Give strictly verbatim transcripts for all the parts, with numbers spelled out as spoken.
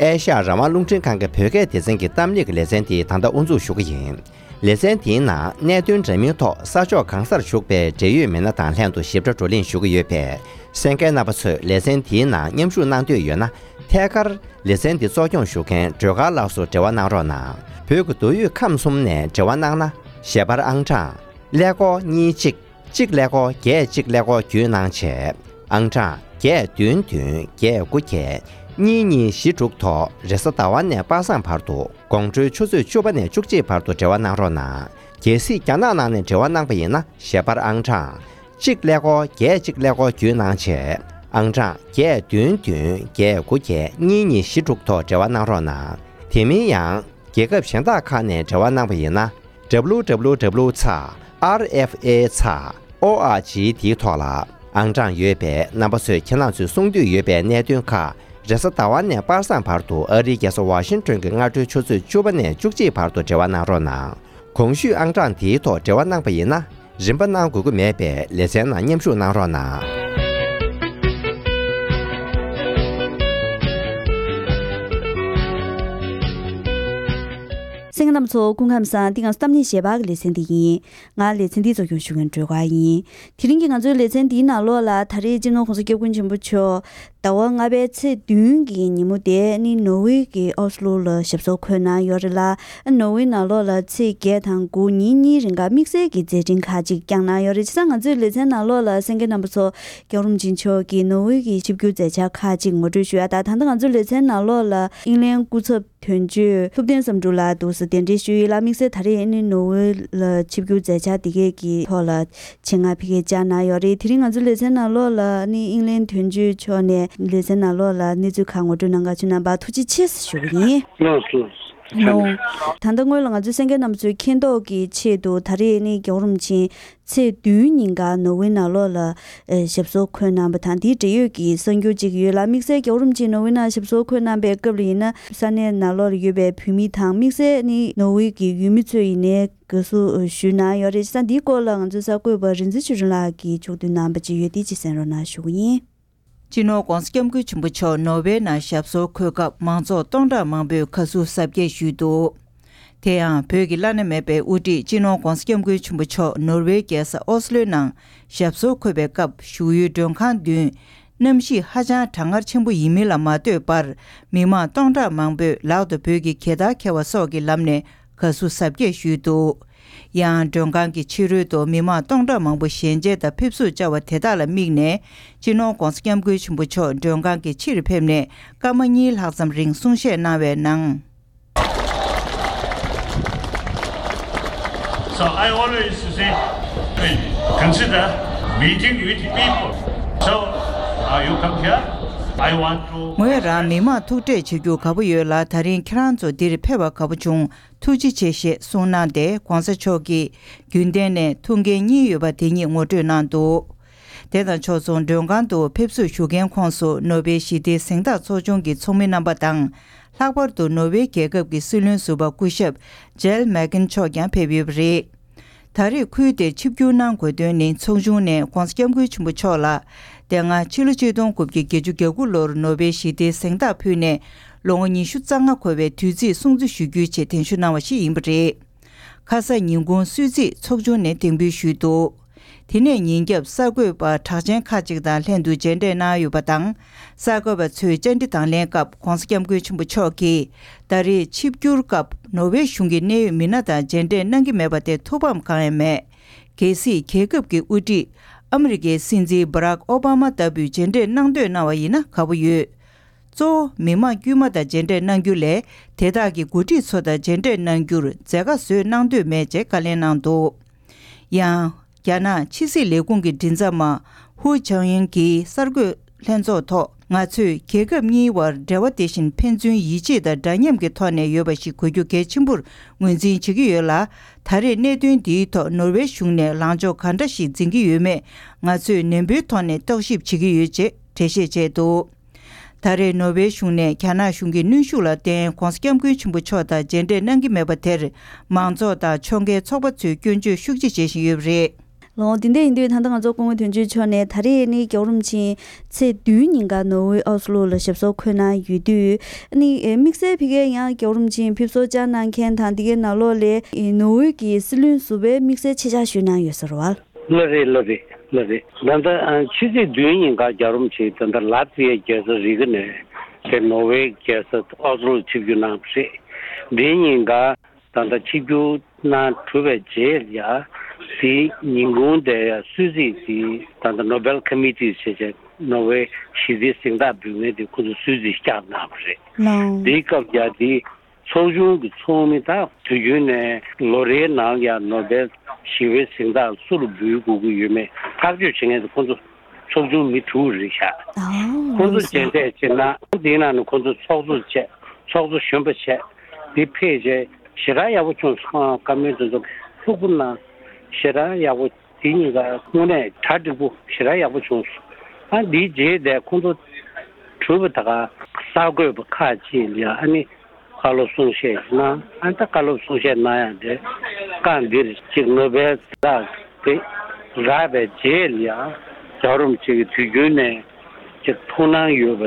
ཨེ་ཤ་ཡ་རང་དབང་རླུང་འཕྲིན་ཁང་གི་བོད་སྐད་སྡེ་ཚན་གྱི་གཏམ་གླེང་གི་ལེ་ཚན་དེ་ད་ལྟ་དབུ་འཛུགས་ཞུ་གི་ཡིན། ལེ་ཚན་དེའི་ནང་གནད་དོན་འདྲ་མིན་ཐོག་ས་ཕྱོགས་གང་སར་བཞུགས་པའི་འབྲེལ་ཡོད་མི་སྣ་དང་ལྷན་དུ་ཞིབ་ཕྲ་བགྲོ་གླེང་ཞུ་གི་ཡོད་པས། གསན་མཁན་རྣམ་པ་ཚོས་ལེ་ཚན་དེའི་ནང་མཉམ་ཞུགས་གནང་འདོད་ཡོད་ན། ཐད་ཀར་ལེ་ཚན་འདི་གཙོ་སྐྱོང་ཞུ་མཁན་སྒྲོལ་དཀར་ལགས་སུ་འབྲེལ་བ་གནང་རོགས་གནང་། བོད་ཀྱི་མདོ་དབུས་ཁམས་གསུམ་ནས་འབྲེལ་བ་གནང་ན། ཞལ་པར་ཨང་གྲངས་ཀླད་ཀོར་གཉིས་གཅིག་གཅིག་ཀླད་ཀོར་བརྒྱད་གཅིག་ཀླད་ཀོར་བརྒྱུད་གནང་བྱས། ཨང་གྲངས་བརྒྱད་བདུན་བདུན་བརྒྱད་དགུ་བརྒྱད་གཉིས་གཉིས་བཞི་དྲུག་ཐོག་རེས་གཟའ་ཟླ་བ་ནས་པ་སངས་བར་དུ་དགོང་དྲོའི་ཆུ་ཚོད་བཅུ་པ་ནས་བཅུ་གཅིག་བར་དུ་འབྲེལ་བ་གནང་རོགས་གནང་། གལ་སྲིད་རྒྱ་ནག་ནང་ནས་འབྲེལ་བ་གནང་པ་ཡིན་ན། ཞལ་པར་ཨང་གྲངས་གཅིག་ཀླད་ཀོར་བརྒྱད་གཅིག་ཀླད་ཀོར་བརྒྱུད་གནང་བྱས། ཨང་གྲངས་བརྒྱད་བདུན་བདུན་བརྒྱད་དགུ་བརྒྱད་གཉིས་གཉིས་བཞི་དྲུག་ཐོག་འབྲེལ་བ་གནང་རོགས་གནང་། དེ་མིན་ཡང་། རྒྱལ་ཁབ་གཞན་དག་ཁག་ནས་འབྲེལ་བ་གནང་པ་ཡིན་ན། W W W ཚེག་R F A ཚེག་O R G འདིའི་ཐོག་ལ་ཨང་གྲངས་ཡོད་པས། རྣམ་པ་ཚོས་ཁྱེད་རང་ཚོས་གསུང་འདོད་ཡོད་པའི་གནད་དོན་ཁག་རེས་གཟའ་ཟླ་བ་ནས་པ་སངས་བར་དུ་ཨ་རིའི་རྒྱལ་ས་ཝ་ཤིང་ཏོན་གྱི་སྔ་དྲོའི་ཆུ་ཚོད་བཅུ་པ་ནས་བཅུ་གཅིག་བར་དུ་འབྲེལ་བ་གནང་རོགས་གནང་། གོང་ཞུས་ཨང་གྲངས་འདིའི་ཐོག་འབྲེལ་བ་གནང་པ་ཡིན་ན། རིན་པ་གནང་དགོས་ཀྱི་མེད་པས་ལེ་ཚན་ནང་མཉམ་ཞུགས་གནང་རོགས་གནང་། གསན་མཁན་རྣམ་པ་ཚོ་སྐུ་ཁམས་བཟང་། འདི་ང་ཚོ་གཏམ་གླེང་ཞལ་པར་གྱི་ལེ་ཚན་འདི་ཡིན། ང་ལེ་ཚན་འདི་གཙོ་སྐྱོང་ཞུ་མཁན་སྒྲོལ་དཀར་ཡིན། དེ་རིང་གི་ང་ཚོའི་ལེ་ཚན་འདིའི་ནང་ལོགས་ལ་ད་རེས་སྤྱི་ནོར་༸གོང་ས་༸སྐྱབས་མགོན་ཆེན་པོ་མཆོག་ཟླ་བ་ལྔ་པའི་ཚེས་བདུན་གྱི་ཉིན་མོ་དེ་ནི་ནོར་ཝེ་གི་ཨོ་སི་ལོ་ལ་ཞབས་སོར་འཁོད་གནང་ཡོད་རེད་ལ། ནོར་ཝེ་ནང་ལོགས་ལ་ཚེས་བརྒྱད་དང་དགུ་ཉིན་གཉིས་རིང་ག་དམིགས་བསལ་གྱི་མཛད་འཕྲིན་ཁག་ཅིག་བསྐྱངས་གནང་ཡོད་རེད། བྱས་ཙང་ང་ཚོའི་ལེ་ཚན་ནང་ལོགས་ལ་གསན་མཁན་རྣམ་པ་ཚོ་༸སྐྱབས་རོམ་ཆེན་མཆོག་གིས་ནོར་ཝེ་གི་ཆིབས་བསྒྱུར་མཛད་འཆར་ཁག་ཅིག་ངོ་སྤྲོད་ཞུ་ཡ་དང་། ད་ལྟ་ང་ཚོའི་ལེ་ཚན་ནང་ལོགས་ལ་དབྱིན་ལན་སྐུ་ཚབ་དོན་གཅོད་ཐུབ་བསྟན་བསམ་འགྲུབ་ལགས་འདུག་སེ་གདན་འདྲེན་ཞུས་ཡོད་ལ། དམིགས་བསལ་ད་རེས་ཨ་ནི་ནོར་ཝེ་ལ་ཆིབས་བསྒྱུར་མཛད་འཆར་དེ་གས་ཀྱི་ཐོག་ལ་ཆེད་མངགས་ཕ་གིར་བཅར་གནང་ཡོད་རེད། དེ་རིང་ང་ཚོའི་ལེ་ཚན་ནང་ལོགས་ལ་ཨ་ནི་དབྱིན་ལན་དོན་གཅོད་མཆོག་ནས་ལེ་ཚན་ནང་ལོགས་ལ་གནས་ཚུལ་ཁག་ངོ་སྤྲོད་གནང་ག་བྱོན་གནང་བར་ཐུགས་རྗེ་ཆེ་ཞུ་གི་ཡིན། ལགས་སོ། ལགས། ད་ལྟ་སྔོན་ལ་ང་ཚོའི་གསན་མཁན་རྣམ་པ་ཚོའི་མཁྱེན་རྟོགས་ཀྱི་ཆེད་དུ་ད་རེས་ཨ་ནི་༸སྐྱབས་རོམ་ཆེན་ཚེས་བདུན་ཉིན་ཀ་ནོར་ཝེ་ནང་ལོགས་ལ་ཨེ་ཞབས་སོར་འཁོད་གནང་བ་དང་། དེའི་འབྲེལ་ཡོད་ཀྱི་གསར་འགྱུར་ཅིག་ཡོད་ལ། དམིགས་བསལ་༸སྐྱབས་རོམ་ཆེན་ནོར་ཝེ་ནང་ཞབས་སོར་འཁོད་གནང་པའི་སྐབས་ལ་ཡིན་ན། ས་གནས་ནང་ལོགས་ལ་ཡོད་པའི་བོད་མི་དང་། དམིགས་བསལ་ནི་ནོར་ཝེ་གི་ཡུལ་མི་ཚོས་ཡིན་ནའི་དགའ་བསུ་ཞུས་གནང་ཡོད་རེད། བྱས་ཙང་འདིའི་སྐོར་ལ་ང་ཚོའི་གསར་འགོད་པ་རིག་འཛིན་ཆོས་སྒྲོན་ལགས་ཀྱིས་ཕྱོགས་བསྡུས་གནང་པ་ཅིག་ཡོད། དེ་ཅིག་གསན་རོགས་གནང་ཞུ་གི་ཡིན། སྤྱི་ནོར་༸གོང་ས་༸སྐྱབས་མགོན་ཆེན་པོ་མཆོག་ནོར་ཝེ་ནང་ཞབས་སོར་འཁོད་སྐབས་མང་ཚོགས་སྟོང་ཕྲག་མང་པོས་དགའ་བསུ་གཟབ་རྒྱས་ཞུས་འདུག་དེ་ཡང་བོད་ཀྱི་བླ་ན་མེད་པའི་དབུ་ཁྲིད་སྤྱི་ནོར་༸གོང་ས་༸སྐྱབས་མགོན་ཆེན་པོ་མཆོག་ནོར་ཝེའི་རྒྱལ་ས་ཨོ་སི་ལོའི་ནང་ཞབས་སོར་འཁོད་པའི་སྐབས། བཞུགས་ཡུལ་མགྲོན་ཁང་མདུན་གནམ་གཤིས་ཧ་ཅང་གྲང་ངར་ཆེན་པོ་ཡིན་མིན་ལ་མ་ལྟོས་པར། མི་མང་སྟོང་ཕྲག་མང་པོས་ལག་ཏུ་བོད་ཀྱི་གྱེས་རྟགས་འཁྱེར་བ་སོགས་ཀྱི་ལམ་ནས་དགའ་བསུ་གཟབ་རྒྱས་ཞུས་འདུག་ཡང་མགྲོན་ཁང་གི་ཕྱི་རོལ་དུ་མི་མང་སྟོང་ཕྲག་མང་པོ་ཞལ་མཇལ་དང་ཕེབས་བསུར་བཅར་བ་དེ་དག་ལ་དམིགས་ནས། སྤྱི་ནོར་༸གོང་ས་༸སྐྱབས་མགོན་ཆེན་པོ་མཆོག་མགྲོན་ཁང་གི་ཕྱིར་ཕེབས་ནས་སྐར་མ་གཉིས་ལྷག་ཙམ་རིང་གསུང་བཤད་གནང་བའི་ནང་། So I always say, consider meeting with people. So, uh, you come here, I want to. ངོས་རང་མི་མང་ཐུག་འཕྲད་བྱེད་རྒྱུ་དགའ་པོ་ཡོད་ལ། ད་རིང་ཁྱེད་རང་ཚོ་འདིར་ཕེབས་པ་དགའ་པོ་བྱུང་། ཐུགས་རྗེ་ཆེ་ཞེས་གསུངས་གནང་སྟེ།༸གོང་ས་མཆོག་གིས་རྒྱུན་གཏན་ནས་ཐུགས་འགན་གཉིས་ཡོད་པ་དེ་ཉིད་ངོ་སྤྲོད་གནང་འདུག་དེ་དང་ཕྱོགས་མཚུངས་མགྲོན་ཁང་དུ་ཕེབས་བསུ་ཞུ་མཁན་ཁོངས་སུ་ནོ་བེལ་ཞི་བདེའི་གཟེངས་རྟགས་ཚོགས་ཆུང་གི་ཚོགས་མི་རྣམ་པ་དང་། ལྷག་པར་དུ་ནོ་བེལ་རྒྱལ་ཁབ་ཀྱི་སྲིད་བློན་ཟུར་པ་སྐུ་ཞབས་ཇེལ་མེག་ཀིན་མཆོག་ཀྱང་ཕེབས་ཡོད་པ་རེད། ད་རེས་ཁུལ་དེར་ཆིབས་བསྒྱུར་གནང་དགོས་དོན་ནི། ཚོགས་ཆུང་ནས་༸གོང་ས་༸སྐྱབས་མགོན་ཆེན་པོ་མཆོག་ལ། དེ་སྔ་ཕྱི་ལོ་ཆིག་སྟོང་དགུ་བརྒྱ་བརྒྱད་ཅུ་གྱ་དགུ་ལོར་ནོ་བེལ་ཞི་བདེའི་གཟེངས་རྟགས་ཕུལ་ནས་ལོ་ངོ་ཉི་ཤུ་རྩ་ལྔ་འཁོར་བའི་དུས་ཚིགས་སྲུང་བརྩི་ཞུ་རྒྱུའི་ཆེད་གདན་ཞུ་གནང་བ་ཞིག་ཡིན་པ་རེད། ཁ་ས་ཉིན་གུང་གསོལ་ཚིགས་ཚོགས་ཆུང་ནས་གདན་འབུལ་ཞུས་འདུག་དེ་ནས་ཉིན་རྒྱབ་གསར་འགོད་པ་གྲགས་ཅན་ཁག་ཅིག་དང་ལྷན་དུ་མཇལ་འཕྲད་གནང་ཡོད་པ་དང་། གསར་འགོད་པ་ཚོའི་བཅར་འདྲི་དང་ལེན་སྐབས་༸གོང་ས་༸སྐྱབས་མགོན་ཆེན་པོ་མཆོག་གིས་ད་རེས་ཆིབས་བསྒྱུར་སྐབས་ནོར་ཝེ་གཞུང་གི་གནད་ཡོད་མི་སྣ་དང་མཇལ་འཕྲད་གནང་གི་མེད་པ་དེ་ཐུགས་ཕམ་གང་ཡང་མེད། གལ་སྲིད་རྒྱལ་ཁབ་ཀྱི་དབུ་ཁྲིད་ཨ་མི་རི་ཀའི་སྲིད་འཛིན་སྦ་རག་ཨོ་བྷ་མ་ལྟ་བུས་མཇལ་འཕྲད་གནང་འདོད་གནང་བ་ཡིན་ན་དགའ་པོ་ཡོད། གཙོ་བོ་མི་མང་དཀྱུས་མ་དང་མཇལ་འཕྲད་གནང་རྒྱུ་ལས། དེ་དག་གི་འགོ་ཁྲིད་ཚོ་དང་མཇལ་འཕྲད་གནང་རྒྱུར་མཛད་དཀའ་བཟོས་གནང་འདོད་མེད་ཅེས་བཀའ་ལན་གནང་འདུག་ཡང་། རྒྱ་ནག་ཕྱི་སྲིད་ལས་ཁུངས་ཀྱི་མགྲིན་ཚབ་མ་ཧུའུ་ཆང་ཡིན་གྱིས་གསར་འགོད་ལྷན་ཚོགས་ཐོག་ང་ཚོས་རྒྱལ་ཁབ་གཉིས་བར་འབྲེལ་བ་དེ་བཞིན་ཕན་ཚུན་ཡིད་ཆེས་དང་འདྲ་མཉམ་གྱི་ཐོག་ནས་ཡོད་པ་ཞིག་དགོས་རྒྱུ་གལ་ཆེན་པོར་ངོས་འཛིན་བྱེད་ཀྱི་ཡོད་ལ། ད་རེས་གནད་དོན་འདིའི་ཐོག་ནོར་ཝེ་གཞུང་ནས་ལངས་ཕྱོགས་ག་འདྲ་ཞིག་འཛིན་གྱི་ཡོད་མེད་ང་ཚོས་ནན་པོའི་ཐོག་ནས་རྟོག་ཞིབ་བྱེད་ཀྱི་ཡོད་ཅེས་འགྲེལ་བཤད་བྱས་འདུག་ད་རེས་ནོར་ཝེ་གཞུང་ནས་རྒྱ་ནག་གཞུང་གི་གནོན་ཤུགས་ལ་བརྟེན་༸གོང་ས་༸སྐྱབས་མགོན་ཆེན་པོ་མཆོག་དང་མཇལ་འཕྲད་གནང་གི་མེད་པ་དེར། མང་ཚོགས་དང་ཕྱོགས་འགལ་ཚོགས་པ་ཚོས་སྐྱོན་བརྗོད་ཤུགས་ཆེ་བྱེད་བཞིན་ཡོད་པ་རེད། ལགས། དེ་འདྲ་ཡིན་དུས་ད་ལྟ་ང་ཚོ་སྐུ་ངོ་དོན་གཅོད་མཆོག་ནས་ད་རེས་ནི་རྒྱལ་བ་རིན་པོ་ཆེ་ཚེས་བདུན་ཉིན་ཀ་ནོར་ཝེ་ཨོ་སི་ལོ་ལ་ཞབས་སོར་འཁོད་གནང་ཡོད་དུས། ཨ་ནི་དམིགས་བསལ་ཕ་གིར་ཡང་རྒྱལ་བ་རིན་པོ་ཆེ་ཕེབས་བསུ་བཅར་གནང་མཁན་དང་དེ་གའི་ནང་ལོགས་ལ་ནོར་ཝེ་གི་སྲིད་བློན་ཟུར་པའི་དམིགས་བསལ་ཆེད་བཅར་ཞུས་གནང་ཡོད་ས་རེད་བ། ལགས་རེད། ལགས་རེད། ལགས་རེད། ད་ལྟ་ཨ་ཕྱི་ཚེས་བདུན་ཉིན་ཀ་རྒྱལ་བ་རིན་པོ་ཆེ་ད་ལྟ་ལ་ཏི་ཡའི་རྒྱལ་ས་རི་ག་ནས་དེ་ནོར་ཝེ་རྒྱལ་ས་ཨོ་སི་ལོར་ཆིབས་བསྒྱུར་གནང་བ་རེད། དེའི་ཉིན་ཀ་ད་ལྟ་ཆིབས་བསྒྱུར་གནང་གྲུབ་པའི་རྗེས་ལ་ཡ། དེའི་ཉིན་གུང་དེ་ཡ་གསོལ་ཚིགས་དེ་ད་ལྟ་ནོ་བེལ་ཁོ་མི་ཊི་ཟེར་བྱས་ནོར་ཝེ་ཞི་བདེའི་གཟེངས་རྟགས་འབུལ་མཁན་དེ་ཁོ་ཚོ་གསོལ་ཚིགས་བསྐྱངས་གནང་བ་རེད། ལགས། དེའི་སྐབས་ཡ་དེ་ཚོགས་ཆུང་གི་ཚོགས་མི་དག་དུས་རྒྱུན་ནས་ལོ་རེའི་ནང་ཡ་ནོ་བེལ་ཞི་བའི་གཟེངས་རྟགས་སུ་ལ་འབུལ་དགོས་ཀྱི་ཡོད་མེད་ཐག་གཅོད་བྱེད་མཁན་དེ་ཁོ་ཚོ་ཚོགས་ཆུང་མི་དྲུག་རེད་ཤག་ཨོ་ཁོ་ཚོ་ལགས་སོ། མཇལ་འཕྲད་བྱེད་ན་དེའི་ནང་ནས་ཁོ་ཚོ་ཚོགས་གཙོ་བྱས། ཚོགས་གཙོ་གཞོན་པ་བྱས། དེ་ཕེབས་རྗེས་ཞེ་དྲག་ཡག་པོ་བྱུང་སོང་། བཀའ་མོལ་དེ་ཚོ་ལྷུག་པོ་གནང་། ཞེ་དྲག་ཡག་པོ། དེ་གཉིས་ཀ་དངོས་གནས་གྲ་འགྲིག་པོ་ཞེ་དྲག་ཡག་པོ་བྱུང་སོང་། ཨ་འདིའི་རྗེས་དེ་ཁོང་ཚོ་གྲུབ་པ་ད་ག་གསར་འགོད་པ་ཁག་ཅིག་ལ་ཡ་ཨ་ནི་བཀའ་སློབ་གསུང་བཤད་གནང་། ཨ་ད་བཀའ་སློབ་གསུང་བཤད་གནང་ཡག་དེ་སྐབས་འདིར་ཅིག་ནོ་བེལ་གཟེངས་རྟགས་དེ་རག་པའི་རྗེས་ལ་ཡ་རྒྱལ་བ་རིན་པོ་ཆེ་གིས་དུས་རྒྱུན་ནས་ཅིག་ཐུགས་སྣང་ཡོད་པ་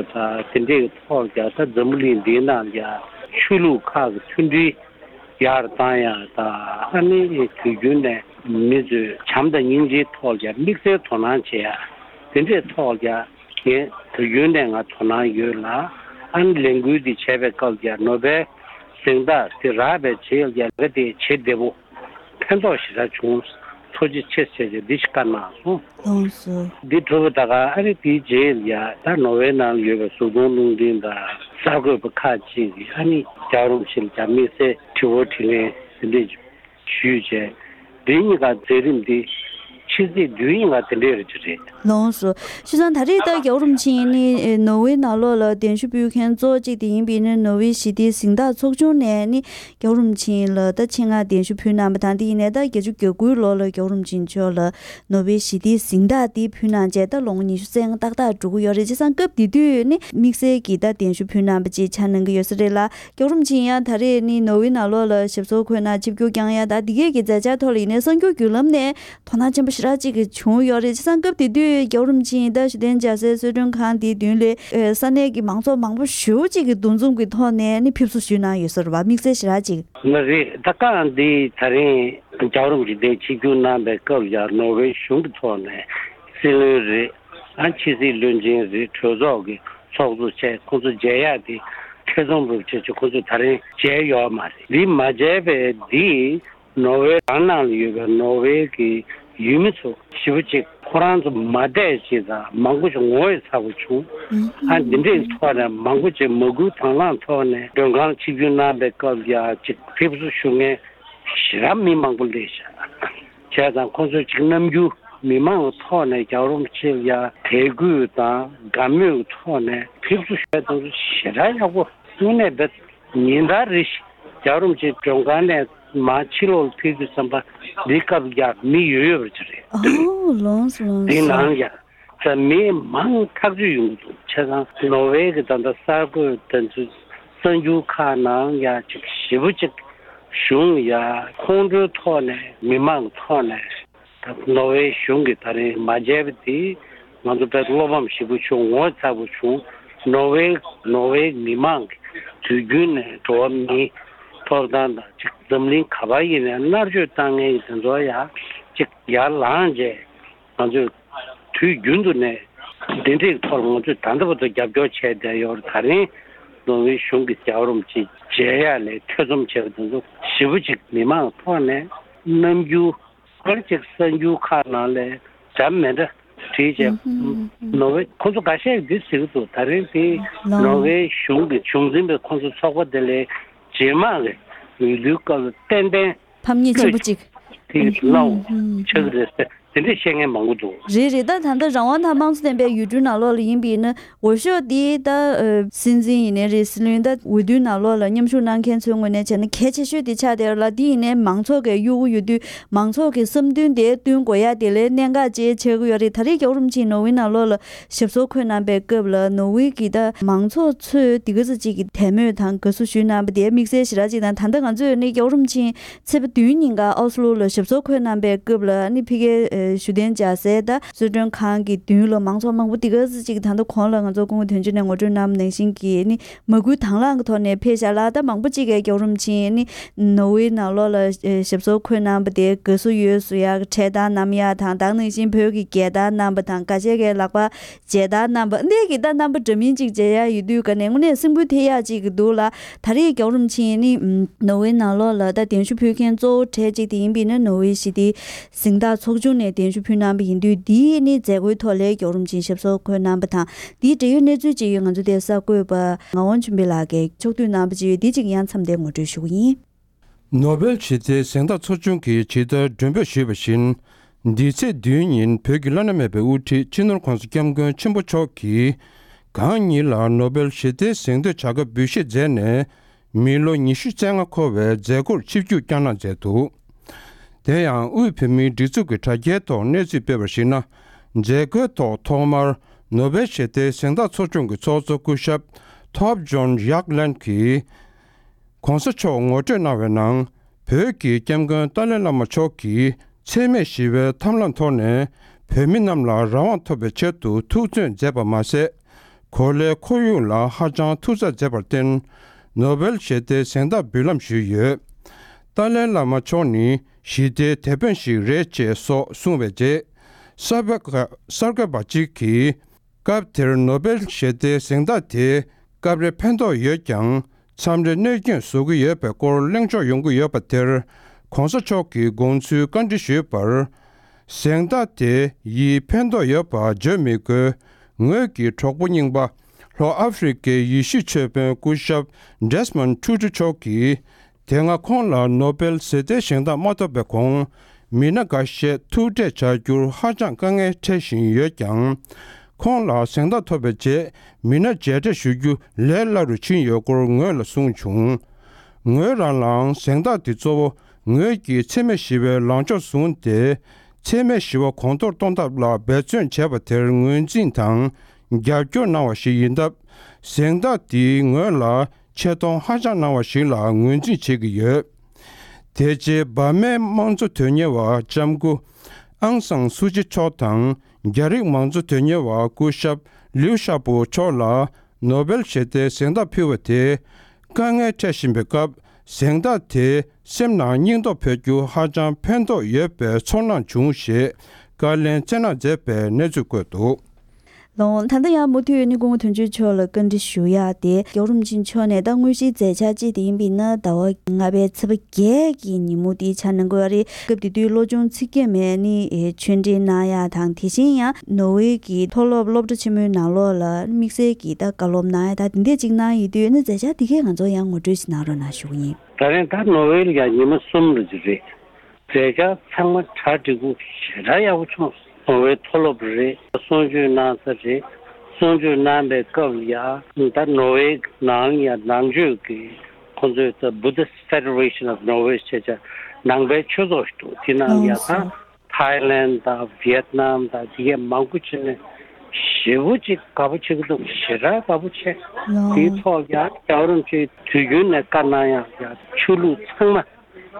དང་དེ་འདྲའི་ཐོག་ལ་ཡ་ད་འཛམ་བུ་གླིང་འདིའི་ནང་ལ་ཡ་ཆོས་ལུགས་ཁག་གི་མཐུན་སྒྲིལ་ཡར་བཏང་ཡག་དང་། ཨ་ནི་དུས་རྒྱུན་ནས་མི་ཚོས་བྱམས་དང་སྙིང་རྗེའི་ཐོག་ལ་དམིགས་བསལ་དོ་སྣང་བྱེད་ཡག་དེ་འདྲའི་ཐོག་ལ་ངས་དུས་རྒྱུན་ནས་ང་དོ་སྣང་ཡོད་ལ། ཨ་ནི་ལས་འགུལ་འདི་བྱས་པའི་སྐབས་ཀྱི་ནོ་བེལ་གཟེངས་རྟགས་དེ་རག་པའི་རྗེས་ལ་ལས་ཀ་དེ་བྱེད་བདེ་པོ་ཕན་ཐོགས་ཞེ་དྲག་བྱུང་། ཐུགས་རྗེ་ཆེ་ཟེར་ཏེ་འདི་ཞིག་བཀའ་གནང་སོང་། ལགས་སོ། འདི་གྲུབ་པ་ད་ག་ཨ་རི་དེའི་རྗེས་ལ་ཡ་ད་ནོར་ཝེ་ནང་ཡོད་པའི་གཟུགས་མཐོང་རླུང་འཕྲིན་དང་གསར་འགོད་པ་ཁག་ཅིག་གིས་ཨ་ནི་རྒྱལ་བ་རིན་པོ་ཆེ་ལ་ཡ་དམིགས་བསལ་དྲི་བ་དྲིས་ལན་དེ་འདྲས་ཞུས་བྱས། འདི་གཉིས་ཀ་མཛད་རིམ་འདི་ཕྱི་ཚེས་བདུན་ཉིན་ཀ་དེ་འདྲས་རེད་ཅེས་རེད། ལགས་སོ། བྱས་ཙང་ད་རེས་ད་རྒྱལ་བ་རིན་པོ་ཆེ་ནི་ནོར་ཝེ་ནང་ལོགས་ལ་གདན་ཞུ་ཕུལ་མཁན་གཙོ་བོ་གཅིག་དེ་ཡིན་པས་ནི་ནོར་ཝེ་ཞི་བདེའི་གཟེངས་རྟགས་ཚོགས་ཆུང་ནས་ནི་རྒྱལ་བ་རིན་པོ་ཆེ་ལ་ད་ཆེད་མངགས་གདན་ཞུ་ཕུལ་གནང་བ་དང་། དེ་ཡིན་ནའི་ད་བརྒྱད་ཅུ་གྱ་དགུའི་ལོ་ལ་རྒྱལ་བ་རིན་པོ་ཆེ་མཆོག་ལ་ནོར་ཝེ་ཞི་བདེའི་གཟེངས་རྟགས་དེ་ཕུལ་གནང་བྱས་ད་ལོ་ངོ་ཉི་ཤུ་རྩ་ལྔ་ཏག་ཏག་འགྲོ་གི་ཡོད་རེད། བྱས་ཙང་སྐབས་དེ་དུས་ནི་དམིགས་བསལ་གྱི་ད་གདན་ཞུ་ཕུལ་གནང་བ་ཅིག་ཆགས་གནང་གི་ཡོད་ས་རེད་ལ། རྒྱལ་བ་རིན་པོ་ཆེ་ཡང་ད་རེས་ནི་ནོར་ཝེ་ནང་ལོགས་ལ་ཞབས་སོར་འཁོད་གནང་ཆིབས་བསྒྱུར་བསྐྱངས་ཡ་ད་འདི་གས་ཀྱི་མཛད་འཆར་ཐོག་ལ་ཡིན་ནའི་གསར་འགྱུར་བརྒྱུད་ལམ་ནས་དོ་སྣང་ཆེན་པོ་ཞེ་དྲག་ཅིག་གི་བྱུང་ཡོད་རེད། བྱས་ཙང་སྐབས་དེ་དུས་རྒྱལ་བ་རིན་པོ་ཆེ་ད་ཞུ་བསྟན་རྒྱལ་སའི་གསོལ་མགྲོན་ཁང་དེའི་མདུན་ལ་ས་གནས་ཀྱི་མང་ཚོགས་མང་པོ་ཞེ་པོ་ཅིག་གིས་འདུ་འཛོམས་ཀྱི་ཐོག་ནས་ནི་ཕེབས་བསུ་ཞུས་གནང་ཡོད་ས་རེད་བ། དམིགས་བསལ་ཞེ་དྲག་ཅིག་ལགས་རེད། ད་སྐབས་འདི་ད་རིང་རྒྱལ་བ་རིན་པོ་ཆེ་འདིར་ཆིབས་བསྒྱུར་གནང་པའི་སྐབས་ལ་ནོར་ཝེ་གཞུང་གི་ཐོག་ནས་སྲིད་བློན་རེད། ཨ་ཕྱི་སྲིད་བློན་ཆེན་རེད། གྲོས་ཚོགས་ཀྱི་ཚོགས་གཙོ་བྱས་ཁོང་ཚོ་མཇལ་ཡག་དེ་ཐེ་ཚོམ་རུ་བྱས་བྱས་ཁོང་ཚོ་ད་རིང་མཇལ་ཡོད་མ་རེད། འདི་མ་མཇལ་བའི་འདི་ནོར་ཝེ་རང་ནང་ལ་ཡོད་པའི་ནོར་ཝེ་གི་ཡུལ་མི་ཚོ་ཞེ་པོ་ཅིག་ཁོ་རང་ཚོ་མ་བསྡད་ཅིག་དང་མང་པོ་ཞིག་ངོ་ཡི་ཚ་པོ་བྱུང་། ཨ་འདི་འདྲའི་ཐོག་ནས་མང་པོ་ཅིག་མ་སྐུལ་དང་བླངས་ཐོག་ནས་མགྲོན་ཁང་ཆིབས་བསྒྱུར་གནང་པའི་སྐབས་ཡ་ཅིག་ཕེབས་བསུ་ཞུ་མཁན་ཞེ་དྲག་མི་མང་པོ་སླེབས་ཤག་བྱས་ཙང་ཁོང་ཚོས་ཅིག་རྣམ་འགྱུར་མི་མང་གི་ཐོག་ནས་རྒྱལ་བ་རིན་པོ་ཆེ་ལ་ཡ་དད་གུས་དང་དགའ་མོས་ཀྱི་ཐོག་ནས་ཕེབས་བསུ་ཞུ་ཡ་དེ་ཚོ་ཞེ་དྲག་ཡག་པོ། དངོས་གནས་བེད་ཉིན་ལྟར་རེ་བཞིན་རྒྱལ་བ་རིན་པོ་ཆེ་མགྲོན་ཁང་ནས་མར་ཕྱི་ལོགས་ལ་ཕེབས་དུས་ཙམ་པ་འདི་སྐབས་ཀྱང་མི་ཡོད་ཡོད་པ་ཅིག་རེད། ཨོ་ལོངས་སོ་ལོངས་འདི་སོ། ནང་ཡང་ད་མི་མང་ཐག་ཆོད་ཡོང་གི་འདུག་བྱས་ཙང་ནོར་ཝེ་གི་ད་ལྟ་གསར་འགོད་དེ་ཚོའི་གསར་འགྱུར་ཁག་ནང་ཡང་ཅིག་ཞེ་པོ་ཅིག་གཞུང་ཡ་ཁོང་ཁྲོའི་ཐོག་ནས་མི་མང་གི་ཐོག་ནས། ད་ནོར་ཝེ་གཞུང་གིས་ད་རིང་མ་མཇལ་བ་དེ་ང་ཚོ་དཔེ་བློ་ཕམ་ཞེ་པོ་བྱུང་། ངོ་ཚ་པོ་བྱུང་། ནོར་ཝེ་ནོར་ཝེ་མི་མང་གིས་དུས་རྒྱུན་ནས་འགྲོ་བ་མིའི་ཐོབ་ཐང་དང་ཅིག་འཛམ་གླིང་ག་པར་ཡིན་ནའི་མནར་གཅོད་བཏང་མཁན་གྱི་དེ་ཚོ་ཡ་ཅིག་ཡར་ལངས་བྱས་ང་ཚོས་དུས་རྒྱུན་དུ་ནས་འདི་འདྲའི་ཐོག་ལ་ང་ཚོས་ད་ལྟ་བར་དུ་རྒྱབ་སྐྱོར་བྱས་བསྡད་ཡོད་རེད། ད་རིང་ནོར་ཝེ་གཞུང་གིས་རྒྱལ་བ་རིན་པོ་ཆེ་མཇལ་ཡག་ལ་ཐེ་ཚོམ་བྱས་པ་དེ་ཚོ་ཞེ་པོ་ཅིག་མི་མང་ཐོག་ནས་རྣམ་འགྱུར། ཁ་ཅིག་གསར་འགྱུར་ཁག་ནང་ལས་འདྲ་མི་འདྲ་བྲིས་བྱས། ནོར་ཝེ་ཁོ་ཚོ་འགའ་ཤས་འདི་ཟེར་གྱི་འདུག་ད་རིང་དེ་ནོར་ཝེ་གཞུང་གི་གཞུང་འཛིན་པའི་ཁོ་ཚོ་ཚོགས་པ་དེ་ལས་རྗེས་མ་གི་འོས་བསྡུའི་སྐབས་ལ་ཏན་ཏན་ཕམ་ཉེས་ཆེན་པོ་གཅིག་དེ་གནང་ཆགས་ཀྱི་རེད་ཟེར་དེ་འདྲས་བཤད་མཁན་མང་པོ་འདུག་རེད་རེད། ད་ད་ལྟ་རང་དབང་དང་དམངས་གཙོ་ལྡན་པའི་ཡུལ་གྲུའི་ནང་ལོགས་ལ་ཡིན་པ་ཡིན་ན། འོས་ཤོག་འདི་ད་ཨ་སྲིད་འཛིན་ཡིན་ནའི་རེད། སྲིད་བློན་ད་འོས་བསྡུའི་ནང་ལོགས་ལ་མཉམ་ཞུགས་གནང་མཁན་ཚོའི་ངོས་ནས་བྱས་ན་གལ་ཆེ་ཤོས་དེ་ཆགས་བསྡད་ཡོད་ལ། འདི་ཡིན་ནའི་མང་ཚོགས་ཀྱི་གཡོ་འགུལ་ཡོད་དུས་མང་ཚོགས་ཀྱི་བསམ་འདུན་དེ་བསྟུན་དགོས་ཡ་དེ་ལས་གནད་འགག་ཅིག་ཆགས་ཀྱི་ཡོད་རེད། ད་རེས་རྒྱལ་བ་རིན་པོ་ཆེ་ནོར་ཝེ་ནང་ལོགས་ལ་ཞབས་སོར་འཁོད་གནང་པའི་སྐབས་ལ་ནོར་ཝེ་གི་ད་མང་ཚོགས་ཚོས་འདི་ག་ཚོད་ཅིག་གི་དད་མོས་དང་དགའ་བསུ་ཞུས་གནང་པ་དེ་དམིགས་བསལ་ཞེ་དྲག་ཅིག་དང་། ད་ལྟ་ང་ཚོས་ནི་རྒྱལ་བ་རིན་པོ་ཆེ་ཚེས་པ་བདུན་ཉིན་ཀ་ཨོ་སི་ལོ་ལ་ཞབས་སོར་འཁོད་གནང་པའི་སྐབས་ལ་ནི་ཕ་གིའི་ ཞུ་གཏན་འཇགས་སའི་ད་གསོལ་མགྲོན་ཁང་གི་མདུན་ལ་མང་ཚོགས་མང་པོ་འདི་ག་ཙམ་ཅིག་ད་ལྟ་གོང་ལ་ང་ཚོ་སྐུ་ངོ་དོན་གཅོད་ནས་ངོ་སྤྲོད་གནང་བ་ནང་བཞིན་གྱི་ནི་མ་སྐུལ་དང་བླངས་ཀྱི་ཐོག་ནས་ཕེབས་ཤག་ལ། ད་མང་པོ་ཅིག་གིས་རྒྱལ་བ་རིན་པོ་ཆེ་ནི་ནོར་ཝེ་ནང་ལོགས་ལ་ཞབས་སོར་འཁོད་གནང་བ་དེ་དགའ་བསུ་ཡོད་ཟེར་ཡག་འཕྲེད་དར་བསྣམས་ཡག་དང་། ད་ག་ནང་བཞིན་བོད་ཀྱི་རྒྱལ་དར་བསྣམས་པ་དང་། འགའ་ཤས་ཀྱིས་ལག་པ་མཇལ་དར་བསྣམས་པ་འདི་གི་ད་རྣམ་པ་འདྲ་མིན་ཅིག་མཇལ་ཡག་ཡོད་དུས་ཀ་ནས་དངོས་གནས་སེམས་འགུལ་ཐེབས་ཡག་ཅིག་འདུག་ལ། ད་རེས་རྒྱལ་བ་རིན་པོ་ཆེ་ནི་ནོར་ཝེ་ནང་ལོགས་ལ་ད་གདན་ཞུ་ཕུལ་མཁན་གཙོ་བོ་གྲས་གཅིག་དེ་ཡིན་པས་ན། ནོར་ཝེ་ཞི་བདེའི་གཟེངས་རྟགས་ཚོགས་ཆུང་ནས་གདན་ཞུ་ཕུལ་གནང་བ་ཡིན་དུས། འདིའི་ནི་མཛད་སྒོའི་ཐོག་ལ་རྒྱལ་བ་རིན་པོ་ཆེ་ཞབས་སོར་འཁོད་གནང་བ་དང་། འདིའི་འབྲེལ་ཡོད་གནས་ཚུལ་ཅིག་ཡོད། ང་ཚོ་དེ་གསར་འགོད་པ་ངག་དབང་ཆོས་འཕེལ་ལགས་ཀྱིས་ཕྱོགས་བསྡུས་གནང་བ་ཅིག་ཡོད། འདི་ཅིག་ཡང་མཚམས་བསྡད་ངོ་སྤྲོད་ཞུ་གི་ཡིན། ནོ་བེལ་ཞི་བདེའི་གཟེངས་རྟགས་ཚོགས་ཆུང་གིས་ཇི་ལྟར་མགྲོན་འབོད་ཞུས་པ་བཞིན། འདི་ཚེས་བདུན་ཉིན་བོད་ཀྱི་བླ་ན་མེད་པའི་དབུ་ཁྲིད་སྤྱི་ནོར་༧གོང་ས་༧སྐྱབས་མགོན་ཆེན་པོ་མཆོག་གིས་གང་ཉིད་ལ་ནོ་བེལ་ཞི་བདེའི་གཟེངས་བསྟོད་བྱ་དགའ་འབུལ་བཞེས་མཛད་ནས། མི་ལོ་ཉི་ཤུ་རྩ་ལྔ་འཁོར་བའི་མཛད་སྒོར་ཆིབས་བསྒྱུར་བསྐྱངས་གནང་མཛད་འདུག་དེ་ཡང་དབུས་བོད་མིའི་སྒྲིག་འཛུགས་ཀྱི་དྲ་རྒྱའི་ཐོག་གནས་ཚུལ་སྤེལ་བར་གཞིགས་ན། མཛད་སྒོའི་ཐོག་ཐོག་མར་ནོ་བེལ་ཞི་བདེའི་གཟེངས་རྟགས་ཚོགས་ཆུང་གི་ཚོགས་གཙོ་སྐུ་ཞབས་ཐོབ་ཇོན་ཡག་ལན་གྱིས། ༸གོང་ས་མཆོག་ངོ་སྤྲོད་གནང་བའི་ནང་། བོད་ཀྱི་སྐྱབས་མགོན་ཏཱ་ལའི་བླ་མ་མཆོག་གིས་འཚེ་མེད་ཞི་བའི་ཐབས་ལམ་ཐོག་ནས་བོད་མི་རྣམས་ལ་རང་དབང་ཐོབ་པའི་ཆེད་དུ་ཐུགས་བརྩོན་མཛད་པ་མ་ཟད། གོ་ལའི་ཁོར་ཡུག་ལ་ཧ་ཅང་ཐུགས་འཚབ་མཛད་པར་བརྟེན། ནོ་བེལ་ཞི་བདེའི་གཟེངས་རྟགས་འབུལ་ལམ་ཞུས་ཡོད། ཏཱ་ལའི་བླ་མ་མཆོག་ནི་ཞི་བདེའི་དེད་དཔོན་ཞིག་རེད་ཅེས་སོགས་གསུངས་པའི་རྗེས། གསར་འགོད་པ་གསར་འགོད་པ་གཅིག་གིས། སྐབས་དེར་ནོ་བེལ་ཞི་བདེའི་གཟེངས་རྟགས་དེ་སྐབས་རེ་ཕན་ཐོགས་ཡོད་ཀྱང་། མཚམས་རེ་གནོད་སྐྱོན་བཟོ་གི་ཡོད་པའི་སྐོར་གླེང་ཕྱོགས་ཡོང་གི་ཡོད་པ་དེར། ༸གོང་ས་མཆོག་གིས་དགོངས་ཚུལ་བཀའ་འདྲི་ཞུས་པར། གཟེངས་རྟགས་དེ་ཡིས་ཕན་ཐོགས་ཡོད་པ་བརྗོད་མི་དགོས། ངོས་ཀྱི་གྲོགས་པོ་རྙིང་པ། ལྷོ་ཨ་ཧྥེ་རི་ཁའི་ཡེ་ཤུའི་ཆོས་དཔོན་སྐུ་ཞབས་Desmond Tutu་མཆོག་གིས། དེ་སྔ་ཁོང་ལ་ནོ་བེལ་ཞི་བདེའི་གཟེངས་རྟགས་མ་ཐོབ་པའི་གོང་། མི་སྣ་འགའ་ཤས་ཐུག་འཕྲད་བྱ་རྒྱུར་ཧ་ཅང་དཀའ་ངལ་འཕྲད་བཞིན་ཡོད་ཀྱང་། ཁོང་ལ་གཟེངས་རྟགས་ཐོབ་པའི་རྗེས། མི་སྣ་མཇལ་འཕྲད་ཞུ་རྒྱུ་ལས་སླ་རུ་ཕྱིན་ཡོད་སྐོར་ངོས་ལ་གསུངས་བྱུང་། ངོས་རང་ལའང་གཟེངས་རྟགས་འདི་གཙོ་བོ་ངོས་ཀྱིས་འཚེ་མེད་ཞི་བའི་ལངས་ཕྱོགས་བཟུང་སྟེ། འཚེ་མེད་ཞི་བ་གོང་མཐོར་གཏོང་ཐབས་ལ་འབད་བརྩོན་བྱས་པ་དེར་ངོས་འཛིན་དང་རྒྱབ་སྐྱོར་གནང་བ་ཞིག་ཡིན་སྟབས། གཟེངས་རྟགས་འདིས་ངོས་ལ་ཆེ་མཐོང་ཧ་ཅང་གནང་བ་ཞིག་ལ་ངོས་འཛིན་བྱེད་ཀྱི་ཡོད། དེ་རྗེས་འབར་མའི་དམངས་གཙོ་དོན་གཉེར་བ་ལྕམ་སྐུ་ཨང་སང་སུ་ཅི་མཆོག་དང་། རྒྱ་རིགས་མང་གཙོ་དོན་གཉེར་བ་སྐུ་ཞབས་ལིའུ་ཤ་པོ་མཆོག་ལ་ནོ་བེལ་ཞི་བདེའི་གཟེངས་རྟགས་ཕུལ་བ་དེ། དཀའ་ངལ་འཕྲད་བཞིན་པའི་སྐབས། གཟེངས་རྟགས་དེ་སེམས་ནང་སྙིང་སྟོབས་འཕེལ་རྒྱུ་ཧ་ཅང་ཕན་ཐོགས་ཡོད་པའི་ཚོར་སྣང་བྱུང་ཞེས་བཀའ་ལན་སྩལ་གནང་མཛད་པའི་གནས་ཚུལ་བཀོད་འདུག་ལགས། ད་ལྟ་ཡང་མུ་མཐུད་ནས་སྐུ་ངོ་དོན་གཅོད་མཆོག་ལ་བཀའ་འདྲི་ཞུ་ཡག་དེ། རྒྱལ་བ་རིན་པོ་ཆེ་མཆོག་ནས་ད་དངོས་གཞིའི་མཛད་འཆར་ཅིག་དེ་ཡིན་པས་ན། ཟླ་བ་ལྔ་པའི་ཚེས་པ་བརྒྱད་ཀྱི་ཉིན་མོ་དེའི་འཆར་གནང་དགོས་པ་རེད། སྐབས་དེ་དུས་བློ་སྦྱོང་ཚིག་བརྒྱད་མའི་ནི་ཆོས་འབྲེལ་གནང་ཡག་དང་། དེ་བཞིན་ཡང་ནོར་ཝེ་གི་མཐོ་སློབ་སློབ་གྲྭ་ཆེན་མོའི་ནང་ལོགས་ལ་དམིགས་བསལ་གྱི་ད་བཀའ་སློབ་གནང་ཡག་ད་དེ་འདྲས་ཅིག་གནང་ཡོད་དུས། ཨ་ནི་མཛད་འཆར་དེ་གས་ང་ཚོ་ཡང་ངོ་སྤྲོད་ཅིག་གནང་རོགས་གནང་ཞུ་གི་ཡིན། ད་རེས་ད་ནོར་ཝེ་ལ་ཡང་ཉི་མ་གསུམ་ལ་ཅིག་རེད། མཛད་འཆར་ཚང་མ་གྲ་སྒྲིག་པོ་ཞེ་དྲག་ཡག་པོ་བྱུང་སོང་། ནོར་ཝེ་མཐོ་སློབ་རེད། གསུང་ཆོས་གནང་ས་རེད། གསུང་ཆོས་གནང་པའི་སྐབས་ལ་ཡ། ད་ནོར་ཝེ་ནང་ཡ་ནང་ཆོས་ཀྱི་ཁོང་ཚོའི་ད་Buddhist Federation of Norway ཞེས་བྱ་ནང་པའི་ཆོས་ཚོགས་ཤིག་འདུག་དེ་ནང་ཡ་ད་ཐའི་ལན་དང་ཝི་ཡེད་ནམ་དང་དེ་གས་མང་པོ་ཕྱིན་ནས་ཞེ་པོ་ཅིག་དགའ་པོ་བྱེད་ཀྱི་འདུག་ཞེ་དྲག་དགའ་པོ་བྱས། དེའི་ཐོག་ཡ་རྒྱལ་བ་རིན་པོ་ཆེས་དུས་རྒྱུན་ནས་བཀའ་གནང་ཡག་ཡ་ཆོས་ལུགས་ཚང་མ།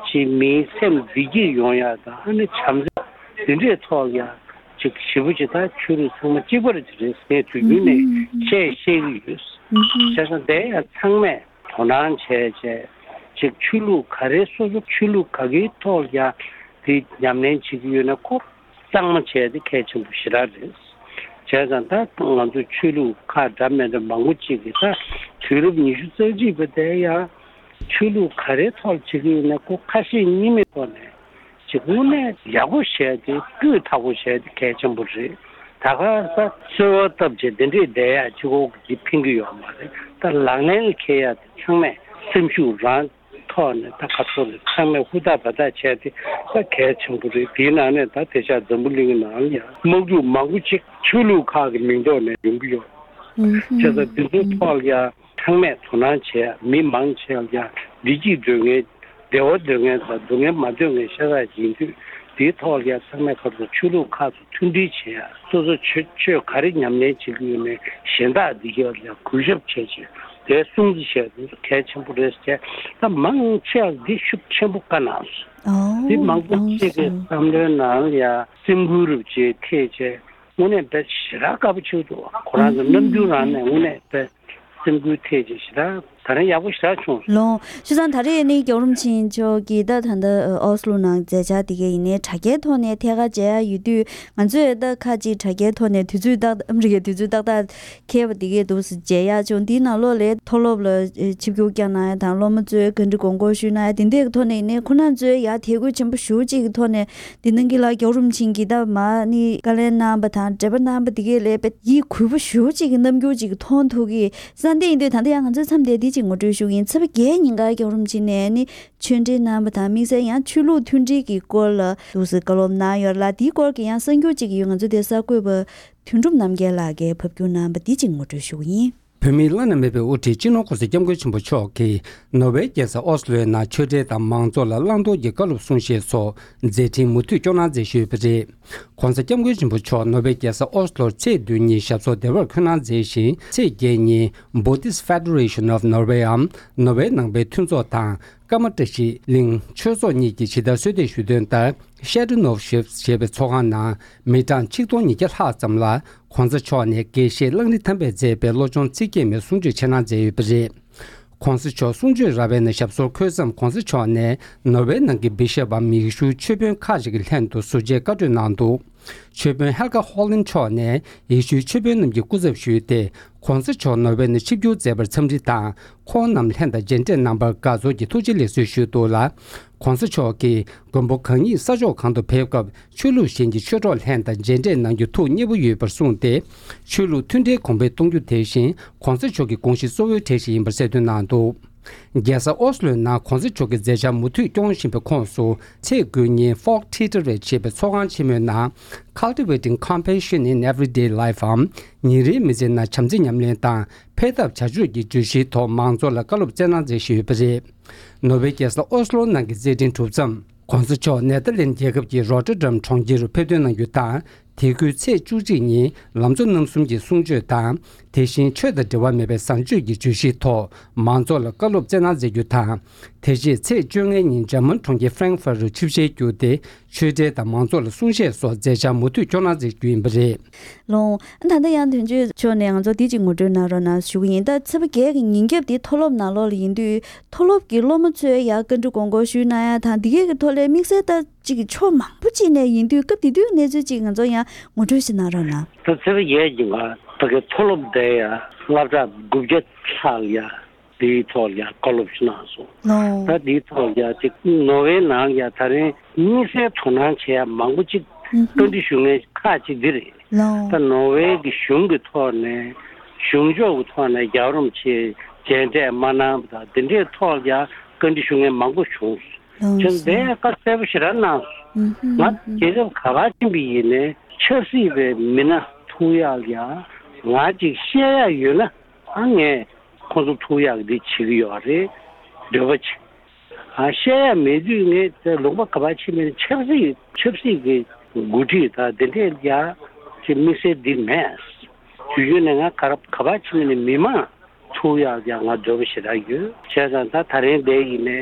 ཅིག་མིའི་སེམས་བདེ་སྐྱིད་ཡོང་ཡག་དང་། ཨ་ནི་བྱམས་བརྩེ་འདི་འདྲའི་ཐོག་ཡ་ཅིག་ཞེ་པོ་ཅིག་ད་ཆོས་ལུགས་ཚང་མ་གཅིག་པ་རེད་ཅིག་རེད་ཟེར་དུས་རྒྱུན་ནས་བཤད་བཤད་ཀྱི་ཡོད། བྱས་ཙང་དེ་ཡ་ཚང་མས་དོ་སྣང་བྱས་བྱས་ཅིག་ཆོས་ལུགས་ག་རེ་སོ་སོ་ཆོས་ལུགས་ག་གེའི་ཐོག་ཡ་དེ་ཉམས་ལེན་བྱེད་ཀྱི་ཡོད་ན་ཁོ། གཙང་མ་བྱས་ཏེ་གལ་ཆེན་པོ་ཞེ་དྲག་རེད། བྱས་ཙང་ད་ང་ཚོ་ཆོས་ལུགས་ཁག་འདྲ་མི་འདྲ་མང་པོ་ཅིག་གིས་ད་དུས་རབས་ཉི་ཤུ་རྩ་གཅིག་པ་དེ་ཡང་ཆོས་ལུགས་ག་རེའི་ཐོག་བྱེད་ཀྱི་ཡོད་ན་ཁོ་ཁ་ཞེ་གཉིས་མེད་ཐོག་ནས་ཅིག་དངོས་གནས་ཡག་པོ་བྱས་ཏེ་སྤུས་དག་པོ་བྱས་ཏེ་གལ་ཆེན་པོ་རེད། ད་ག་ས་གསོལ་བ་བཏབ་བྱས་དེ་འདྲས་བསྡད་ཡག་ཅིག་འོག་གི་ཕན་གྱི་ཡོད་མ་རེད། ད་ལག་ལེན་ལ་འཁེལ་ཡག་དེ་ཚང་མས་སེམས་ཤུགས་རང་ཐོག་ནས་ད་ཁ་ཐོག་ནས་ཚང་མས་ཧུར་ཐག་འབད་ཐག་བྱས་ཏེ་ད་གལ་ཆེན་པོ་རེད། དེའི་ནང་ནས་ད་དེང་སང་འཛམ་བུ་གླིང་ནང་ལ་ཡང་དམག་འཁྲུག་མང་པོ་ཅིག་ཆོས་ལུགས་ཁག་གི་མིང་ཐོག་ནས་ཡོང་གི་ཡོད། བྱས་ཙང་འདི་ཚོའི་ཐོག་ལ་ཡང་ཚང་མས་དོ་སྣང་བྱས། མི་མང་ཆེ་བ་ལ་ཡང་བདེ་སྐྱིད་འདོད་མཁན། བདེ་བ་འདོད་མཁན་དང་སྡུག་བསྔལ་མ་འདོད་མཁན་ཤ་སྟག་ཡིན་དུས། དེའི་ཐོག་ལ་ཡང་ཚང་མས་ཁ་ཐོག་ཆོས་ལུགས་ཁག་ཏུ་མཐུན་སྒྲིལ་བྱེད་ཡ། སོ་སོ་ཆོས་ཆོས་ག་རེ་ཉམས་ལེན་བྱེད་ཀྱི་ཡོད་མེད་གཞན་དག་འདི་གའི་ལ་ཡང་གུས་ཞབས་བྱས་བྱས། དེ་སྲུང་བརྩི་བྱས་དེ་གལ་ཆེན་པོ་རེད་ཟེར། ད་མང་ཆེ་བ་འདི་ཤུགས་ཆེན་པོ་བཀའ་གནང་སོང་། འདི་མང་པོ་ཅིག་གི་བསམ་བློའི་ནང་ལ་ཡ་སེམས་འགུལ་རུབ་ཅིག་ཐེབས་བྱས། དངོས་གནས་དཔེ་ཞེ་དྲག་དཀའ་པོ་ཆེ་འདུག་ཁོ་རང་ཚོ་རྣམ་འགྱུར་རང་ནས་དངོས་གནས་དཔེ་སེམས་འགུལ་ཐེབས་ཅིག་ཞེ་དྲག་ད་རེས་ཡག་པོ་ཞེ་དྲག་བྱུང་སོང་། ལོ། བྱས་ཙང་ད་རེས་ནི་རྒྱལ་བ་རིན་པོ་ཆེ་མཆོག་གིས་ད་ད་ལྟ་ཨོ་སི་ལོ་ནང་མཛད་འཆར་དེ་གའི་ཡིན་ནའི་དྲ་རྒྱའི་ཐོག་ནས་ཐད་ཀར་མཇལ་ཡ་ཡོད་དུས། ང་ཚོས་ད་ཁ་ཅིག་དྲ་རྒྱའི་ཐོག་ནས་དུས་ཚོད་ཏག་ཨ་མི་རི་ཀའི་དུས་ཚོད་ཏག་ཏག་འཁེལ་བ་དེ་གའི་འདུག་སེ་མཇལ་ཡག་བྱུང་། འདིའི་ནང་ལོགས་ལ་མཐོ་སློབ་ལ་ཆིབས་བསྒྱུར་བསྐྱངས་གནང་ཡ་དང་སློབ་མ་ཚོས་བཀའ་འདྲི་དགོངས་སྐོར་ཞུས་གནང་ཡ་དེ་འདྲའི་ཐོག་ནས་ཡིན་ནའི་ཁོང་རྣམ་ཚོས་ཡ་དད་གུས་ཆེན་པོ་ཞེ་པོ་ཅིག་གི་ཐོག་ནས་འདི་གནང་གི་ལ། རྒྱལ་བ་རིན་པོ་ཆེ་གིས་ད་མ་ནི་བཀའ་ལན་གནང་བ་དང་འབྲེལ་བ་གནང་བ་དེ་གའི་ལས་དཔེ་ཡིད་འགུལ་པོ་ཞེ་པོ་ཅིག་གི་རྣམ་འགྱུར་ཅིག་མཐོང་ཐུབ་ཀྱི་ས་འདི་ཡིན་དུས། ད་ལྟ་ཡང་ང་ཚོའི་མཚམས་དེ་འདི་ཅིག་ངོ་སྤྲོད་ཞུ་གི་ཡིན། ཚེས་པ་བརྒྱད་ཉིན་ཀ་རྒྱལ་བ་རིན་པོ་ཆེ་ནས་ནི་ཆོས་འབྲེལ་གནང་བ་དང་དམིགས་བསལ་ཡང་ཆོས་ལུགས་མཐུན་སྒྲིལ་གྱི་སྐོར་ལ་འདུག་སེ་བཀའ་སློབ་གནང་ཡོད་ལ། དེའི་སྐོར་གྱི་ཡང་གསར་འགྱུར་ཅིག་ཡོད། ང་ཚོ་དེ་གསར་འགོད་པ་དོན་གྲུབ་རྣམ་རྒྱལ་ལགས་ཀྱིས་ཕབ་སྒྱུར་གནང་བ་འདི་ཅིག་ངོ་སྤྲོད་ཞུ་གི་ཡིན། བོད་མིའི་བླ་ན་མེད་པའི་དབུ་ཁྲིད་སྤྱི་ནོར་༸གོང་ས་༸སྐྱབས་མགོན་ཆེན་པོ་མཆོག་གིས་ནོར་ཝེ་རྒྱལ་ས་ཨོ་སི་ལོའི་ནང་ཆོས་འབྲེལ་དང་མང་གཙོ་ལ་བླང་དོར་གྱི་བཀའ་སློབ་གསུང་བཤད་སོགས་མཛད་འཕྲིན་མུ་མཐུད་སྐྱོང་གནང་མཛད་བཞུགས་ཡོད་པ་རེད། ༸གོང་ས་༸སྐྱབས་མགོན་ཆེན་པོ་མཆོག་ནོར་ཝེ་རྒྱལ་ས་ཨོ་སི་ལོར་ཚེས་བདུན་ཉིན་ཞབས་སོར་བདེ་བར་འཁོད་གནང་མཛད་ཅིང་། ཚེས་བརྒྱད་ཉིན་Buddhist Federation of Norway འམ་ནོར་ཝེ་ནང་པའི་མཐུན་ཚོགས་དང་། ཀ་མ་བཀྲ་ཤིས་གླིང་ཆོས་ཚོགས་གཉིས་ཀྱིས་ཇི་ལྟར་གསོལ་འདེབས་ཞུས་དོན་ལྟར། Shadunovshift ཞེས་པའི་ཚོགས་ཁང་ནང་མི་གྲངས་ཆིག་སྟོང་ཉིས་བརྒྱ་ལྷག་ཙམ་ལ་༸གོང་ས་མཆོག་ནས་དགེ་བཤེས་གླང་རི་ཐང་པས་མཛད་པའི་བློ་སྦྱོང་ཚིག་བརྒྱད་མའི་གསུང་ཆོས་འཆད་གནང་མཛད་ཡོད་པ་རེད། ༸གོང་ས་མཆོག་གསུང་ཆོས་ར་བའི་ནང་ཞབས་སོར་འཁོད་མཚམས། ༸གོང་ས་མཆོག་ནས་ནོར་ཝེ་ནང་གི་བི་ཤོབ་བམ་ཡེ་ཤུའི་ཆོས་དཔོན་ཁག་ཅིག་གི་ལྷན་དུ་ཟུར་མཇལ་བཀའ་གྲོས་གནང་འདུག་ཆོས་དཔོན་Helge Holland མཆོག་ནས་ཡེ་ཤུའི་ཆོས་དཔོན་རྣམས་ཀྱི་སྐུ་ཚབ་ཞུས་ཏེ། ༸གོང་ས་མཆོག་ནོར་ཝེ་ནས་ཆིབས་བསྒྱུར་མཛད་པར་འཚམས་འདྲི་དང་། ཁོང་རྣམས་ལྷན་དང་མཇལ་འཕྲད་གནང་བར་དགའ་ཚོར་གྱི་ཐུགས་རྗེ་ལེགས་གསོལ་ཞུས་འདུག་ལ། ༸གོང་ས་མཆོག་གིས་མགོན་པོ་གང་ཉིད་ས་ཕྱོགས་གང་དུ་ཕེབས་སྐབས། ཆོས་ལུགས་གཞན་གྱི་ཆོས་གྲོགས་ལྷན་དང་མཇལ་འཕྲད་གནང་རྒྱུ་ཐུགས་མཉེས་པོ་ཡོད་པར་གསུངས་ཏེ། ཆོས་ལུགས་མཐུན་འབྲེལ་གོང་འཕེལ་གཏོང་རྒྱུ་དེ་བཞིན་༸གོང་ས་མཆོག་གི་དགོངས་གཞི་གཙོ་བོའི་གྲས་ཤིག་ཡིན་པར་གསལ་སྟོན་གནང་འདུག་རྒྱལ་ས་ཨོ་སི་ལོའི་ནང་༸གོང་ས་མཆོག་གི་མཛད་འཆར་མུ་མཐུད་སྐྱོང་བཞིན་པའི་ཁོངས་སུ། ཚེས་དགུ་ཉིན་Folkteatret ཞེས་པའི་ཚོགས་ཁང་ཆེན་མོའི་ནང་Cultivating Compassion in Everyday Life འམ། ཉིན་རེའི་མི་ཚེའི་ནང་བྱམས་བརྩེ་ཉམས་ལེན་དང་འཕེལ་ཐབས་བྱ་སྤྱོད་ཀྱི་བརྗོད་གཞིའི་ཐོག་མང་ཚོགས་ལ་བཀའ་སློབ་སྩལ་གནང་མཛད་བཞིན་ཡོད་པ་རེད། ནོར་ཝེ་རྒྱལ་ས་ཨོ་སི་ལོ་ནང་གི་མཛད་འཕྲིན་གྲུབ་མཚམས། ༸གོང་ས་མཆོག་ནེ་ཐར་ལེན་རྒྱལ་ཁབ་ཀྱི་Rotterdam གྲོང་ཁྱེར་རུ་ཕེབས་ཐོན་གནང་རྒྱུ་དང་། དེ་ཁུལ་ཚེས་བཅུ་གཅིག་ཉིན་ལམ་གཙོ་རྣམ་གསུམ་གྱི་གསུང་ཆོས་དང་། དེ་བཞིན་ཆོས་དང་འབྲེལ་བ་མེད་པའི་བཟང་སྤྱོད་ཀྱི་བརྗོད་གཞིའི་ཐོག་མང་ཚོགས་ལ་བཀའ་སློབ་སྩལ་གནང་མཛད་རྒྱུ་དང་། དེ་རྗེས་ཚེས་བཅོ་ལྔ་ཉིན་འཇར་མན་གྲོང་ཁྱེར་Frankfurt རུ་ཆིབས་ཞལ་བསྒྱུར་ཏེ། ཆོས་འབྲེལ་དང་མང་ཚོགས་ལ་གསུང་བཤད་སོགས་མཛད་འཆར་མུ་མཐུད་སྐྱོང་གནང་མཛད་རྒྱུ་ཡིན་པ་རེད། ལོང་། ད་ལྟ་ཡང་དོན་གཅོད་མཆོག་ནས་ང་ཚོ་འདི་གཅིག་ངོ་སྤྲོད་གནང་རོགས་གནང་ཞུ་གི་ཡིན། ད་ཚེས་པ་བརྒྱད་ཀྱི་ཉིན་རྒྱབ་འདི་མཐོ་སློབ་ནང་ལོགས་ལ་ཡིན་དུས། མཐོ་སློབ་ཀྱི་སློབ་མ་ཚོས་ཡང་བཀའ་འདྲི་དགོངས་སྐོར་ཞུས་གནང་ཡ་དང་། འདི་གའི་གི་ཐོག་ལས་དམིགས་བསལ་ད་ཅིག་ཕྱོགས་མང་པོ་ཅིག་ནས་ཡིན་དུས། སྐབས་དེ་དུས་གནས་ཚུལ་ཅིག་ང་ཚོ་ཡང་ངོ་སྤྲོད་ཞིག་གནང་རོགས་གནང་། ད་ཚེས་པ་བརྒྱད་ཀྱི་ང་ཕ་གི་མཐོ་སློབ་དེ་ཡང་སློབ་གྲྭ་དགུ་བརྒྱ་ལྷག་ཡ་དེའི་ཐོག་ལ་ཡང་བཀའ་སློབ་ཞིག་གནང་སོང་། ལོ། ད་དེའི་ཐོག་ལ་ཡང་ཅིག་ནོར་ཝེ་ནང་ཡང་ད་རིང་དམིགས་བསལ་དོ་སྣང་བྱེད་ཡ་མང་པོ་ཅིག་ཨུ་ཧུ། བཀའ་འདྲི་ཞུ་མཁན་ཁག་ཅིག་འདི་རེད། ལོ། ད་ནོར་ཝེ་གི་གཞུང་གི་ཐོག་ནས་གཞུང་ཕྱོགས་ཀྱི་ཐོག་ནས་རྒྱལ་བ་རིན་པོ་ཆེ་མཇལ་འཕྲད་མ་གནང་བ་དང་། དེ་འདྲའི་ཐོག་ལ་ཡང་བཀའ་འདྲི་ཞུ་མཁན་མང་པོ་བྱུང་། ལོ། བྱས་ཙང་དེ་བཀའ་གསལ་པོ་ཞེ་དྲག་གནང་སོང་། ཨུ་ཧུ། ང་ཨུ་ཧུ། རྒྱལ་ཁབ་ག་པར་ཕྱིན་པ་ཡིན་ནའི་ཆབ་སྲིད་པའི་མི་སྣ་ཐུག་ཡག་ཡ་ང་ཅིག་བཤད་ཡག་ཡོད་ན། ཨ་ངས་ཁོང་ཚོ་ཐུག་ཡག་འདི་བྱེད་ཀྱི་ཡོད་རེད། འདོད་པ་བྱེད། ཨ་བཤད་ཡག་མེད་དུས་ངས་དེ་ལུང་པ་ག་པར་ཕྱིན་པ་ཡིན་ན་ཆབ་སྲིད་ཆབ་སྲིད་ཀྱི་འགོ་ཁྲིད་དང་དེ་འདྲས་ཡ་ཅིག་དམིགས་བསལ་འདི་མེད། དུས་རྒྱུན་ནས་ང་ག་ར་ག་པར་ཕྱིན་པ་ཡིན་ན་མི་མང་ཐུག་ཡག་ཡང་ང་འདོད་པ་ཞེ་དྲག་ཡོད། བྱས་ཙང་ད་ད་རིང་འདི་ཡིན་ནའི་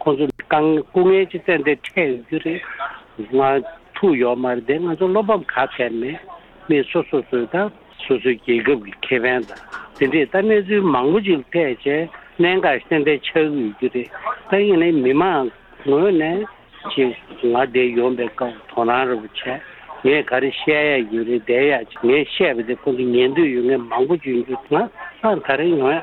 ཁོང་ཚོ་དཀའ་ངལ་སྐུ་ངལ་ཅིག་ཏན་ཏན་འཕྲད་ཡོད་རྒྱུ་རེད། ང་ཐུག་ཡོད་མ་རེད། དེ་ང་ཚོ་བློ་ཕམ་ག་ཕན་མེད། མི་སོ་སོ་སོའི་ད་སོ་སོའི་རྒྱལ་ཁབ་ཀྱི་ཁེ་ཕན་དང་དེ་འདྲས་ད་གནས་ཚུལ་མང་པོ་ཅིག་ལ་ཐད་བྱས་གནད་འགག་ཏན་ཏན་ཆགས་ཀྱི་ཡོད་རྒྱུ་རེད། ད་ཡིན་ནའི་མི་མང་ངོས་ནས་ཅིག་ང་འདིར་ཡོང་པའི་སྐབས་དོ་སྣང་རེ་བྱས། ངས་ག་རེ་བཤད་ཡ་ཡོད་རེད། བསྡད་ཡ་ཅིག་ངས་བཤད་པ་དེ་ཁོང་ཚོ་ཉན་འདོད་ཡོད་མཁན་མང་པོ་ཅིག་ཡོང་རྒྱུ། ང་ཨ་ད་རེས་ཡོང་ཡ་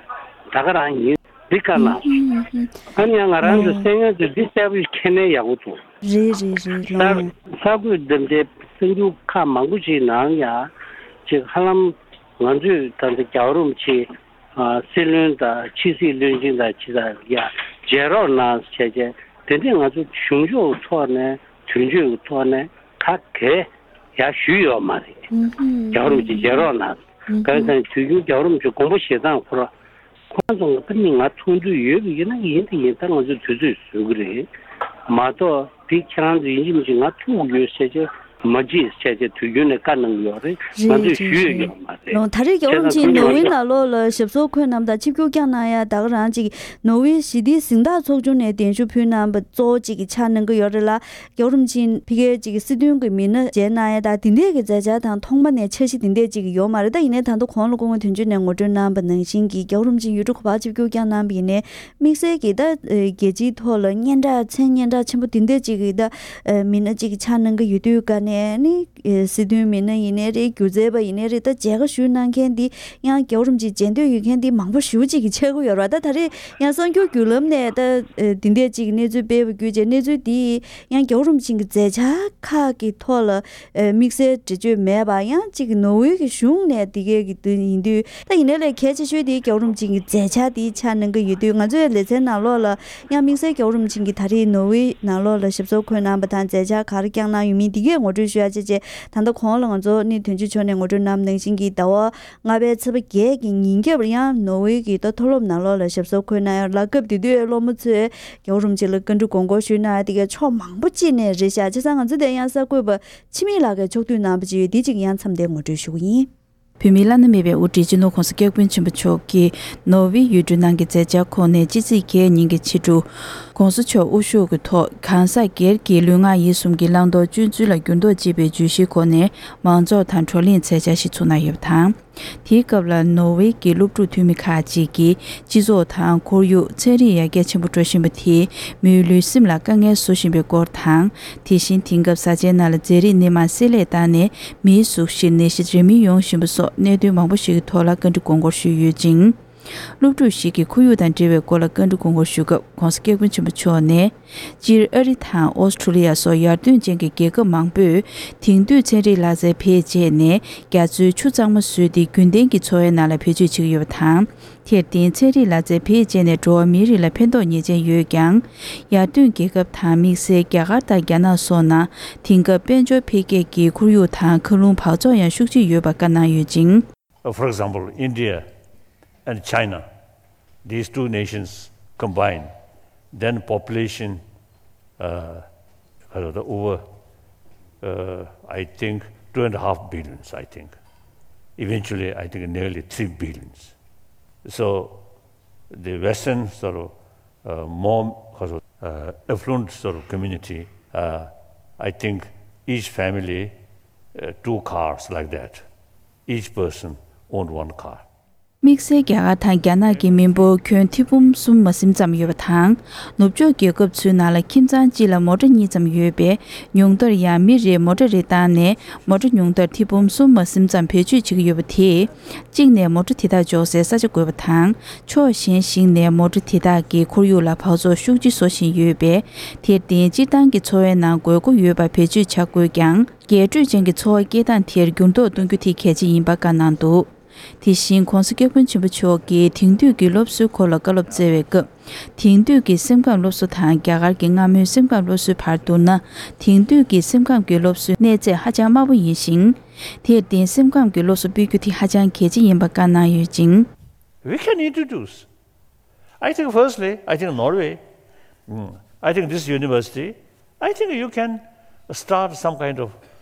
ད་ག་རང་ཡིན། འདི་བཀའ་གནང་སོང་། ཨ་ནི་ཡང་ང་རང་ཚོ་སེམས་ངལ་དུ་འདི་གསལ་པོ་ཞིག་མཁྱེན་ནས་ཡག་པོ་འདུག་རེད་རེད་རེད། ལོ། གསར་འགོད་འདི་འདྲའི་གསར་འགྱུར་ཁག་མང་པོ་ཞིག་ནང་ཡང་ཅིག་ཧ་ལམ་ང་ཚོས་ད་ལྟ་རྒྱལ་བ་རིན་པོ་ཆེ་ཨ་སྲིད་བློན་དང་ཕྱི་སྲིད་བློན་ཆེན་དང་ཅི་དང་ཡང་མཇལ་རོགས་གནང་བྱས་བྱས་དེ་འདྲས་ང་ཚོ་གཞུང་ཕྱོགས་ཐོག་ནས་དོན་གཅོད་ཀྱི་ཐོག་ནས་ག་གེ་ཡང་ཞུས་ཡོད་མ་རེད། རྒྱལ་བ་རིན་པོ་ཆེ་མཇལ་རོགས་གནང་། གང་ཡིན་ཟེར་ན་དུས་རྒྱུན་རྒྱལ་བ་རིན་པོ་ཆེ་དགོངས་པ་བཞེས་སྟངས་ཁོ་ར། ཁོ་རང་ཚོ་ང་ད་ནི་ང་ཐུག་འདོད་ཡོད་པ་ཡིན་ན་ཡིན་དེ་ཡིན། ད་ང་ཚོས་དུས་ཚོད་བཟོ་གི་རེད་མ་གཏོགས་དེ་ཁྱེད་རང་ཚོ་ཡིན་གཅིག་མིན་གཅིག་ང་ཐུག་ཡོད་ཟེར་བྱས་ མ་བརྗེད་བྱས་བྱས་དུས་རྒྱུན་ནས་བཀའ་གནང་གི་ཡོད་རེད། ང་ཚོས་ཞུས་ཡོད་ཡོད་མ་རེད། ལོ་ད་རེས་རྒྱལ་བ་རིན་པོ་ཆེ་ནོར་ཝེ་ནང་ལོགས་ལ་ཞབས་སོར་འཁོད་གནང་དང་ཆིབས་བསྒྱུར་བསྐྱངས་གནང་ཡ་ད་ག་རང་ཅིག་ནོར་ཝེ་ཞི་བདེའི་གཟེངས་རྟགས་ཚོགས་ཆུང་ནས་གདན་ཞུ་ཕུལ་གནང་བ་གཙོ་བོ་གཅིག་གི་ཆགས་གནང་གི་ཡོད་རེད་ལ། རྒྱལ་བ་རིན་པོ་ཆེ་ཕ་གིའི་གཅིག་གི་སྲིད་དོན་གྱི་མི་སྣ་མཇལ་གནང་ཡ་དང་དེ་འདྲས་ཀྱི་མཛད་འཆར་དང་ཐོག་མ་ནས་འཆར་གཞི་དེ་འདྲས་གཅིག་ཡོད་མ་རེད། ད་ཡིན་ནའི་ད་ལྟ་གོང་ལ་སྐུ་ངོ་དོན་གཅོད་ནས་ངོ་སྤྲོད་གནང་བ་ནང་བཞིན་གྱི་རྒྱལ་བ་རིན་པོ་ཆེ་ཡུལ་གྲུ་གོ་པར་ཆིབས་བསྒྱུར་བསྐྱངས་གནང་བ་ཡིན་ནའི་དམིགས་བསལ་གྱི་ད་རྒྱལ་སྤྱིའི་ཐོག་ལ་སྙན་གྲགས་མཚན་སྙན་གྲགས་ཆེན་པོ་དེ་འདྲས་གཅིག་གི་ད་མི་སྣ་གཅིག་གི་ཆགས་གནང་གི་ཡོད་དུས་ཀ་ནས་ནི། སྲིད་དོན་མི་སྣ་ཡིན་ནའི་རེད། སྒྱུ་རྩལ་པ་ཡིན་ནའི་རེད། ད་མཇལ་ཁ་ཞུ་གནང་མཁན་འདི་ཡང་རྒྱལ་བ་རིན་པོ་ཆེ་མཇལ་འདོད་ཡོད་མཁན་འདི་མང་པོ་ཞེ་པོ་ཅིག་གིས་ཆགས་ཀྱི་ཡོད་རེད་བ། ད་ད་རེས་ཡང་གསར་འགྱུར་བརྒྱུད་ལམ་ནས་ད་འདི་འདྲས་ཅིག་གནས་ཚུལ་སྤེལ་བ་བརྒྱུད་བྱས་གནས་ཚུལ་འདི་ཡང་རྒྱལ་བ་རིན་པོ་ཆེ་གི་མཛད་འཆར་ཁག་གི་ཐོག་ལ་དམིགས་བསལ་འགྲེལ་བརྗོད་མེད་པ་ཡང་ཅིག་ནོར་ཝེ་གི་གཞུང་ནས་འདི་གའི་གི་དུས་ཡིན་དུས་ད་ཡིན་ནའི་ལས་གལ་ཆེ་ཤོས་འདི་རྒྱལ་བ་རིན་པོ་ཆེ་གི་མཛད་འཆར་འདི་ཆགས་གནང་གི་ཡོད་དུས་ང་ཚོའི་ལེ་ཚན་ནང་ལོགས་ལ། ཡང་དམིགས་བསལ་རྒྱལ་བ་རིན་པོ་ཆེ་གིས་ད་རེས་ནོར་ཝེ་ནང་ལོགས་ལ་ཞབས་སོར་འཁོད་གནང་བ་དང་མཛད་འཆར་ག་རེ་བསྐྱངས་གནང་ཡོད་མིན་འདི་གས་ངོ་སྤྲོད་ཞུ་ཡ་བྱས་རྗེས་ད་ལྟ་གོང་ལ་ང་ཚོ་ནི་དོན་གཅོད་མཆོག་ནས་ངོ་སྤྲོད་གནང་བ་ནང་བཞིན་གྱི་ཟླ་བ་ལྔ་པའི་ཚེས་པ་བརྒྱད་ཀྱི་ཉིན་རྒྱབ་ཡང་ནོར་ཝེ་གི་ད་མཐོ་སློབ་ནང་ལོགས་ལ་ཞབས་སོར་འཁོད་གནང་ཡ་ལ་སྐབས་དེ་དུས་སློབ་མ་ཚོས་རྒྱལ་བ་རིན་པོ་ཆེ་ལ་བཀའ་འདྲི་དགོངས་སྐོར་ཞུས་གནང་ཡ་དེ་གས་ཕྱོགས་མང་པོ་ཅིག་ནས་རེད་ཤག་བྱས་ཙང་ང་ཚོ་དེ་ཡང་གསར་འགོད་པ་འཆི་མེད་ལགས་ཀྱིས་ཕྱོགས་བསྡུས་གནང་བ་ཅིག་ཡོད་འདི་ཅིག་ཡང་མཚམས་འདིར་ངོ་སྤྲོད་ཞུ་གི་ཡིན། བོད་མིའི་བླ་ན་མེད་པའི་དབུ་ཁྲིད་སྤྱི་ནོར་༸གོང་ས་༸སྐྱབས་མགོན་ཆེན་པོ་མཆོག་གིས་ནོར་ཝེ་ཡུལ་གྲུ་ནང་གི་མཛད་འཆར་ཁོངས་ནས་ཕྱི་ཚེས་བརྒྱད་ཉིན་གྱི་ཕྱི་དྲོ། ༸གོང་ས་མཆོག་དབུ་བཞུགས་ཀྱི་ཐོག་གང་ཟག་སྒེར་གྱི་ལུས་ངག་ཡིད་གསུམ་གྱི་བླང་དོར་སྤྱོད་ཚུལ་ལ་འགྱུར་ལྡོག་བྱེད་པའི་བརྗོད་གཞིའི་སྒོ་ནས་མང་ཚོགས་དང་བགྲོ་གླེང་མཛད་འཆར་ཞིག་ཚུགས་གནང་ཡོད་པ་དང་། དེའི་སྐབས་ལ་ནོར་ཝེ་གྱི་སློབ་ཕྲུག་འཐུས་མི་ཁག་ཅིག་གིས་སྤྱི་ཚོགས་དང་ཁོར་ཡུག་ཚན་རིག་ཡར་རྒྱས་ཆེན་པོ་འགྲོ་བཞིན་པ་དེས་མིའི་ལུས་སེམས་ལ་དཀའ་ངལ་བཟོ་བཞིན་པའི་སྐོར་དང་། དེ་བཞིན་དེང་སྐབས་བཟའ་བཅའི་ནང་ལ་རྫས་རིགས་སྣེ་མང་བསྲེས་ལྷད་བཏང་ནས། མིའི་གཟུགས་གཞིར་ནད་གཞི་འདྲ་མིན་ཡོང་བཞིན་པ་སོགས་གནད་དོན་མང་པོ་ཞིག་གི་ཐོག་ལ་བཀའ་འདྲི་དགོངས་སྐོར་ཞུས་ཡོད་ཅིང་། སློབ་ཕྲུག་ཞིག་གིས་ཁོར་ཡུག་དང་འབྲེལ་བའི་སྐོར་ལ་བཀའ་འདྲི་དགོངས་སྐོར་ཞུ་སྐབས་༸གོང་ས་༸སྐྱབས་མགོན་ཆེན་པོ་མཆོག་ནས། སྤྱིར་ཨ་རི་དང་ཨོ་སི་ཁྲུ་ལི་ཡ་སོགས་ཡར་ཐོན་ཅན་གྱི་རྒྱལ་ཁབ་མང་པོས་དེང་དུས་ཚན་རིག་ལག་རྩལ་བེད་སྤྱད་ནས་རྒྱ་མཚོའི་ཆུ་གཙང་མ་བཟོས་ཏེ་རྒྱུན་ལྡན་གྱི་འཚོ་བའི་ནང་ལ་བེད་སྤྱོད་བྱེད་ཀྱི་ཡོད་པ་དང་། དེར་བརྟེན་ཚན་རིག་ལག་རྩལ་བེད་སྤྱད་ནས་འགྲོ་བ་མིའི་རིགས་ལ་ཕན་ཐོགས་ངེས་ཅན་ཡོད་ཀྱང་། ཡར་ཐོན་རྒྱལ་ཁབ་དང་དམིགས་བསལ་རྒྱ་གར་དང་རྒྱ་ནག་སོགས་ནང་དེང་སྐབས་དཔལ་འབྱོར་འཕེལ་རྒྱས་ཀྱི་ཁོར་ཡུག་དང་མཁའ་རླུང་འབག་བཙོག་ཡང་ཤུགས་ཆེ་ཡོད་པ་བཀའ་གནང་ཡོད་ཅིང་། Uh, for example, India and China, these two nations combined, then population, uh, uh, over, uh, I think, two and a half billions, I think. Eventually, I think nearly three billions. So, the Western sort of, uh, more, uh, affluent sort of community, uh, I think each family, uh, two cars like that. Each person owned one car. དམིགས་བསལ་རྒྱ་གར་དང་རྒྱ་ནག་གི་མི་འབོར་ཁྱོན་ཐེར་འབུམ་གསུམ་མ་ཟིན་ཙམ་ཡོད་པ་དང་། ནུབ་ཕྱོགས་རྒྱལ་ཁབ་ཚོའི་ནང་ལ་ཁྱིམ་ཚང་གཅིག་ལ་མོ་ཊ་གཉིས་ཙམ་ཡོད་པས། ཉུང་མཐར་ཡང་མི་རེར་མོ་ཊ་རེ་བཏང་ནས་མོ་ཊ་ཉུང་མཐར་ཐེར་འབུམ་གསུམ་མ་ཟིན་ཙམ་བེད་སྤྱོད་བྱེད་ཀྱི་ཡོད་པ་དེས། གཅིག་ནས་མོ་ཊ་དེ་དག་འཇོག་སའི་ས་ཆ་དགོས་པ་དང་། ཕྱོགས་གཞན་ཞིག་ནས་མོ་ཊ་དེ་དག་གིས་ཁོར་ཡུག་ལ་འབག་བཙོག་ཤུགས་ཆེ་བཟོ་བཞིན་ཡོད་པས། དེར་བརྟེན་སྤྱིར་བཏང་གི་འཚོ་བའི་ནང་དགོས་མཁོ་ཡོད་པར་བེད་སྤྱོད་བྱ་དགོས་ཀྱང་། རྒྱས་སྤྲོས་ཅན་གྱི་འཚོ་བ་སྐྱེལ་སྟངས་དེར་འགྱུར་ལྡོག་གཏོང་རྒྱུ་དེ་གལ་ཆེ་ཡིན་པ་བཀའ་གནང་འདུག་དེ་བཞིན་༸གོང་ས་༸སྐྱབས་མགོན་ཆེན་པོ་མཆོག་གིས་དེང་དུས་ཀྱི་སློབ་གསོའི་སྐོར་ལ་བཀའ་སློབ་སྩལ་བའི་སྐབས། དེང་དུས་ཀྱི་སེམས་ཁམས་སློབ་གསོ་དང་རྒྱ་གར་གྱི་སྔ་མོའི་སེམས་ཁམས་སློབ་གསོའི་བར་བསྡུར་ན། དེང་དུས་ཀྱི་སེམས་ཁམས་ཀྱི་སློབ་གསོའི་གནས་ཚད་ཧ་ཅང་དམའ་པོ་ཡིན་ཞིང་། དེར་བརྟེན་སེམས་ཁམས་ཀྱི་སློབ་གསོ་སྤེལ་རྒྱུ་དེ་ཧ་ཅང་གལ་ཆེ་ཡིན་པ་བཀའ་གནང་ཡོད་ཅིང་། We can introduce. I think firstly, I think Norway, mm, I think this university, I think you can start some kind of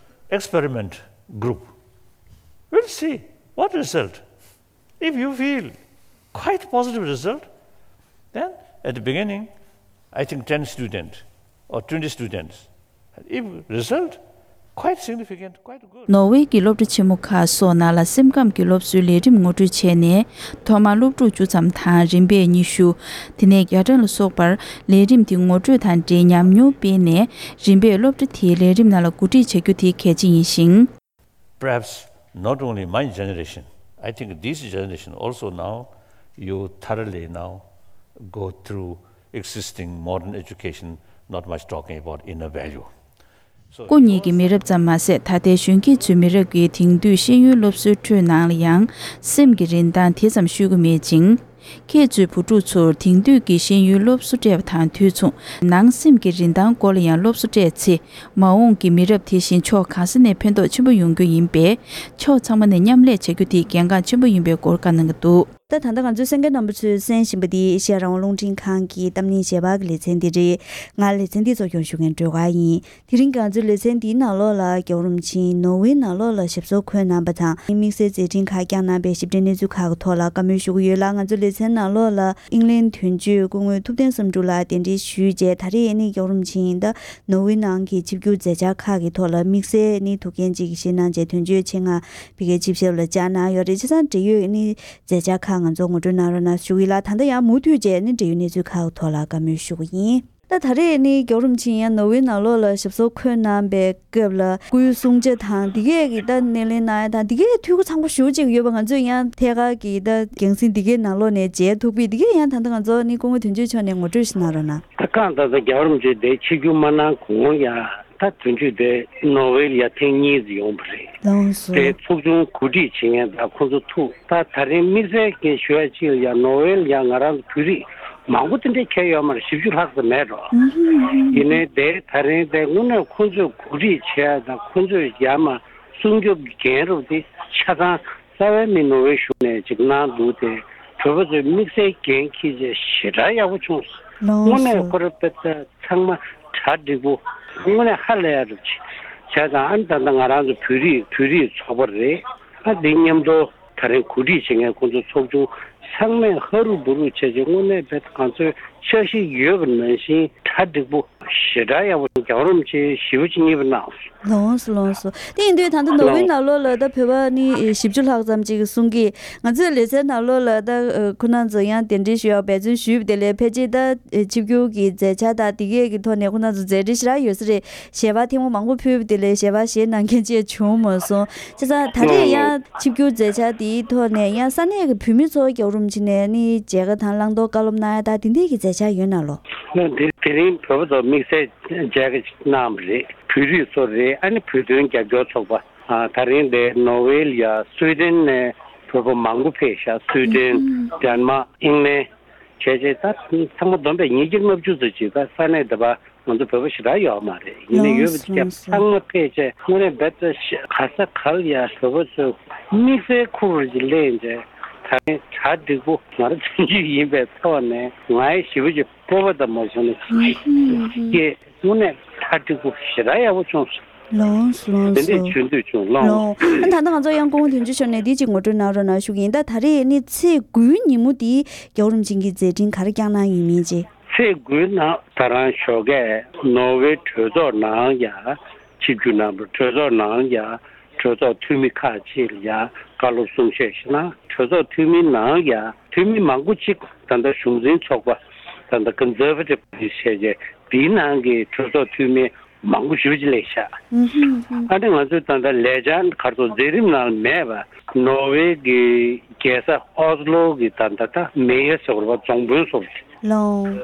experiment group. We'll see what result. If you feel quite positive result, then at the beginning, I think ten students or twenty students. If result quite significant, quite good. ནོར་ཝེ་གི་སློབ་གྲྭ་ཆེན་མོ་ཁག་སོགས་ནང་ལ་སེམས་ཁམས་ཀྱི་སློབ་གསོའི་ལས་རིམ་ངོ་སྤྲོད་བྱས་ནས། ཐོག་མར་སློབ་ཕྲུག་བཅུ་ཙམ་དང་རིམ་པས་ཉི་ཤུ། དེ་ནས་བརྒྱ་ཕྲག་ལ་སོགས་པར་ལས་རིམ་དེ་ངོ་སྤྲོད་དང་འབྲེལ་ཉམས་མྱོང་སྤེལ་ནས། རིམ་པས་སློབ་གྲྭ་དེའི་ལས་རིམ་ནང་ལ་གོ་སྒྲིག་བྱ་རྒྱུ་དེ་གལ་ཆེ་ཡིན་ཞིང་། Perhaps not only my generation, I think this generation also now, you thoroughly now go through existing modern education, not much talking about inner value. So སྐུ་ཉིད་ཀྱི་མི་རབས་ཙམ་མ་ཟད། ད་ལྟའི་གཞོན་སྐྱེས་ཚོའི་མི་རབས་ཀྱིས་དེང་དུས་ཤེས་ཡོན་སློབ་གསོའི་ཁྲོད་ནང་ལ་ཡང་སེམས་ཀྱི་རིན་ཐང་དེ་ཙམ་ཤོད་ཀྱི་མེད་ཅིང་། ཁྱེད་ཚོའི་བུ་ཕྲུག་ཚོར་དེང་དུས་ཀྱི་ཤེས་ཡོན་སློབ་གསོ་སྤྲད་པ་དང་དུས་མཚུངས། ནང་སེམས་ཀྱི་རིན་ཐང་སྐོར་ལ་ཡང་སློབ་གསོ་སྤྲད་ཚེ། མ་འོངས་ཀྱི་མི་རབས་དེ་བཞིན་ཕྱོགས་གང་ས་ནས་ཕན་ཐོགས་ཆེན་པོ་ཡོང་རྒྱུ་ཡིན་པས། ཕྱོགས་ཚང་མ་ནས་མཉམ་ལས་བྱ་རྒྱུ་དེ་གལ་འགངས་ཆེན་པོ་ཡིན་པའི་སྐོར་བཀའ་གནང་གི་འདུག་ད་ད་ལྟ་ང་ཚོའི་གསན་མཁན་རྣམ་པ་ཚོས་གསན་བཞིན་པ་འདི་ཨེ་ཤེ་ཡ་རང་དབང་རླུང་འཕྲིན་ཁང་གི་གཏམ་གླེང་ཞལ་པར་གྱི་ལེ་ཚན་འདི་རེད། ང་ལེ་ཚན་འདི་གཙོ་སྐྱོང་ཞུ་མཁན་སྒྲོལ་དཀར་ཡིན། དེ་རིང་ང་ཚོའི་ལེ་ཚན་འདིའི་ནང་ལོགས་ལ་རྒྱལ་བ་རིན་པོ་ཆེས་ནོར་ཝེ་ནང་ལོགས་ལ་ཞབས་སོར་འཁོད་གནང་བ་དང་དམིགས་བསལ་མཛད་འཕྲིན་ཁག་བསྐྱངས་གནང་བའི་ཞིབ་ཕྲའི་གནས་ཚུལ་ཁག་གི་ཐོག་ལ་བཀའ་མོལ་ཞུ་གི་ཡོད་ལ། ང་ཚོའི་ལེ་ཚན་ནང་ལོགས་ལ་དབྱིན་ལན་དོན་གཅོད་སྐུ་ངོ་ཐུབ་བསྟན་བསམ་གྲུབ་ལགས་གདན་འདྲེན་ཞུས་རྗེས་ད་རེས་ནི་རྒྱལ་བ་རིན་པོ་ཆེ་ཡིན་ད་ནོར་ཝེ་ནང་གི་ཆིབས་བསྒྱུར་མཛད་འཆར་ཁག་གི་ཐོག་ལ་དམིགས་བསལ་ནི་ཐུགས་འགན་ཅིག་བཞེས་གནང་རྗེས་དོན་གཅོད་ཆེད་མངགས་ཕ་གིར་ཆིབས་ཞབས་ལ་བཅར་གནང་ཡོད་རེད། བྱས་ཙང་འབྲེལ་ཡོད་ནི་མཛད་འཆར་ཁག་ང་ཚོ་ངོ་སྤྲོད་གནང་རོགས་གནང་ཞུ་གི་ཡིན་ལ། ད་ལྟ་ཡང་མུ་མཐུད་བྱས་ནི་འབྲེལ་ཡོད་གནས་ཚུལ་ཁག་གི་ཐོག་ལ་བཀའ་མོལ་ཞུ་གི་ཡིན། ད་ད་རེས་ནི་རྒྱལ་བ་རིན་པོ་ཆེ་ཡང་ནོར་ཝེ་ནང་ལོགས་ལ་ཞབས་སོར་འཁོད་གནང་པའི་སྐབས་ལ་སྐུའི་གསུང་ཆོས་དང་འདི་གས་ཀྱི་ད་སྣེ་ལེན་གནང་ཡ་དང་འདི་གས་འཐུས་སྒོ་ཚང་པོ་ཞེ་པོ་ཅིག་ཡོད་པ་ང་ཚོས་ཡང་ཐད་ཀར་གྱི་ད་རྒྱང་སྲིང་འདི་གས་ནང་ལོགས་ནས་མཇལ་ཐུབ་པས། འདི་གས་ཡང་ད་ལྟ་ང་ཚོ་ནི་སྐུ་ངོ་དོན་གཅོད་མཆོག་ནས་ངོ་སྤྲོད་ཞིག་གནང་རོགས་གནང་། ད་གང་ལྟར་ད་རྒྱལ་བ་རིན་པོ་ཆེ་དེ་ཆིབས་བསྒྱུར་མ་གནང་གོང་ཡང་ད་དོན་གཅོད་དེ་ནོར་ཝེ་ལ་ཡ་ཐེངས་གཉིས་ཙམ་ཡོང་བ་རེད། ལགས་སོ། དེ་ཚོགས་ཆུང་གོ་སྒྲིག་བྱེད་མཁན་དང་ཁོང་ཚོ་ཐུག་ད་ད་རིང་དམིགས་བསལ་གྱི་ཞུ་ཡ་གཅིག་ལ་ཡ་ནོར་ཝེ་ལ་ཡ་ང་རང་ཚོ་བོད་རིགས་མང་པོ་དེ་འདྲ་ཁྱེར་ཡོད་མ་རེད། བཞི་བཅུ་ལྷག་ཙམ་མེད་འགྲོ། ཨུ་ཧུམ་ཨུ་ཧུམ། ཡིན་ནའི་དེ་ད་རིང་དེ་དངོས་གནས་ཁོང་ཚོས་གོ་སྒྲིག་བྱས་དང་ཁོང་ཚོས་ཡར་མར་སྲུང་སྐྱོབ་ཀྱི་འགན་རུབ་དེ་ཆ་ཚང་རྩ་བའི་མི་ནོར་ཝེ་གཞུང་ནས་ཅིག་གནང་འདུག་དེ་བོད་པ་ཚོས་དམིགས་བསལ་འགན་འཁྱེར་བྱས་ཞེ་དྲག་ཡག་པོ་བྱུང་སོང་། ལགས་སོ། དངོས་གནས་ཁོ་ར་དཔེ་ཚ་ཚང་མ་གྲ་འགྲིག་པོ། དངོས་གནས་ཧ་ལས་ཡ་རུ་བྱས་བྱས་ཙང་ཨ་ནི་ད་ལྟ་ང་རང་ཚོ་བོད་རིགས་བོད་རིགས་ཚོགས་པ་རེད། ཨ་འདི་མཉམ་དུ་ད་རིང་གོ་སྒྲིག་བྱེད་མཁན་ཁོང་ཚོ་ཚོགས་ཆུང་ཚང་མས་ཧ་རུ་བུ་རུ་བྱས་བྱས་དངོས་གནས་དཔེ་ང་ཚོའི་འཆར་གཞི་ཡོད་པ་ནང་བཞིན་གྲ་འགྲིག་པོ་ཞེ་དྲག་ཡག་པོ་རྒྱལ་བ་རིན་པོ་ཆེ་ཞེ་པོ་ཅིག་མཉེས་པོ་གནང་སོང་། ལགས་སོ་ལགས་སོ། དེ་ཡིན་དུས་ད་ལྟ་ནོར་ཝེ་ནང་ལོགས་ལ་ད་བོད་པ་ནི་བཞི་བཅུ་ལྷག་ཙམ་ཅིག་གསུང་གི་ང་ཚོའི་ལེ་ཚན་ནང་ལོགས་ལ་ད་ཁོ་རང་ཚོ་ཡང་གདན་འདྲེན་ཞུ་ཡག་འབད་བརྩོན་ཞུས་པ་དེ་ལས་ཕལ་ཆེར་ད་ཆིབས་བསྒྱུར་གྱི་མཛད་འཆར་དང་དེ་གས་ཀྱི་ཐོག་ནས་ཁོ་རང་ཚོ་མཛད་རེས་ཞེ་དྲག་ཡོད་ས་རེད། ཞལ་པར་ཐེངས་མ་མང་པོ་ཕུལ་བ་དེ་ལས་ཞལ་པར་བཞེས་གནང་མཁན་ཅིག་བྱུང་མ་སོང་། བྱས་ཙང་ད་རེས་ཡང་ཆིབས་བསྒྱུར་མཛད་འཆར་དེའི་ཐོག་ནས་ཡང་ས་གནས་ཀྱི་བོད་མི་ཚོ་རྒྱལ་བ་རིན་པོ་ཆེ་ནས་ནི་མཇལ་ཁ་དང་བླང་དོར་བཀའ་སློབ་གནང་ཡ་ད་དེ་འདྲས་ཀྱི་མཛད་འཆར་ཡོད་ན་ལོ། དེ་དེ་རིང་བོད་པ་ཚོ་དམིགས་བསལ་མཇལ་ཁ་ཞིག་གནང་བ་རེད། བོད་རིགས་ཚོ་རེད། ཨ་ནི་བོད་དོན་རྒྱབ་སྐྱོར་ཚོགས་པ། ཨ་ད་རིང་དེ་ནོར་ཝེ་ལ་ཡ་སུའི་ཏན་ནས་བོད་པ་མང་པོ་ཕེབས་ཤག་སུའི་ཏན། ཨུ་ཧུམ། ཌེན་མཱག་ཨིང་ལན། བྱས་རྗེས་ད་ཚང་མ་བསྡོམས་པས་ཉིས་བརྒྱ་ལྔ་བཅུ་ཙམ་ཅིག་ད་ས་གནས་འདི་པ་ང་ཚོ་བོད་པ་ཞེ་དྲག་ཡོད་མ་རེད། ཡིན་ནའི་ཡོད་པ་ལགས་སོ་ལགས་སོ། ཚང་མ་ཕེབས་བྱས་དངོས་གནས་རྦད་དེ་ག་ས་ག་ལ་ཡ་བོད་པ་ཚོས་དམིགས་བསལ་ཁུག་རེ་ཅིག་ལེན་བྱས་ད་རིང་གྲ་འགྲིག་པོ་ང་རང་བཙན་བྱོལ་ཡིན་པའི་ཐོག་ནས་ང་ཡི་ཞེ་པོ་ཅིག་སྤོབས་པ་དང་མ་བྱུང་ན་ཧུམ་ཧུམ་ཧུམ། ཀྱེ་དངོས་གནས་གྲ་འགྲིག་པོ་ཞེ་དྲག་ཡག་པོ་བྱུང་སོང་། ལགས་སོ་ལགས་དེ་འདྲས་བྱུང་དུས་བྱུང་ལགས། ལགས་སོ། ཨ་ད་ལྟ་ང་ཚོ་ཡང་སྐུ་ངོ་དོན་གཅོད་མཆོག་ནས་འདི་གཅིག་ངོ་སྤྲོད་གནང་རོགས་གནང་ཞུ་གི་ཡིན། ད་ད་རེས་ནི་ཚེས་དགུའི་ཉིན་མོ་འདི་རྒྱལ་བ་རིན་པོ་ཆེ་གི་མཛད་འཕྲིན་ག་རེ་བསྐྱངས་གནང་ཡོད་མིན་ཅེས། ཚེས་དགུའི་ནང་ད་རང་ཞོགས་ཀས་ནོར་ཝེ་གྲོས་ཚོགས་ནང་ཡ་ཆིབས་བསྒྱུར་གནང་བ། གྲོས་ཚོགས་ནང་ཡ་གྲོས་ཚོགས་འཐུས་མི་ཁག་ཅིག་ལ་ཡ་བཀའ་སློབ་གསུང་བཤད་ཞིག་གནང་། གྲོས་ཚོགས་འཐུས་མི་ནང་ཡ་འཐུས་མི་མང་པོ་ཅིག་ད་ལྟ་གཞུང་འཛིན་ཚོགས་པ་ད་ལྟ་Conservative Party་བྱས་རྗེས་དེའི་ནང་གི་གྲོས་ཚོགས་འཐུས་མི་མང་པོ་ཞེ་པོ་ཅིག་སླེབས་ཤག་ཨུ་ཧུམ་ཧུམ། ཨ་ནི་ང་ཚོའི་ད་ལྟ་ལས་འཆར་ག་རེ་ཟེར་མཛད་རིམ་ནང་མེད་པ་ནོར་ཝེ་གི་རྒྱལ་ས་ཨོ་སི་ལོ་གི་ད་ལྟ་ད་མེ་ཡར་ཟེར་བ་རེད་པ། རྫོང་དཔོན་ཟེར་བ་རེད། ལགས།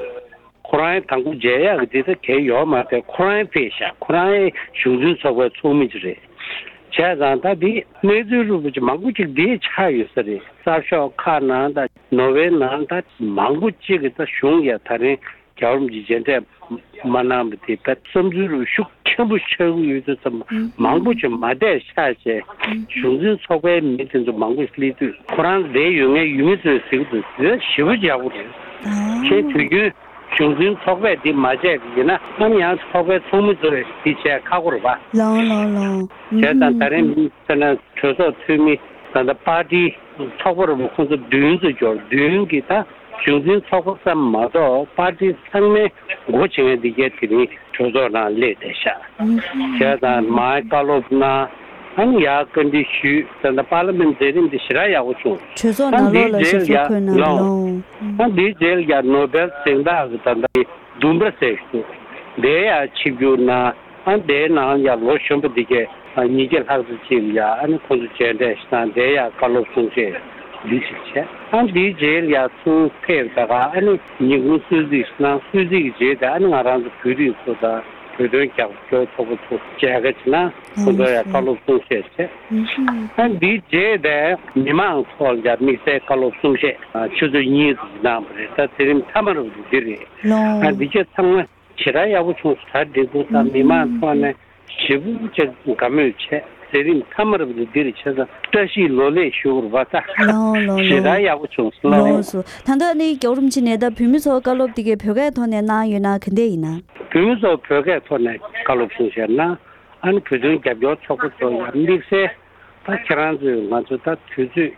ཁོ་རང་དང་པོ་མཇལ་ཡག་གི་དེ་ད་གལ་ཡོད་མ་རེད། ཁོ་རང་ཕེབས་ཤག་ཁོ་རང་གཞུང་འཛིན་ཚོགས་པའི་ཚོགས་མི་ཅིག་རེད། བྱས་ཙང་ད་འདི་གནས་ཚུལ་རུ་བ་ཅིག་མང་པོ་ཅིག་འདིའི་ཆགས་ཡོད་ས་རེད། གསར་ཤོག་ཁག་ནང་ད་ནོར་ཝེ་ནང་ད་མང་པོ་ཅིག་གི་ད་གཞུང་ཡ་ད་རིང་རྒྱལ་བ་རིན་པོ་ཆེ་མཇལ་འཕྲད་མ་གནང་བ་དེ་ད་བསམ་ཚུལ་རུ་ཤུགས་ཆེན་པོ་ཆགས་ཀྱི་ཡོད་དུས་ཙམ་མང་པོ་ཅིག་མ་བསྡད་ཤག་བྱས་གཞུང་འཛིན་ཚོགས་པའི་མི་དེ་ཚོ་མང་པོ་ཞིག་སླེབས་དུས་ཁོ་རང་བསྡད་ཡོད་མཁན་ཡུལ་མི་ཚོས་ཟེར་གྱི་འདུག་ཟེར་ཞེ་པོ་ཡག་པོ་རེད། ཁྱེད་དུས་རྒྱུན་གཞུང་འཛིན་ཚོགས་པས་འདི་མ་བྱས་པ་ཡིན་ན་ཨ་ནི་ཡང་ཚོགས་པའི་ཚོགས་མི་ཚོས་འདི་བྱས་ཁག་པོ་རེད་པ། ལགས་ལགས་ལགས། བྱས་ཙང་ད་རིང་ཨུ་ཧུམ། དཔེར་ན་གྲོས་ཚོགས་འཐུས་མི་ད་ལྟ་པར་ཏི་ཚོགས་པ་རུ་ཁོང་ཚོ་བདུན་ཙམ་འབྱོར། བདུན་གྱི་ད་གཞུང་འཛིན་ཚོགས་པ་ཙམ་མ་གཏོགས་པར་ཏི་ཚང་མའི་འགོ་བྱེད་མཁན་འདི་གའི་དེ་རིང་གྲོས་ཚོགས་ནང་སླེབས་བསྡད་ཤག་ཨུ་ཧུམ། བྱས་ཙང་མར་བཀའ་སློབ་གནང་། ཨ་ནི་ཡར་བཀའ་འདྲི་ཞུས། ད་ལྟ་པར་ལི་མེན་མཛད་རིམ་འདི་ཞེ་དྲག་ཡག་པོ་བྱུང་། གྲོས་ཚོགས་ནང་ལོགས་ལ་ཞབས་སོར་འཁོད་གནང་། ཨ་འདིའི་རྗེས་ལ་ཡ་ནོ་བེལ་གཟེངས་རྟགས་ཀྱི་ད་ལྟ་ལྡུམ་ར་ཟེར་ཞིག་འདུག་དེ་ཡ་ཆིབས་བསྒྱུར་གནང་། ཨ་དེའི་ནང་ཡ་ལོ་གཞོན་པ་འདི་གས་ཉིས་བརྒྱ་ལྷག་ཙམ་ཅིག་ལ་ཡ་ཨ་ནི་ཁོང་ཚོ་མཇལ་འཕྲད་ཞིག་གནང་། དེ་ཡ་བཀའ་སློབ་གསུང་བཤད་འདི་ཞིག་བྱས། ཨ་འདིའི་རྗེས་ལ་ཡ་ཚུར་ཕེབས་ད་ག་ཨ་ནི་ཉིན་གུང་གསོལ་ཚིགས་ཤིག་གནང་། གསོལ་ཚིགས་ཀྱི་རྗེས་དེ་ཨ་ནི་ང་རང་ཚོ་བོད་རིགས་ཚོ་དང་བོད་དོན་རྒྱབ་སྐྱོར་ཚོགས་པ་ཚོ་མཇལ་ཁ་ཅིག་གནང་། ཁོང་ཚོ་ཡ་བཀའ་སློབ་གསུང་བཤད་བྱས། ཨ་འདིའི་རྗེས་དེ་མི་མང་ཚོ་ལ་ཡ་དམིགས་བསལ་བཀའ་སློབ་གསུང་བཤད་ཆུ་ཚོད་གཉིས་ཙམ་གནང་བ་རེད། ད་དེ་རིང་མཐའ་མ་རུ་འདི་རེད། ཨ་འདི་གས་ཚང་མ་ཞེ་དྲག་ཡག་པོ་བྱུང་སོང་། གྲ་སྒྲིག་པོ་དང་མི་མང་ཐོག་ནས་ཞེ་པོ་ཅིག་དགའ་མོས་བྱས། མཛད་རིམ་མཐའ་མར་བ་འདིར་ཆ་ཚང་བཀྲ་ཤིས་ལོ་ལེགས་ཞུ་བར་བ་ད། ལའོ་ལའོ་ཞེ་དྲག་ཡག་པོ་བྱུང་སོང་ལའོ། ལོངས་སུ། ད་ལྟ་ནི་རྒྱལ་བ་རིན་པོ་ཆེ་ནས་ད་བོད་མི་ཚོ་བཀའ་སློབ་དེ་གའི་བོད་སྐད་ཐོག་ནས་གནང་ཡོད་ན་ག་འདྲས་ཡིན་ན། བོད་མི་ཚོ་བོད་སྐད་ཐོག་ནས་བཀའ་སློབ་གསུང་བཤད་ན། ཨ་ནི་བོད་དོན་རྒྱབ་སྐྱོར་ཚོགས་པ་ཚོ་ཡང་དམིགས་བསལ་ད་ཁྱེད་རང་ཚོས་ང་ཚོ་ད་དུས་ཚོད་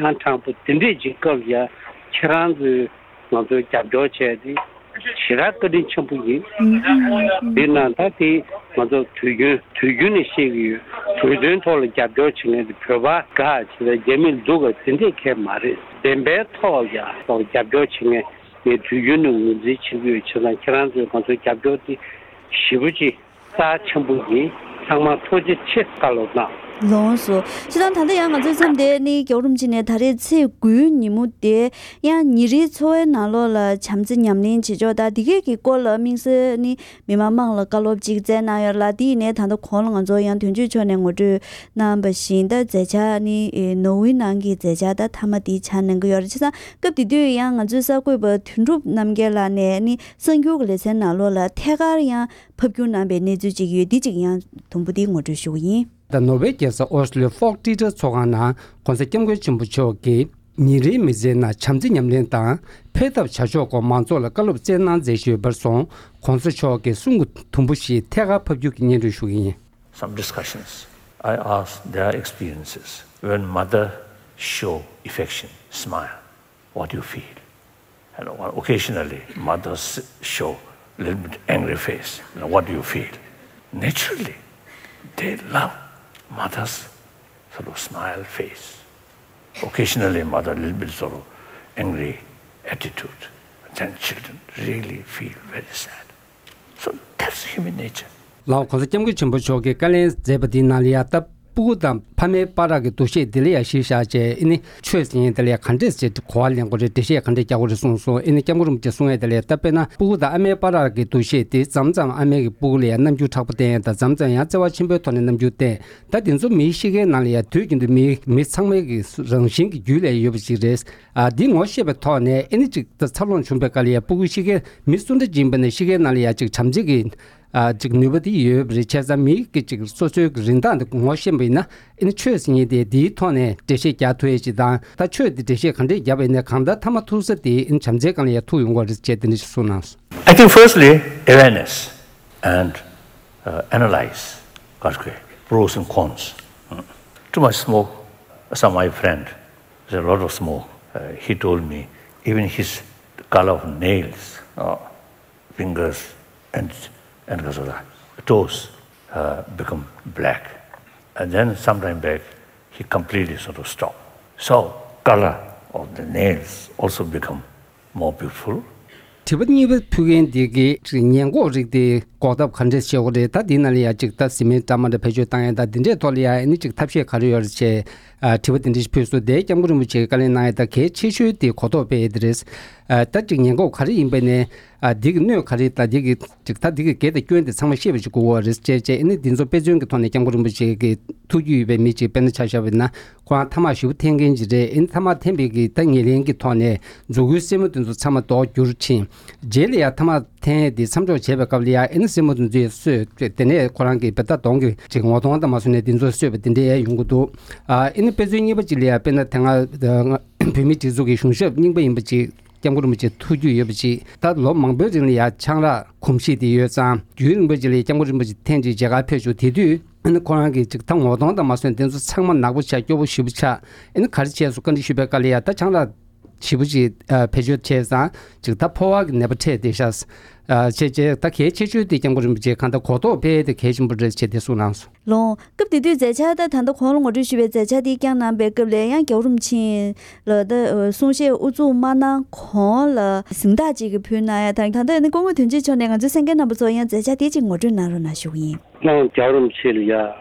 ཨང་དྲང་པོ་དེ་འདྲས་ཅིག་སྐབས་ཡ་ཁྱེད་རང་ཚོས་ང་ཚོ་རྒྱབ་སྐྱོར་བྱས་ཏེ་ཞེ་དྲག་བཀའ་དྲིན་ཆེན་པོ་ཡིན། ཨུ་ཨུ་ཨུ། དེ་ན་ད་དེ་ང་ཚོ་དུས་རྒྱུན་དུས་རྒྱུན་ནས་བཤད་ཀྱི་ཡོད། བོད་དོན་ཐོག་ལ་རྒྱབ་སྐྱོར་བྱེད་མཁན་དེ་བོད་པ་དགའ་བྱས་ད་རྒྱ་མི་སྡུག་ག་དེ་འདྲས་གལ་མ་རེད། བདེན་པའི་ཐོག་ལ་ཡ་ཐོག་རྒྱབ་སྐྱོར་བྱེད་མཁན་ངས་དུས་རྒྱུན་ནས་ངོས་འཛིན་བྱེད་ཀྱི་ཡོད། བྱས་ཙང་ཁྱེད་རང་ཚོས་ང་ཚོ་རྒྱབ་སྐྱོར་དེ་ཞེ་པོ་ཅིག་རྩ་ཆེན་པོ་ཡིན། ཚང་མ་ཐུགས་རྗེ་ཆེ། བཀའ་སློབ་གནང་། ལོངས་སུ། སྤྱིར་བཏང་ད་ལྟ་ཡང་ང་ཚོའི་མཚམས་དེ་ནི་རྒྱལ་བ་རིན་པོ་ཆེ་ནས་ད་རེས་ཚེས་དགུའི་ཉིན་མོ་དེ་ཡང་ཉིན་རེའི་འཚོ་བའི་ནང་ལོགས་ལ་བྱམས་བརྩེ་ཉམས་ལེན་བྱེད་ཕྱོགས་དང་དེ་གས་ཀྱི་སྐོར་ལ་དམིགས་བསལ་ནི་མི་མང་མང་ལ་བཀའ་སློབ་ཅིག་སྩལ་གནང་ཡོད་ལ། དེ་ཡིན་ནའི་ད་ལྟ་གོང་ལ་ང་ཚོ་ཡང་དོན་གཅོད་མཆོག་ནས་ངོ་སྤྲོད་གནང་བ་བཞིན་ད་མཛད་འཆར་ནི་ནོར་ཝེ་ནང་གི་མཛད་འཆར་ད་མཐའ་མ་དེ་ཆགས་གནང་གི་ཡོད་རེད། བྱས་ཙང་སྐབས་དེ་དུས་ཡང་ང་ཚོའི་གསར་འགོད་པ་དོན་གྲུབ་རྣམ་རྒྱལ་ལགས་ནས་ནི་གསར་འགྱུར་གྱི་ལེ་ཚན་ནང་ལོགས་ལ་ཐད་ཀར་ཡང་ཕབ་སྒྱུར་གནང་པའི་གནས་ཚུལ་ཅིག་ཡོད། འདི་ཅིག་ཡང་དུམ་བུ་འདི་ངོ་སྤྲོད་ཞུ་གི་ཡིན། ད་ནོར་ཝེ་རྒྱལ་ས་ཨོ་སི་ལོའི་ཧྥོག་ཏི་ཏྲ་ཚོགས་ཁང་ནང་༸གོང་ས་༸སྐྱབས་མགོན་ཆེན་པོ་མཆོག་གིས་ཉིན་རེའི་མི་ཚེའི་ནང་བྱམས་བརྩེ་ཉམས་ལེན་དང་འཕེལ་ཐབས་བྱ་ཕྱོགས་སྐོར་མང་ཚོགས་ལ་བཀའ་སློབ་སྩལ་གནང་མཛད་བཞིན་ཡོད་པར་སོང་། ༸གོང་ས་མཆོག་གི་གསུང་གི་དུམ་བུ་ཞིག་ཐད་ཀར་ཕབ་སྒྱུར་གྱིས་སྙན་སྒྲོན་ཞུ་གི་ཡིན། Some discussions, I ask their experiences. When mother show affection, smile, what do you feel? And occasionally, mothers show a little bit angry face. Now, what do you feel? Naturally, they love mothers sort of smile face. Occasionally, mother little bit sort of angry attitude. Then children really feel very sad. So that's human nature. ལའོ། ༸གོང་ས་༸སྐྱབས་མགོན་ཆེན་པོ་མཆོག་གིས་བཀའ་ལན་མཛད་པ་འདིའི་ནང་ལ་ཡ་ད་སྤུ་གུ་དང་ཕ་མའི་བར་གྱི་འདུ་ཤེས་འདི་ལ་ཡ་གཞི་བཞག་བྱས་ཨེ་ནི་ཆོས་ཟེར་མཁན་དེ་ལ་ཡ་ག་འདྲས་ཟེར་གོ་བ་ལེན་དགོས་རེད། འགྲེལ་བཤད་ག་འདྲས་རྒྱག་དགོས་རེད་གསུངས་སོང་། ཨེ་ནི་སྐྱབས་མགོན་རིན་པོ་ཆེས་གསུང་ཡས་དེ་ལ་ཡ་ད་དཔེར་ན་སྤུ་གུ་དང་ཨ་མའི་བར་གྱི་འདུ་ཤེས་དེ་མཚམས་མཚམས་ཨ་མས་ཀྱི་སྤུ་གུ་ལ་ཡ་རྣམ་འགྱུར་མཁྲེགས་པོ་བསྟན་ཡས་དང་མཚམས་མཚམས་ཡང་བརྩེ་བ་ཆེན་པོའི་ཐོག་ནས་རྣམ་འགྱུར་བསྟན། ད་དེ་ཚོ་མིའི་གཤིས་ཀའི་ནང་ལ་ཡ་དུས་རྒྱུན་དུ་མིའི་མི་ཚང་མའི་གི་རང་བཞིན་གྱི་རྒྱུད་ལ་ཡོད་པ་ཞིག་རེད། ཨ་འདི་ངོ་ཤེས་པའི་ཐོག་ནས་ཨེ་ནི་ཅིག་ད་འཚར་ལོངས་བྱུང་པའི་སྐབས་ལ་ཡ་སྤུ་གུ་གཤིས་ཀའི་མི་སུ་འདྲ་ཅིག་ཡིན་པ་ནས་གཤིས་ཀའི་ནང་ལ་ཡ་ཅིག་བྱམས་བརྩེ་གི་ཨ་ཅིག་ནུས་པ་དེ་ཡོད་པ་རེད། བྱས་ཙང་མིའི་གི་ཅིག་སོ་སོའི་གི་རིན་ཐང་དེ་ངོ་ཤེས་པ་ཡིན་ན་ཨེ་ནི་ཆོས་ཟེར་མཁན་དེ་དེའི་ཐོག་ནས་འགྲེལ་བཤད་རྒྱག་ཐུབ་ཡས་ཅིག་དང་། ད་ཆོས་དེ་འགྲེལ་བཤད་ག་འདྲས་བརྒྱབ་པ་ཡིན་ནའི་གང་ལྟར་མཐའ་མ་ཐུག་ས་དེ་ཨེ་ནི་བྱམས་བརྩེའི་སྒང་ལ་ཡ་ཐུག་ཡོང་གི་རེད་ཅེས་དེ་འདྲ་ཞིག་གསུངས་གནང་སོང་། I think firstly, awareness and uh, analyze, pros and cons. Mm. Too much smoke, some my friend, there's a lot of smoke. Uh, he told me, even his color of nails, uh, fingers and, and toes uh, become black. And then sometime back, he completely sort of stopped. So, color of the nails also become more beautiful. དྲི་བ་གཉིས་པ་ཕུལ་མཁན་འདི་གིས་ཉེན་འགོག་རིགས་དེ་འགོག་ཐབས་ག་འདྲས་བྱེད་དགོས་རེད། ད་འདི་ནང་ལ་ཡ་གཅིག་ད་བཟི་སྨན་འདྲ་མི་འདྲ་བེད་སྤྱོད་བཏང་ཡ་ད་འདི་འདྲའི་ཐོག་ལ་ཡ་ཨ་ནི་གཅིག་ཐབས་ཤེས་ག་རེ་ཡོད་རེད་ཅེས་ཨ་དྲི་བ་འདི་འདྲ་ཞིག་ཕུལ་སོང་། དེ་སྐྱབས་མགོན་རིན་པོ་ཆེས་བཀའ་ལན་གནང་ཡ་ད་གལ་ཆེ་ཤོས་དེ་གོ་རྟོགས་སྤེལ་ཡ་དེ་རེད། ཨ་ད་གཅིག་ཉེན་འགོག་ག་རེ་ཡིན་པ་ནས་ཨ་འདི་གི་གནོད་ག་རེ་ད་འདི་གི་གཅིག་ད་འདི་གི་གེ་དང་སྐྱོན་དེ་ཚང་མ་ཤེས་པ་ཞིག་དགོས་པ་རེད་ཅེས་བྱས་ཨ་ནི་འདི་ཚོ་དཔེ་མཚོན་གྱི་ཐོག་ནས་སྐྱབས་མགོན་རིན་པོ་ཆེ་གི་ཐུགས་རྒྱུས་ཡོད་པའི་མི་གཅིག་དཔེར་ན་ཆ་བཞག་པ་ཡིན་ན། ཁོ་རང་ཐ་མག་ཞེ་པོ་འཐེན་མཁན་ཅིག་རེད། ཨེ་ནི་ཐ་མག་འཐེན་པའི་གི་ད་ངོས་ལེན་གྱི་ཐོག་ནས་མཛུ་གུའི་སེན་མོ་དེ་ཚོ་ཚང་མ་རྡོག་འགྱུར་ཕྱིན། རྗེས་ལ་ཡང་ཐ་མག་འཐེན་ཡས་དེ་མཚམས་འཇོག་བྱས་པའི་སྐབས་ལ་ཡང་ཨེ་ནི་སེན་མོ་དེ་ཚོ་ཡང་གསོས། དེ་ནས་ཁོ་རང་གི་བེ་ད་གདོང་གི་ཅིག་ངོ་གདོང་དང་མ་སོང་ནས་དེ་ཚོ་གསོས་པ་དེ་འདྲ་ཡང་ཡོང་གི་འདུག་ཨ་ཨེ་ནི་དཔེ་མཚོན་གཉིས་པ་ཅིག་ལ་ཡང་དཔེར་ན་དེ་སྔ་བོད་མིའི་སྒྲིག་འཛུགས་ཀྱི་གཞུང་ཞབས་རྙིང་པ་ཡིན་པ་ཅིག་སྐྱབས་མགོན་རིན་པོ་ཆེ་ཐུགས་རྒྱུས་ཡོད་པ་ཅིག་ད་ལོ་མང་པོའི་རིང་ལ་ཡང་ཆང་རག་གོམས་གཤིས་དེ་ཡོད་ཙང་རྒྱུན་རིང་པོ་ཅིག་ལ་ཡང་སྐྱབས་མགོན་རིན་པོ་ཆེ་ཐེངས་གཅིག་མཇལ་ཁར་ཕེབས་བྱུང་། དེ་དུས་ཨ་ནི་ཁོ་རང་གིས་ཅིག་ད་ངོ་གདོང་དང་མ་སོན་དེ་ཚོ་ཚང་མ་ནག་པོ་ཆགས། སྐྱོ་པོ་ཞེ་པོ་ཆགས། ཨ་ནི་ག་རེ་བྱས་སོང་བཀའ་འདྲི་ཞུས་པའི་སྐབས་ལ་ཡ་ད་ཆང་རག་ཞེ་པོ་ཅིག་ཨ་བེད་སྤྱོད་བྱས་ཙང་ཅིག་ད་ཕོ་བ་གི་ནད་པ་འཕྲད་བསྡད་ཤག་ཨ་བྱས་བྱས་ད་གལ་ཆེ་ཤོས་དེ་སྐྱབས་མགོན་རིན་པོ་ཆེ་གང་ལྟར་གོ་རྟོགས་སྤེལ་དེ་གལ་ཆེན་པོ་རེད་ཅེས་དེ་གསུངས་གནང་སོང་། ལོངས། སྐབས་དེ་དུས་མཛད་འཆར་ད་ད་ལྟ་གོང་ལ་ངོ་སྤྲོད་ཞུས་པའི་མཛད་འཆར་དེ་བསྐྱངས་གནང་པའི་སྐབས་ལ་ཡང་རྒྱལ་བ་རིན་པོ་ཆེ་ལ་ད་གསུང་བཤད་དབུ་འཛུགས་མ་གནང་གོང་ལ་གཟེངས་རྟགས་ཅིག་གི་ཕུལ་གནང་ཡ་དང་། ད་ལྟ་ནི་སྐུ་ངོ་དོན་གཅོད་མཆོག་ནས་ང་ཚོའི་གསན་མཁན་རྣམ་པ་ཚོར་ཡང་མཛད་འཆར་དེ་ཅིག་ངོ་སྤྲོད་གནང་རོགས་གནང་ཞུ་གི་ཡིན། ལོངས། རྒྱལ་བ་རིན་པོ་ཆེ་ལ་ཡ་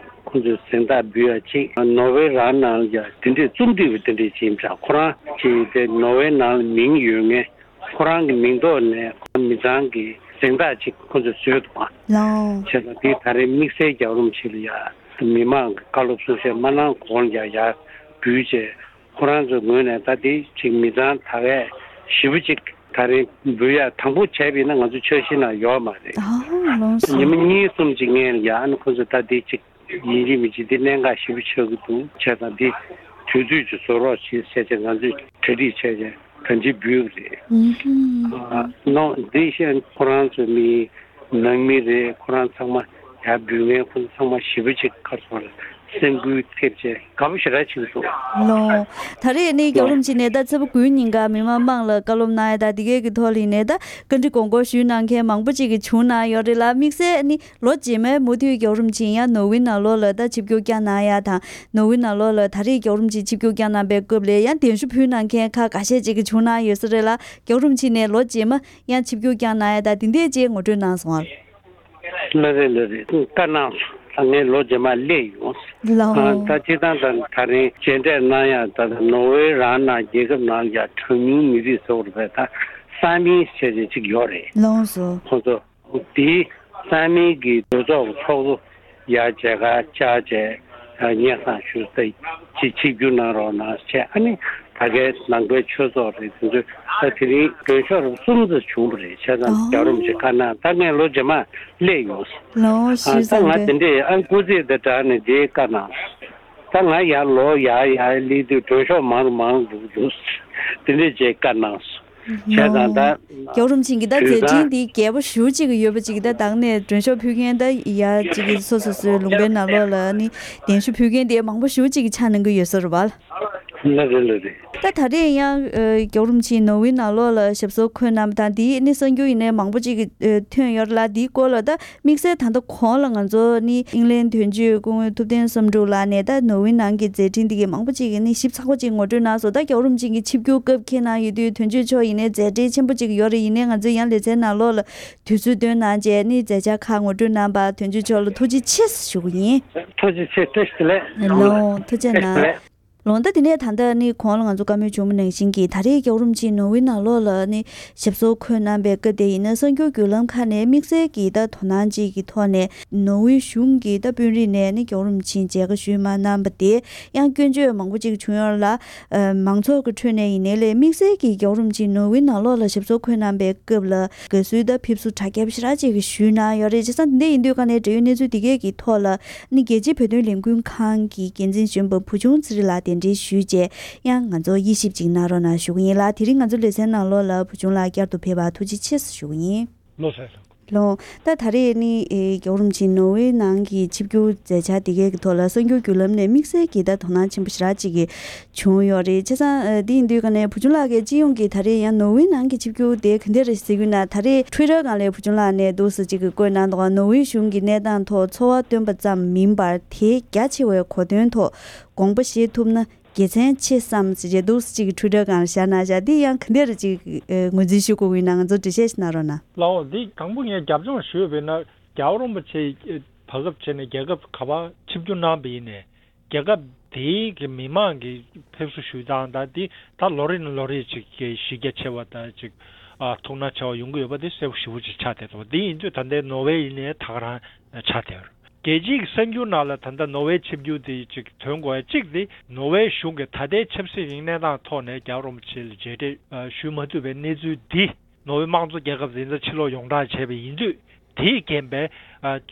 ཁོང་ཚོས་གཟེངས་རྟགས་འབུལ་ཡ་ཅིག་ནོར་ཝེ་རང་ནང་ལ་ཡ་དེ་འདྲས་རྩོམ་སྒྲིག་པ་དེ་འདྲས་ཅིག་ཡིན་པ་འདྲ། ཁོ་རང་ཅིག་དེ་ནོར་ཝེ་ནང་ལ་མིང་ཡོད་མཁན། ཁོ་རང་གི་མིང་ཐོག་ནས་ཁོ་མི་ཚང་གི་གཟེངས་རྟགས་ཅིག་ཁོ་ཚོས་བཟོས་འདུག་ག་ལའོ། བྱས་ཙང་དེ་ད་རེས་དམིགས་བསལ་རྒྱལ་བ་རིན་པོ་ཆེ་ལ་ཡ་མི་མང་གི་བཀའ་སློབ་གསུང་བཤད་མ་གནང་གོང་ལ་ཡ་ཡར་འབུལ་བྱས། ཁོ་རང་ཚོའི་ངོས་ནས་ད་དེ་ཅིག་མི་ཚང་ད་གས་ཞེ་པོ་ཅིག་ད་རེས་འབུལ་ཡ་དང་པོ་བྱས་པ་ཡིན་ན་ང་ཚོ་འཆར་གཞི་ནང་ཡོད་མ་རེད། ཨ་ལོངས་སོ། ཉི་མ་གཉིས་གསུམ་ཅིག་སྔོན་ལ་ཡ་ཨ་ནི་ཁོ་ཚོས་ད་དེ་ཅིག་ ཡིན་གཅིག་མིན་གཅིག་འདི་གནད་འགག་ཞེ་པོ་ཆགས་ཀྱི་འདུག་བྱས་ཙང་འདི་དུས་ཚོད་ཅིག་བཟོ་རོགས་བྱེད་ཟེར་བྱས་ང་ཚོས་གྲ་སྒྲིག་བྱས་བྱས་ད་འདི་འབུལ་བ་རེད། ཨུ་ཧུམ། ཨ་ནོ། འདི་ཤེས་ཁོ་རང་ཚོ་མི་ནང་མི་རེད། ཁོ་རང་ཚང་མ་ཡར་འབུལ་མཁན་ཁོ་ཚོ་ཚང་མ་ཞེ་པོ་ཅིག་ག་རེ་ཟེར་དགོས་རེད། སེམས་འགུལ་ཐེབས་བྱས་དགའ་པོ་ཞེ་དྲག་བྱེད་ཀྱི་འདུག་ལོ། ད་རེས་ནི་རྒྱལ་བ་རིན་པོ་ཆེ་ནས་ད་ཚེས་པ་དགུའི་ཉིན་ཀ་མི་མང་མང་ལ་བཀའ་སློབ་གནང་ཡ་ད་འདི་གའི་གི་ཐོག་ལ་ཡིན་ནའི་ད་བཀའ་འདྲི་དགོངས་སྐོར་ཞུས་གནང་མཁན་མང་པོ་ཅིག་གི་བྱུང་གནང་ཡོད་རེད་ལ། དམིགས་བསལ་ནི་ལོ་རྗེས་མའི་མུ་མཐུད་རྒྱལ་བ་རིན་པོ་ཆེ་ཡང་ནོར་ཝེ་ནང་ལོགས་ལ་ད་ཆིབས་བསྒྱུར་བསྐྱངས་གནང་ཡ་དང་། ནོར་ཝེ་ནང་ལོགས་ལ་ད་རེས་རྒྱལ་བ་རིན་པོ་ཆེ་ཆིབས་བསྒྱུར་བསྐྱངས་གནང་པའི་སྐབས་ལ་ཡང་གདན་ཞུ་ཕུལ་གནང་མཁན་ཁག་འགའ་ཤས་ཅིག་གི་བྱུང་གནང་ཡོད་ས་རེད་ལ། རྒྱལ་བ་རིན་པོ་ཆེ་ནས་ལོ་རྗེས་མ་ཡང་ཆིབས་བསྒྱུར་བསྐྱངས་གནང་ཡ་ད་དེ་འདྲས་ཅིག་ངོ་སྤྲོད་གནང་སོང་ཨ། ལགས་རེད། ལགས་རེད། བཀའ་གནང་སོང་། ད་ངས་ལོ་རྗེས་མ་སླེབས་ཡོང་། ལགས། ཨ་ད་སྤྱིར་བཏང་ད་ད་རིང་མཇལ་འཕྲད་གནང་ཡ་ད་ནོར་ཝེ་རང་ནང་རྒྱལ་ཁབ་ནང་ཡ་གྲངས་ཉུང་མི་རིགས་ཟེར་བ་རེད་པས། ད་ས་མིང་ཟེར་བྱས་ཅིག་ཡོད་རེད། ལགས་སོ། ཁོང་ཚོ་དེའི་ས་མིང་གི་གྲོས་ཚོགས་ཀྱི་ཚོགས་གཙོ་ཡ་མཇལ་ཁ་བཅར་བྱས་སྙན་སེང་ཞུས་ཏེ་ཅིག་ཆིབས་བསྒྱུར་གནང་རོགས་གནང་བྱས། ཨ་ནི་ད་གའི་ནང་པའི་ཆོས་ཚོགས་རེད། དེ་ཚོས་ད་དེ་རིང་མགྲོན་ཤོག་རུ་གསུམ་ཙམ་བྱུང་བ་རེད། བྱས་ཙང་ཨོ། རྒྱལ་བ་རིན་པོ་ཆེ་བཀའ་གནང་། ད་ངས་ལོ་རྗེས་མ་སླེབས་ཡོང་། ལོ་ཨ་ཞུས་ད་ང་ཙང་དེ་འདྲས་ཨ་སྐུ་ཚེ་དང་སྦྲགས་ནས་དེའི་བཀའ་གནང་། ད་ང་ཡར་ལོ་ཡར་ཡར་སླེབས་དུས་མགྲོན་ཤོག་མང་རུ་མང་རུ་འགྲོ་གི་འདུག་དེ་འདྲས་བྱས་བཀའ་གནང་སོང་། བྱས་ཙང་ད། རྒྱལ་བ་རིན་པོ་ཆེ་གི་ད་མཛད་འཕྲིན་འདི་རྒྱས་པོ་ཞེ་པོ་ཅིག་ཡོད་པ་ཅིག་ད་དང་ནས་མགྲོན་ཤོག་ཕུལ་མཁན་ད་ཡ་ཅིག་གི་སོ་སོ་སོའི་ལུང་པའི་ནང་ལོགས་ལ་ནི་གདན་ཞུ་ཕུལ་མཁན་དེ་མང་པོ་ཞེ་པོ་ཅིག་གི་ཆགས་གནང་གི་ཡོད་ས་རེད་བ། ལགས་རེད། ལགས་རེད། ད་ད་རེས་ཡང་རྒྱལ་བ་རིན་པོ་ཆེ་ནོར་ཝེ་ནང་ལོགས་ལ་ཞབས་སོར་འཁོད་གནང་བ་དང་དེའི་ནི་གསར་འགྱུར་ཡིན་ནའི་མང་པོ་ཅིག་གི་ཐོན་ཡོད་རེད་ལ། དེའི་སྐོར་ལ་ད། དམིགས་བསལ་ད་ལྟ་གོང་ལ་ང་ཚོ་ནི་ཨིང་ལན་དོན་གཅོད་སྐུ་ངོ་ཐུབ་བསྟན་བསམ་གྲུབ་ལགས་ནས་ད་ནོར་ཝེ་ནང་གི་མཛད་འཕྲིན་འདི་གའི་མང་པོ་ཅིག་གི་ནི་ཞིབ་ཚགས་པོ་ཅིག་ངོ་སྤྲོད་གནང་སོང་། ད་རྒྱལ་བ་རིན་པོ་ཆེ་གི་ཆིབས་བསྒྱུར་སྐབས་འཁེལ་གནང་ཡོད་དུས་དོན་གཅོད་མཆོག་ཡིན་ནའི་མཛད་འཕྲིན་ཆེན་པོ་ཅིག་ཡོད་རེད། ཡིན་ནའི་ང་ཚོས་ཡང་ལེ་ཚན་ནང་ལོགས་ལ་དུས་ཚོད་བཏོན་གནང་བྱས་ནི་མཛད་འཆར་ཁག་ངོ་སྤྲོད་གནང་བར་དོན་གཅོད་མཆོག་ལ་ཐུགས་རྗེ་ཆེ་ཞུ་གི་ཡིན། ཐུགས་རྗེ་ཆེ། བཀྲ་ཤིས་བདེ་ལེགས། ལོ་ཐུགས་རྗེ་གནང་། ལོ་ཟླ་འདི་ནས་ད་ལྟ་ནི་གོང་ལ་ང་ཚོ་བཀའ་མོལ་བྱུང་བ་ནང་བཞིན་གྱི་ད་རེས་རྒྱལ་བ་རིན་པོ་ཆེ་ནོར་ཝེ་ནང་ལོགས་ལ་ནི་ཞབས་སོར་འཁོད་གནང་པའི་སྐབས་དེ་ཡིན་ན་གསར་འགྱུར་བརྒྱུད་ལམ་ཁག་ནས་དམིགས་བསལ་གྱི་ད་དོ་སྣང་ཅིག་གི་ཐོག་ནས་ནོར་ཝེ་གཞུང་གི་ད་དཔོན་རིགས་ནས་ནི་རྒྱལ་བ་རིན་པོ་ཆེ་མཇལ་ཁ་ཞུས་མ་གནང་པ་དེ་ཡང་སྐྱོན་བརྗོད་མང་པོ་ཅིག་བྱུང་ཡོད་ལ། མང་ཚོགས་ཀྱི་ཁྲོད་ནས་ཡིན་ནའི་ལས་དམིགས་བསལ་གྱི་རྒྱལ་བ་རིན་པོ་ཆེ་ནོར་ཝེ་ནང་ལོགས་ལ་ཞབས་སོར་འཁོད་གནང་པའི་སྐབས་ལ་དགའ་བསུའི་ད་ཕེབས་བསུ་གྲ་རྒྱས་པ་ཞེ་དྲག་ཅིག་ཞུས་གནང་ཡོད་རེད། བྱས་ཙང་འདི་འདྲ་ཡིན་དུས་ག་ནས་འབྲེལ་ཡོད་གནས་ཚུལ་འདི་གས་ཀྱི་ཐོག་ལ་ནི་རྒྱལ་སྤྱིའི་བོད་དོན་ལས་འགུལ་ཁང་གི་འགན་འཛིན་གཞོན་པ་བུ་ཆུང་ཚེ་རིང་ལགས་གདན་འདྲེན་ཞུས་རྗེས་ཡང་ང་ཚོ་དབྱེ་ཞིབ་ཅིག་གནང་རོགས་གནང་ཞུ་གི་ཡིན་ལ། དེ་རིང་ང་ཚོ་ལེ་ཚན་ནང་ལོགས་ལ་བུ་ཆུང་ལགས་བསྐྱར་དུ་ཕེབས་པར་ཐུགས་རྗེ་ཆེ་ཞུ་གི་ཡིན། ལོ་སར་ལོ། ལོ། ད་ད་རེས་ནི་ཨེ་རྒྱལ་བ་རིན་པོ་ཆེ་ནོར་ཝེ་ནང་གི་ཆིབས་བསྒྱུར་མཛད་འཆར་དེ་གའི་གི་ཐོག་ལ་གསར་འགྱུར་བརྒྱུད་ལམ་ནས་དམིགས་བསལ་གྱི་ད་དོ་སྣང་ཆེན་པོ་ཞེ་དྲག་ཅིག་གི་བྱུང་ཡོད་རེད། བྱས་ཙང་ཨ་འདི་ཡིན་དུས་ག་ནས་བུ་ཆུང་ལགས་ཀྱིས་སྤྱི་ཡོངས་ཀྱི་ད་རེས་ཡང་ནོར་ཝེ་ནང་གི་ཆིབས་བསྒྱུར་དེ་ག་འདྲ་རེད་ཟེར་གྱི་ན། ད་རེས་ཊུའི་ཊར་སྒང་ལ་བུ་ཆུང་ལགས་ནས་འདུག་སེ་ཅིག་གི་བཀོད་གནང་འདུག་ནོར་ཝེ་གཞུང་གི་གནས་སྟངས་ཐོག་ཚོར་བ་བཏོན་པ་ཙམ་མིན་པར་དེའི་རྒྱ་ཆེ་བའི་གོ་དོན་ཐོག་དགོངས་པ་བཞེས་ཐུབ་ན་དགེ་མཚན་ཆེ་བསམ་ཟེར་བྱས་འདུག་སེ་ཅིག་གི་ཊུའི་ཊར་སྒང་ལ་བཞག་གནང་བཞག་འདི་ཡང་ག་འདྲ་རེ་ཅིག་ངོས་འཛིན་ཞུ་དགོས་ཀྱི་ཡིན་ན་ང་ཚོ་འགྲེལ་བཤད་ཞིག་གནང་རོགས་གནང་། ལའོ། འདི་དང་པོ་ངས་རྒྱབ་ལྗོངས་ཞུས་པ་ཡིན་ན་རྒྱལ་བ་རིན་པོ་ཆེ་བར་སྐབས་བྱས་ནས་རྒྱལ་ཁབ་ག་པར་ཆིབས་བསྒྱུར་གནང་བ་ཡིན་ནའི་རྒྱལ་ཁབ་དེའི་གི་མི་མང་གི་ཕེབས་བསུ་ཞུ་སྟངས་དང་དེ་ད་ལོ་རེ་ནས་ལོ་རེ་ཅིག་གི་གཞི་རྒྱ་ཆེ་བ་དང་ཅིག་ཨ་ཐུགས་སྣང་ཆེ་བ་ཡོང་གི་ཡོད་པ་དེ་གསལ་པོ་ཞེ་པོ་ཅིག་ཆགས་བསྡད་འདུག་འདི་ཡིན་དུས་ད་ལྟའི་ནོར་ཝེ་ཡིན་ནའི་ད་ག་རང་ཆགས་བསྡད་ཡོད་རེད། རྒྱལ་སྤྱིའི་གསར་འགྱུར་ནང་ལ་ད་ལྟ་ནོར་ཝེ་ཆིབས་བསྒྱུར་དེ་ཅིག་ཐོན་དགོས་ཡ་གཅིག་དེ་ནོར་ཝེ་གཞུང་གི་ད་ལྟའི་ཆབ་སྲིད་ཀྱི་གནས་སྟངས་ཐོག་ནས་རྒྱལ་བ་རིན་པོ་ཆེ་ལ་མཇལ་འཕྲད་ཞུ་མ་ཐུབ་པའི་གནས་ཚུལ་འདི་ནོར་ཝེ་དམངས་གཙོ་རྒྱལ་ཁབ་ཡིན་ཙང་ཕྱིར་ལོག་ཡོངས་གྲགས་བྱས་པ་ཡིན་དུས་དེའི་རྐྱེན་པས་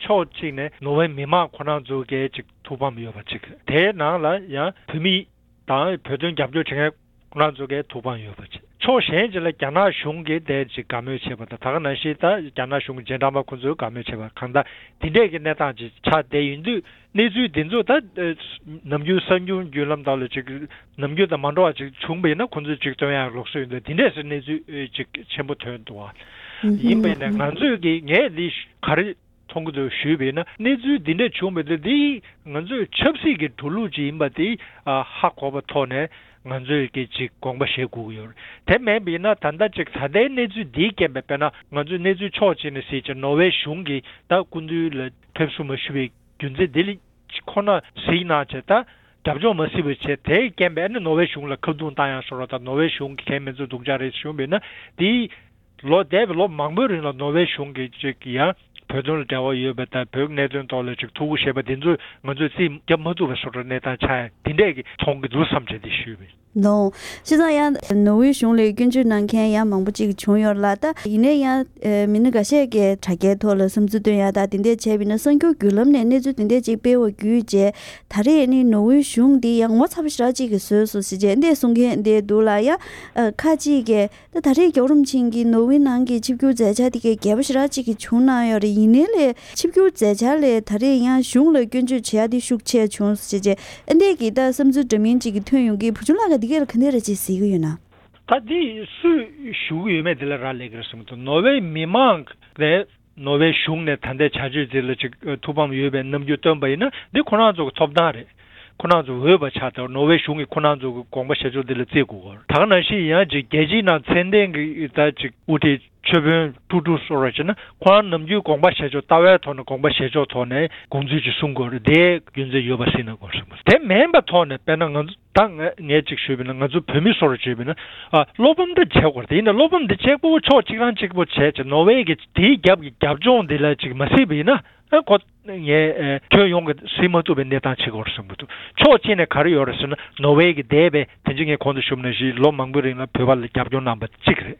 ཕྱོགས་གཅིག་ནས་ནོར་ཝེ་མི་མང་ཁོ་རང་ཚོ་གའི་ཅིག་ཐུགས་ཕམ་ཡོད་པ་གཅིག་དེའི་ནང་ལ་ཡང་བོད་མི་དང་བོད་དོན་རྒྱབ་སྐྱོར་བྱེད་མཁན་ཁོ་རང་ཚོ་གའི་ཐུགས་ཕམ་ཡོད་པ་བྱས། ཕྱོགས་གཞན་ཅིག་ལ་རྒྱ་ནག་གཞུང་གིས་དེ་ཅིག་དགའ་མོས་བྱས་པ་དང་ད་ག་ནང་བཞིན་ད་རྒྱ་ནག་གཞུང་གི་རྗེས་འབྲང་པ་ཁོ་ཚོས་དགའ་མོས་བྱས་པ་གང་ལྟར་དེ་འདྲས་ཀྱི་གནས་སྟངས་ཅིག་ཆགས་བསྡད་ཡིན་དུས་གནས་ཚུལ་འདི་ཚོ་ད་ནམ་རྒྱུན་གསར་འགྱུར་བརྒྱུད་ལམ་དག་ལ་ཅིག་ནམ་རྒྱུན་དང་མ་འདྲ་བ་ཅིག་བྱུང་བ་ཡིན་ན་ཁོ་ཚོས་ཅིག་སྟོན་ཡག་ལུགས་སྲོལ་ཡིན་དུས་དེ་འདྲས་སུ་གནས་ཚུལ་ཅིག་ཆེན་པོ་ཐོན་འདུག་བ། ཡིན་པ་ཡིན་ན་ང་ཚོས་ཀྱི་ངས་འདི་ག་རེ། མཐོང་གི་འདུག་ཞུས་པ་ཡིན་ན་གནས་ཚུལ་འདི་འདྲ་བྱུང་བ་དེ་འདི་ང་ཚོའི་ཆབ་སྲིད་ཀྱི་འགྲོ་ལུགས་ཅིག་ཡིན་པ་དེ་ཧ་གོ་བ་ཐོག་ནས་ང་ཚོས་ཀྱི་ཅིག་དགོངས་པ་བཞེས་དགོས་ཀྱི་ཡོད་རེད། དེ་མིན་པ་ཡིན་ན་ད་ལྟ་ཅིག་ད་ལྟའི་གནས་ཚུལ་འདིའི་རྐྱེན་པས་དཔེར་ན་ང་ཚོའི་གནས་ཚུལ་ཕྱོགས་གཅིག་ནས་གཟིགས་ཅིག་ནོར་ཝེ་གཞུང་གིས་ད་སྐུ་མདུན་ལ་ཕེབས་བསུ་མ་ཞུས་པའི་རྒྱུ་མཚན་འདི་ལ་ཁོ་ན་གཟིགས་གནང་བྱས་ད་རྒྱབ་ལྗོངས་མ་གཟིགས་པ་བྱས་དེའི་རྐྱེན་པས་ཨ་ནི་ནོར་ཝེ་གཞུང་ལ་ཁ་རྡུང་བཏང་ཡང་ཤོར་བ་དང་ནོར་ཝེ་གཞུང་གིས་གལ་མི་འཛོལ་སྡུག་ཅག་རེད་ཞུས་པ་ཡིན་ན་དེའི། ལོ་འདས་པའི་ལོ་མང་པོའི་རིང་ལ་ནོར་ཝེ་གཞུང་གིས་ཅིག་ཡང་བོད་དོན་ལ་འབྲེལ་བ་ཡོད་པ་དང་བོད་ཀྱི་གནད་དོན་ཐོག་ལ་ཅིག་ཐུགས་ཁུར་བཞེས་པ་དེ་ཚོ་ང་ཚོས་རྩིས་རྒྱབ་མ་ཐུབ་པ་བཟོ་འདྲ་གནས་སྟངས་ཆགས་ཡ་དེ་འདྲས་ཀྱི་མཐོང་གི་འདུག་བསམ་བྱས་ཏེ་ཞུས་པ་ཡིན། ནོ། བྱས་ཙང་ཡང་ནོར་ཝེ་གཞུང་ལ་སྐྱོན་བརྗོད་གནང་མཁན་ཡང་མང་པོ་ཅིག་བྱུང་ཡོད་ལ། ད་ཡིན་ན་ཡང་མི་སྣ་འགའ་ཤས་ཀྱིས་དྲ་རྒྱའི་ཐོག་ལ་བསམ་ཚུལ་བཏོན་ཡ་ད་དེ་འདྲས་བྱས་པ་ཡིན་ན། གསར་འགྱུར་བརྒྱུད་ལམ་ནས་གནས་ཚུལ་དེ་འདྲས་ཅིག་སྤེལ་བ་བརྒྱུད་རྗེས། ད་རེས་ནི་ནོར་ཝེ་གཞུང་འདི་ཡང་ངོ་ཚ་པོ་ཞེ་དྲག་ཅིག་གིས་བཟོས་སོང་ཟེར་བྱས་འདི་གསུང་མཁན་འདི་འདུག་ལ། ཡང་ཁ་ཅིག་གིས་ད་ད་རེས་རྒྱལ་བ་རིན་པོ་ཆེ་གིས་ནོར་ཝེ་ནང་གི་ཆིབས་བསྒྱུར་མཛད་འཆར་དེ་གའི་རྒྱས་པོ་ཞེ་དྲག་ཅིག་གིས་བྱུང་གནང་ཡོད་རེད། ཡིན་ནའི་ལས་ཆིབས་བསྒྱུར་མཛད་འཆར་ལས་ད་རེས་ཡང་གཞུང་ལ་སྐྱོན་བརྗོད་བྱེད་ཡ་དེ་ཤུགས་ཆེ་བྱུང་ཟེར་བྱས་འདི་གི་ད་བསམ་ཚུལ་འདྲ་མིན་ཅིག་གིས་ཐོན་ཡོང་གི། བུ་ཆུང་ལགས་ཀྱིས་འདི་གའི་ལ་ག་འདྲས་རེད་ཅེས་གཟིགས་ཀྱི་ཡོད་ན། ད་འདི་སུས་ཞུ་གི་ཡོད་མེད་དེ་ལ་རག་ལས་ཀྱི་རེད་བསམ་གྱི་འདུག་ནོར་ཝེ་མི་མང་ནས་ནོར་ཝེ་གཞུང་ནས་ད་ལྟའི་བྱ་སྤྱོད་དེ་ལ་ཅིག་ཐུགས་ཕམ་ཡོད་པའི་རྣམ་འགྱུར་སྟོན་པ་ཡིན་ན་འདི་ཁོ་རང་ཚོ་གི་ཐོབ་ཐང་རེད། ཁོ་རང་ཚོ་འོས་པ་ཆགས་ཏེ་ནོར་ཝེ་གཞུང་གིས་ཁོ་རང་ཚོ་གི་དགོངས་པ་བཞེས་ཕྱོགས་དེ་ལ་བརྩི་དགོས་ཀྱི་རེད། ད་ག་ནང་བཞིན་ཡང་ཅིག་རྒྱལ་སྤྱིའི་ནང་མཚན་ལྡན་གྱི་ད་ཅིག་དབུ་ཁྲིད་ཆོས་དཔོན་ཀྲུག་ཀྲུག་སོགས་ར་བྱས་ན་ཁོ་རང་ནམ་རྒྱུན་དགོངས་པ་བཞེས་ཕྱོགས་ལྟ་བའི་ཐོག་ནས་དགོངས་པ་བཞེས་ཕྱོགས་ཐོག་ནས་དགོངས་ཚུལ་ཅིག་གསུང་དགོས་རེད། དེའི་རྒྱུ་མཚན་ཡོད་པ་སྲིད་ན་དགོས་བསམ་གྱི་འདུག་དེ་མིན་པའི་ཐོག་ནས་དཔེར་ན་ང་ཚོ་ད་ངས་ངས་གཅིག་ཞུས་པ་ཡིན་ན་ང་ཚོ་བོད་མི་སོགས་ལ་བརྗོད་པ་ཡིན་ན་ཨ་བློ་ཕམ་འདྲ་བྱེད་དགོས་རེད། དེ་ཡིན་ན་བློ་ཕམ་འདི་གཅིག་པོ་ཕྱོགས་གཅིག་རང་གཅིག་པོ་བྱས་བྱས་ནོར་ཝེ་གི་དེའི་རྒྱབ་ཀྱི་རྒྱབ་ལྗོངས་འདི་ལ་ཅིག་མ་སྲིད་པ་ཡིན་ན་ཨ་ཁོ་ངས་ཨ་ཁྱོན་ཡོངས་ཀྱི་སྲིད་མ་ཐུབ་པའི་གནས་སྟངས་ཆགས་ཀྱི་ཡོད་རེད་བསམ་གྱི་འདུག་ཕྱོགས་གཅིག་ནས་ག་རེ་ཡོད་རེད་ཟེར་ན་ནོར་ཝེ་གི་འདས་པའི་དེ་འཇིག་ངས་གོང་དུ་ཞུས་པ་ནང་བཞིན་ལོ་མང་པོའི་རིང་ལ་བོད་པ་ལ་རྒྱབ་སྐྱོར་གནང་པ་གཅིག་རེད།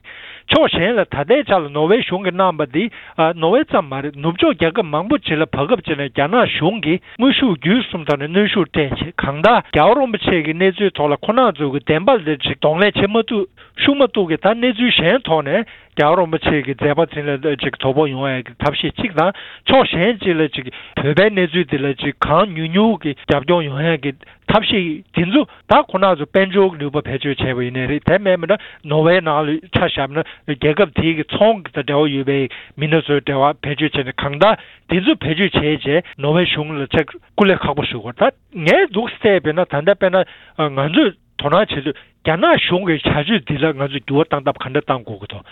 ཕྱོགས་གཞན་ལ་ད་ལྟའི་ཆ་ལ་ནོར་ཝེ་གཞུང་གིས་གནང་པ་འདི་ཨ་ནོར་ཝེ་ཙམ་མ་རེད། ནུབ་ཕྱོགས་རྒྱལ་ཁབ་མང་པོ་ཅིག་ལ་བར་སྐབས་ཅིག་ནས་རྒྱ་ནག་གཞུང་གིས་དངོས་ཤུགས་བརྒྱུད་གསུམ་ཐོག་ནས་གནོན་ཤུགས་སྤྲད་བྱས་གང་ལྟར་རྒྱལ་བ་རིན་པོ་ཆེ་གི་གནས་ཚུལ་ཐོག་ལ་ཁོ་རང་ཚོ་གི་བདེན་པ་ལ་ཅིག་གདོང་ལེན་བྱེད་མ་ཐུབ་ཤུགས་མ་ཐུབ་ཀྱི་ད་གནས་ཚུལ་གཞན་ཐོག་ནས་རྒྱལ་བ་རིན་པོ་ཆེ་གི་མཛད་པ་འཛིན་ལ་ཅིག་དོ་ཕོག་ཡོང་ཡ་གི་ཐབས་ཤེས་གཅིག་དང་། ཕྱོགས་གཞན་གཅིག་ལ་ཅིག་བོད་པའི་གནས་ཚུལ་འདི་ལ་ཅིག་གང་མྱུར་མྱུར་གྱི་རྒྱབ་སྐྱོར་ཡོང་ཡ་གི་ཐབས་ཤེས་འདི་ཚོ་ད་ཁོ་རང་ཚོ་དཔལ་འབྱོར་གྱི་ནུས་པ་བེད་སྤྱོད་བྱས་པ་ཡིན་ནའི་རེད། དེ་མེད་མིན་ན་ནོར་ཝེ་ནང་ལ་ཆ་བཞག་ན་རྒྱལ་ཁབ་དེའི་གི་ཚོང་གི་དང་འབྲེལ་བ་ཡོད་པའི་མི་སྣ་ཚོའི་འབྲེལ་བ་བེད་སྤྱོད་བྱས་ནས་གང་ལྟར་འདི་ཚོ་བེད་སྤྱོད་བྱས་རྗེས་ནོར་ཝེ་གཞུང་ལ་ཅིག་སྐུ་ལས་ཁག་པོ་ཞུ་དགོས། ད་ངས་འདུག་བལྟས་པས་ན་ད་ལྟ་དཔེར་ན་ང་ཚོས་དོ་སྣང་བྱེད་དུས་རྒྱ་ནག་གཞུང་གི་བྱ་སྤྱོད་འདི་ལ་ང་ཚོས་འགྱུར་བ་གཏང་ཐབས་ག་འདྲ་གཏང་དགོས་ཀྱི་འདུག་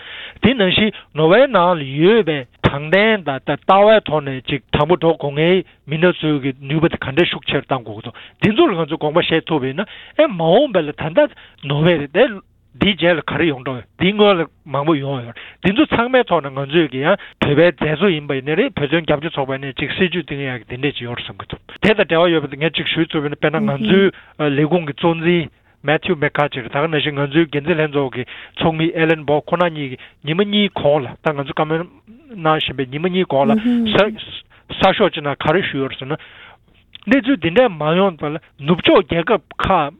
དེ་ནང་བཞིན་ནོར་ཝེ་ནང་ལ་ཡོད་པའི་དྲང་བདེན་དང་ད་ལྟ་བའི་ཐོག་ནས་ཅིག་དྲང་པོ་འགྲོ་དགོས་མཁན་མི་སྣ་ཚོའི་གི་ནུས་པ་དེ་ག་འདྲ་ཤུགས་ཆེར་གཏང་དགོས་ཀྱི་འདུག་འདི་ཚོ་ལ་ང་ཚོས་དགོངས་པ་བཞེས་ཐུབ་པ་ཡིན་ན་ཨེ་མ་འོངས་པ་ལ་ད་ལྟ་ནོར་ཝེ་རེད་དེ། འདིའི་རྗེས་ལ་ག་རེ་ཡོང་འགྲོ་ཡོད། འདིའི་སྔོན་ལ་མང་པོ་ཡོང་ཡོད། འདི་ཚོ་ཚང་མའི་ཐོག་ནས་ང་ཚོས་ཀྱི་ཡང་བོད་པའི་མཛད་གཙོ་ཡིན་པ་ཡིན་ནའི་རེད། བོད་དོན་རྒྱབ་སྐྱོར་ཚོགས་པ་ཡིན་ནའི་ཅིག་སྲིད་ཇུས་འདི་ཡག་གི་འདི་འདྲས་ཅིག་ཡོད་རེད་བསམ་གྱི་འདུག་དེ་དང་འབྲེལ་བ་ཡོད་པ་དེ་ངས་ཅིག་ཞུས་ཐུབ་པ་ཡིན་ན་དཔེར་ན་ང་ཚོའི་ལས་ཁུངས་ཀྱི་གཙོ་འཛིན་མེ་ཐིའུ་མེ་ཁ་ཅིག་རེད། ད་ག་ནང་བཞིན་ང་ཚོའི་འགན་འཛིན་ལྷན་ཚོགས་ཀྱི་ཚོགས་མི་ཨེ་ལན་བྷོ་ཁོ་ན་གཉིས་ཀྱིས་ཉི་མ་གཉིས་གོང་ལ་ད་ང་ཚོ་བཀའ་མོལ་གནང་བཞིན་པའི་ཉི་མ་གཉིས་གོང་ལ་གསར་གསར་ཤོག་ཅིག་ནང་ག་རེ་ཞུས་ཡོད་རེད་ཟེར་ན། གནས་ཚུལ་འདི་འདྲས་མ་ཡོང་བར་ནུབ་ཕྱོགས་རྒྱལ་ཁབ་ཁག་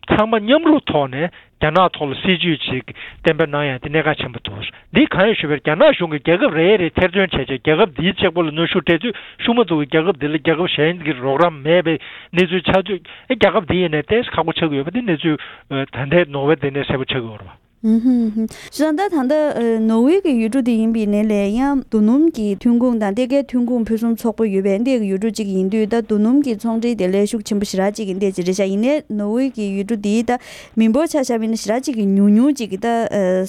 ཚང་མ་མཉམ་རུབ་ཐོག་ནས་རྒྱ་ནག་ཐོག་ལ་སྲིད་ཇུས་ཅིག་གཏན་འབེབས་གནང་ཡ་དེ་གནད་འགག་ཆེན་པོ་འདུག་འདི་གང་ཡིན་ཞུས་པར་རྒྱ་ནག་གཞུང་གིས་རྒྱལ་ཁབ་རེ་རེ་ཐེར་འདོན་བྱས་བྱས་རྒྱལ་ཁབ་འདིའི་གཅིག་པོ་ལ་གནོན་ཤུགས་སྤྲད་དུས་ཤུགས་མ་ཐུབ་ཀྱི་རྒྱལ་ཁབ་འདི་ལ་རྒྱལ་ཁབ་གཞན་གྱི་རོགས་རམ་མེད་པའི་གནས་ཚུལ་ཆགས་དུས་ཨེ་རྒྱལ་ཁབ་འདི་ཡིན་ནའི་ཏོག་ཙམ་ཁག་པོ་ཆགས་ཀྱི་ཡོད་པ་འདི་གནས་ཚུལ་ད་ལྟའི་ནོར་ཝེ་འདི་ནས་གསལ་པོ་ཆགས་ཀྱི་ཡོད་རེད་པ། ཨུ་ཧུམ་ཧུམ། བྱས་ཙང་ད་ད་ལྟ་ནོར་ཝེ་གི་ཡུལ་གྲུ་དེ་ཡིན་པའི་ནས་ལས་ཡང་རྡོ་སྣུམ་གྱི་ཐོན་ཁུངས་དང་ལྟེ་ཁའི་ཐོན་ཁུངས་ཕུན་སུམ་ཚོགས་པོ་ཡོད་པའི་འདི་གི་ཡུལ་གྲུ་གཅིག་ཡིན་དུས་ད་རྡོ་སྣུམ་གྱི་ཚོང་འབྲེལ་དེ་ལས་ཤུགས་ཆེན་པོ་ཞེ་དྲག་ཅིག་གི་འདི་ཅིག་རེད་ཤག་ཡིན་ནའི་ནོར་ཝེ་གི་ཡུལ་གྲུ་དེའི་ད་མི་འབོར་ཆ་བཞག་པ་ཡིན་ན་ཞེ་དྲག་ཅིག་གི་ཉུང་ཉུང་ཅིག་གི་ད་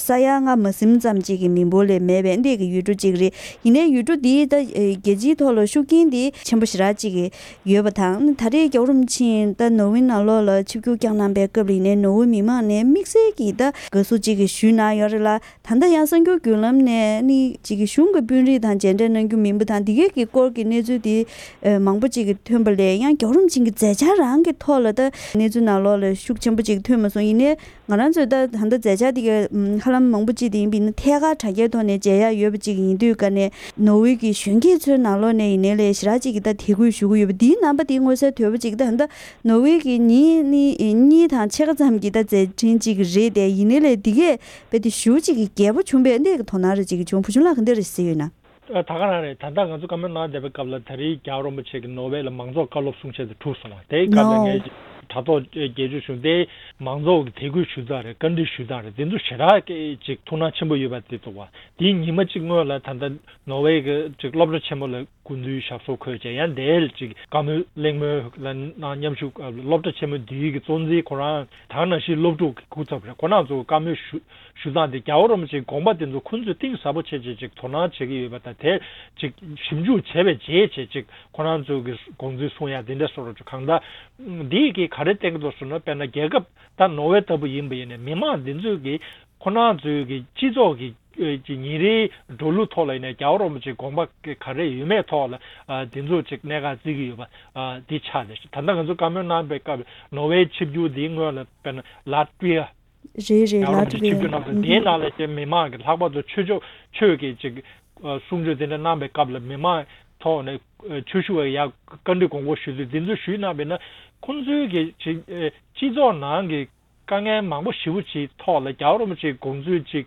ས་ཡ་ལྔ་མ་ཟིན་ཙམ་ཅིག་གི་མི་འབོར་ལས་མེད་པའི་འདི་གི་ཡུལ་གྲུ་གཅིག་རེད། ཡིན་ནའི་ཡུལ་གྲུ་དེའི་ད་རྒྱལ་སྤྱིའི་ཐོག་ལ་ཤུགས་རྐྱེན་དེ་ཆེན་པོ་ཞེ་དྲག་ཅིག་གི་ཡོད་པ་དང་། ད་རེས་རྒྱལ་བ་རིན་པོ་ཆེ་ད་ནོར་ཝེ་ནང་ལོགས་ལ་ཆིབས་བསྒྱུར་བསྐྱངས་གནང་པའི་སྐབས་ལ་ཡིན་ནའི་ནོར་ཝེ་མི་མང་ནས་དམིགས་བསལ་གྱི་ད་དགའ་བསུ་ཅིག་གི་ཞུས་གནང་ཡོད་རེད་ལ། ད་ལྟ་ཡང་གསར་འགྱུར་བརྒྱུད་ལམ་ནས་ནི་ཅིག་གི་གཞུང་གི་དཔོན་རིགས་དང་མཇལ་འཕྲད་གནང་རྒྱུ་མིན་པ་དང་འདི་གའི་གི་སྐོར་གྱི་གནས་ཚུལ་དེ་མང་པོ་ཅིག་གི་ཐོན་པ་ལས་ཡང་རྒྱལ་བ་རིན་པོ་ཆེ་གི་མཛད་འཆར་རང་གི་ཐོག་ལ་ད་གནས་ཚུལ་ནང་ལོགས་ལ་ཤུགས་ཆེན་པོ་ཅིག་ཐོན་མ་སོང་། ཡིན་ནའི། ང་རང་ཚོས་ད་ད་ལྟ་མཛད་འཆར་དེ་ག་ཧ་ལམ་མང་པོ་ཅིག་དེ་ཡིན་པ་ཡིན་ན་ཐད་ཀར་དྲ་རྒྱའི་ཐོག་ནས་མཇལ་ཡག་ཡོད་པ་ཅིག་ཡིན་དུས་ཀ་ནས་ནོར་ཝེ་གི་གཞོན་སྐྱེས་ཚོའི་ནང་ལོགས་ནས་ཡིན་ནའི་ལས་ཞེ་དྲག་ཅིག་གིས་ད་དད་གུས་ཞུ་གི་ཡོད་པ་འདིའི་རྣམ་པ་དེ་མངོན་གསལ་དོད་པོ་ཅིག་ད་ད་ནོར་ཝེ་གི་ཉིན་གཉིས་དང་ཕྱེད་ཀ་ཙམ་གྱི་ད་མཛད་འཕྲིན་ཅིག་རེད་དེ། ཡིན་ནའི་ལས་འདི་གས་དཔེ་དེ་ཞུ་ཅིག་གི་རྒྱས་པོ་བྱུང་པས་འདི་གི་དོ་སྣང་རེ་ཅིག་བྱུང་། བུ་ཆུང་ལགས་ག་འདི་རེ་ཟེར་ཡོད་ན། ད་ག་རང་རེད། ད་ལྟ་ང་ཚོ་བཀའ་མོལ་གནང་བསྡད་པའི་སྐབས་ལ་ད་རེས་རྒྱལ་བ་རིན་པོ་ཆེ་གིས་ནོར་ཝེ་ལ་མང་ཚོགས་བཀའ་སློབ་གསུང་བཤད་དེ་གྲུབ་སོང་བ་དེའི་སྐབས་ལ་ངས་དྲ་ཐོག་རྒྱལ་སྤྱོད་བྱུང་སྟེ་མང་ཚོགས་ཀྱི་དད་གུས་ཞུ་སྟངས་རེད། བཀའ་འདྲི་ཞུ་སྟངས་རེད། དེ་ཚོ་ཞེ་དྲག་གི་ཅིག་ཐུགས་སྣང་ཆེན་པོ་ཡོད་པ་དེ་འདུག་བ། དེའི་ཉི་མ་གཅིག་སྔོན་ལ་ད་ལྟ་ནོར་ཝེ་གི་ཅིག་སློབ་གྲྭ་ཆེན་མོ་ལ་སྐུ་མདུན་ཞབས་སོར་འཁོད་བྱས་ཡང་དེ་ལ་ཅིག་བཀའ་མོལ་གླེང་མོལ་ལ་གནང་མཉམ་ཞུགས་སློབ་གྲྭ་ཆེན་མོ་འདིའི་གི་གཙོ་འཛིན་ཁོ་རང་ད་ག་ནང་བཞིན་སློབ་ཕྲུག་གི་སྐུ་ཚབ་རེད། ཁོ་རང་ཚོ་བཀའ་མོལ་ཞུ་ཞུ་སྟངས་དེ་རྒྱལ་བ་རིན་པོ་ཆེའི་དགོངས་པ་དེ་ཚོ་ཁོང་ཚོས་གཏིང་ཟབ་པོ་བྱས་བྱས་ཅིག་དོ་སྣང་བྱེད་ཀྱི་ཡོད་པ་དང་དེ་ཅིག་ཞིབ་འཇུག་བྱས་པའི་རྗེས་བྱས་ཅིག་ཁོ་རང་ཚོ་གི་དགོངས་ཚུལ་གསུང་ཡ་དེ་འདྲ་སོགས་རོ་ཅིག་གང་ལྟར་འདི་གིས་ག་རེ་བསྟན་གྱི་འདུག་ཟེར་ན། དཔེར་ན་རྒྱལ་ཁབ་ད་ནོར་ཝེ་ལྟ་བུ་ཡིན་པ་ཡིན་ནའི་མི་མང་འདི་ཚོས་ཀྱི་ཁོ་རང་ཚོའི་གི་སྤྱི་ཚོགས་ཀྱི་ ཨེ་ཅིག་ཉིན་རེའི་འགྲོ་ལུགས་ཐོག་ལ་ཡིན་ནའི་རྒྱལ་བ་རིན་པོ་ཆེའི་དགོངས་པ་ག་རེ་ཡོད་མེད་ཐོག་ལ་ཨ་འདི་ཚོ་ཅིག་གནད་འགག་བརྩི་གི་ཡོད་པ་ཨ་འདི་ཆགས་ནས་ད་ལྟ་ང་ཚོ་བཀའ་མོལ་གནང་པའི་སྐབས་ནོར་ཝེ་ཆིབས་བསྒྱུར་འདིའི་སྔོན་ལ་དཔེར་ན་ལ་ཏི་བི་ཡ། རེད་རེད། རྒྱལ་བ་རིན་པོ་ཆེ་ཆིབས་བསྒྱུར་གནང་སོང་། དེའི་ནང་ལ་ཀྱང་མི་མང་གི་ལྷག་པར་དུ་ཆོས་ཕྱོགས་ཆོས་ཀྱི་ཅིག་གསུང་ཆོས་དེ་འདྲ་གནང་པའི་སྐབས་ལ་མི་མང་ཐོག་ནས་ཆོས་ཞུ་བའི་ཡ་བཀའ་འདྲི་དགོངས་སྐོར་ཞུ་དུས་འདི་ཚོ་ཞུས་གནང་པས་ན་ཁོང་ཚོའི་གི་ཅིག་སྤྱི་ཚོགས་ནང་གི་དཀའ་ངལ་མང་པོ་ཞེ་པོ་ཅིག་ཐོག་ལ་རྒྱལ་བ་རིན་པོ་ཆེའི་དགོངས་ཚུལ་ཅིག་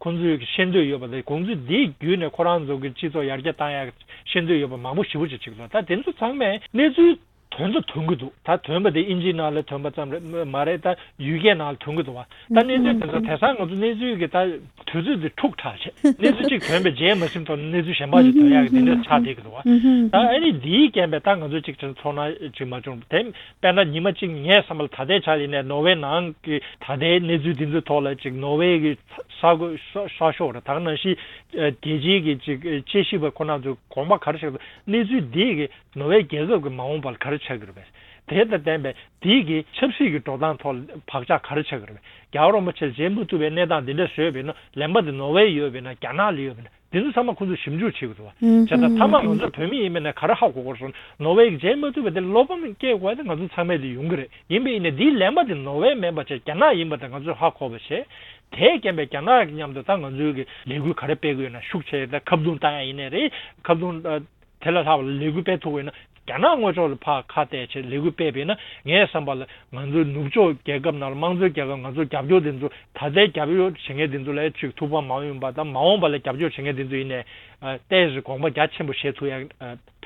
ཁོང་ཚོའི་གི་ཤེས་འདོད་ཡོད་པ་དང་དགོངས་ཚུལ་འདི་བརྒྱུད་ནས་ཁོ་རང་ཚོ་གི་སྤྱི་ཚོགས་ཡར་རྒྱས་བཏང་ཡག་ཤེས་འདོད་ཡོད་པ་མང་པོ་ཞེ་པོ་ཅིག་ཅིག་འདུག་ད་དེ་ཚོ་ཚང་མས་གནས་ཚུལ་དོན་དུ་ཐོན་གྱི་འདུག་ད་ཐོན་པ་དེ་ཨིན་ཇིའི་ནང་ལ་ཐོན་པ་ཙམ་རེད་མ་རེད། ད་ཡུལ་སྐད་ནང་ལ་ཐོན་གྱི་འདུག་བ། ད་གནས་ཚུལ་དེ་ཚོ་དེང་སང་ང་ཚོ་གནས་ཚུལ་གྱི་ད་དུས་ཚོད་དེ་འཁྲུག་དྲགས་བྱས་གནས་ཚུལ་གཅིག་ཐོན་པའི་རྗེས་མ་ཟིན་ཐོག་ནས་གནས་ཚུལ་གཞན་པ་ཞིག་ཐོན་ཡག་གི་དེ་འདྲ་ཆགས་བསྡད་ཀྱི་འདུག་བ། ད་ཨ་ནི་འདིའི་རྐྱེན་པས་ད་ང་ཚོ་གཅིག་ཚོར་སྣང་ཅིག་མ་བྱུང་། དེ་དཔེར་ན་ཉི་མ་གཅིག་ངས་བསམ་པ་ལ་ད་ལྟའི་ཆ་ཡིན་ནའི་ནོར་ཝེ་ནང་གི་ད་ལྟའི་གནས་ཚུལ་འདི་ཚོའི་ཐོག་ལ་ཅིག་ནོར་ཝེ་གི་གསར་འགོད་གསར་གསར་ཤོག་རེད། ད་ག་ནང་བཞིན་རྒྱལ་སྤྱིའི་གི་ཅིག་དཔྱད་ཞིབ་པ་ཁོ་ན་ཚོས་དགོངས་པ་ག་རེ་བཞག་འདུག་གནས་ཚུལ་འདི་གི་ནོར་ཝེ་རྒྱལ་ཁབ་ཀྱི་མ་འོངས་པར་ག་རེ་ཆགས་ཀྱི་རེད་པས། དེ་དང་ལྡན་པའི་དེའི་གི་ཆབ་སྲིད་ཀྱི་འགྲོ་སྟངས་ཐོག་བག་ཆགས་ག་རེ་ཆགས་ཀྱི་རེད་པས། རྒྱལ་བ་རིན་པོ་ཆེར་མཇལ་མ་ཐུབ་པའི་གནས་སྟངས་འདི་འདྲ་བཟོས་པས་ན་ལན་པ་དེ་ནོར་ཝེ་ཡོད་པས་ན་རྒྱ་ནག་ལ་ཡོད་པས་ན་འདི་ཚོ་ཚང་མ་ཁོང་ཚོས་ཞིབ་འཇུག་བྱེད་དགོས་འདུག་བ། བྱས་ཙང་མཐའ་མ་ང་ཚོ་བོད་མི་ཡིན་པས་ན་ག་རེ་ཧ་གོ་དགོས་སོང་། ནོར་ཝེ་གི་མཇལ་མ་ཐུབ་པ་དེ་བློ་ཕམ་སྐྱེ་དགོས་དེ་ང་ཚོ་ཚང་མས་དེ་ཡོང་གི་རེད། ཡིན་པས་ཡིན་ནའི་འདིའི་ལན་པ་དེ་ནོར་ཝེ་མིན་པ་བྱས་རྒྱ་ནག་ཡིན་པ་དེ་ང་ཚོས་ཧ་གོ་བ་བྱས། དེའི་རྐྱེན་པས་རྒྱ་ནག་གི་མཉམ་དུ་ད་ང་ཚོའི་གི་ལས་འགུལ་ག་རེ་སྤེལ་གི་ཡོད་ན་ཤུགས་ཆེ་ད་ཁ་བརྡུང་བཏང་ཡ་ཡིན་ནའི་རེད། ཁ་བརྡུང་དེ་ལས་ལྷག་པ་ལས་འགུལ་སྤེལ་ཐུབ་ཡོད་ན་རྒྱ་ནག་དངོས་ཕྱོགས་ལ་ཕར་ཁ་གཏད་བྱས་ལས་འགུལ་སྤེལ་བས་ན་ངའི་བསམ་པ་ལ་ང་ཚོའི་ནུབ་ཕྱོགས་རྒྱལ་ཁབ་ནང་ལ་དམངས་གཙོའི་རྒྱལ་ཁབ་ང་ཚོ་རྒྱབ་སྐྱོར་དེ་ཚོ་ད་ལྟའི་རྒྱབ་སྐྱོར་བྱེད་མཁན་དེ་ཚོ་ལ་ཅིག་ཐུགས་ཕམ་མ་ཡོང་པ་དང་མ་འོངས་པ་ལ་རྒྱབ་སྐྱོར་བྱེད་མཁན་དེ་ཚོ་ཡིན་ནའི་ཏོག་ཙམ་དགོངས་པ་རྒྱ་ཆེན་པོ་བཞེས་ཐུབ་ཡ་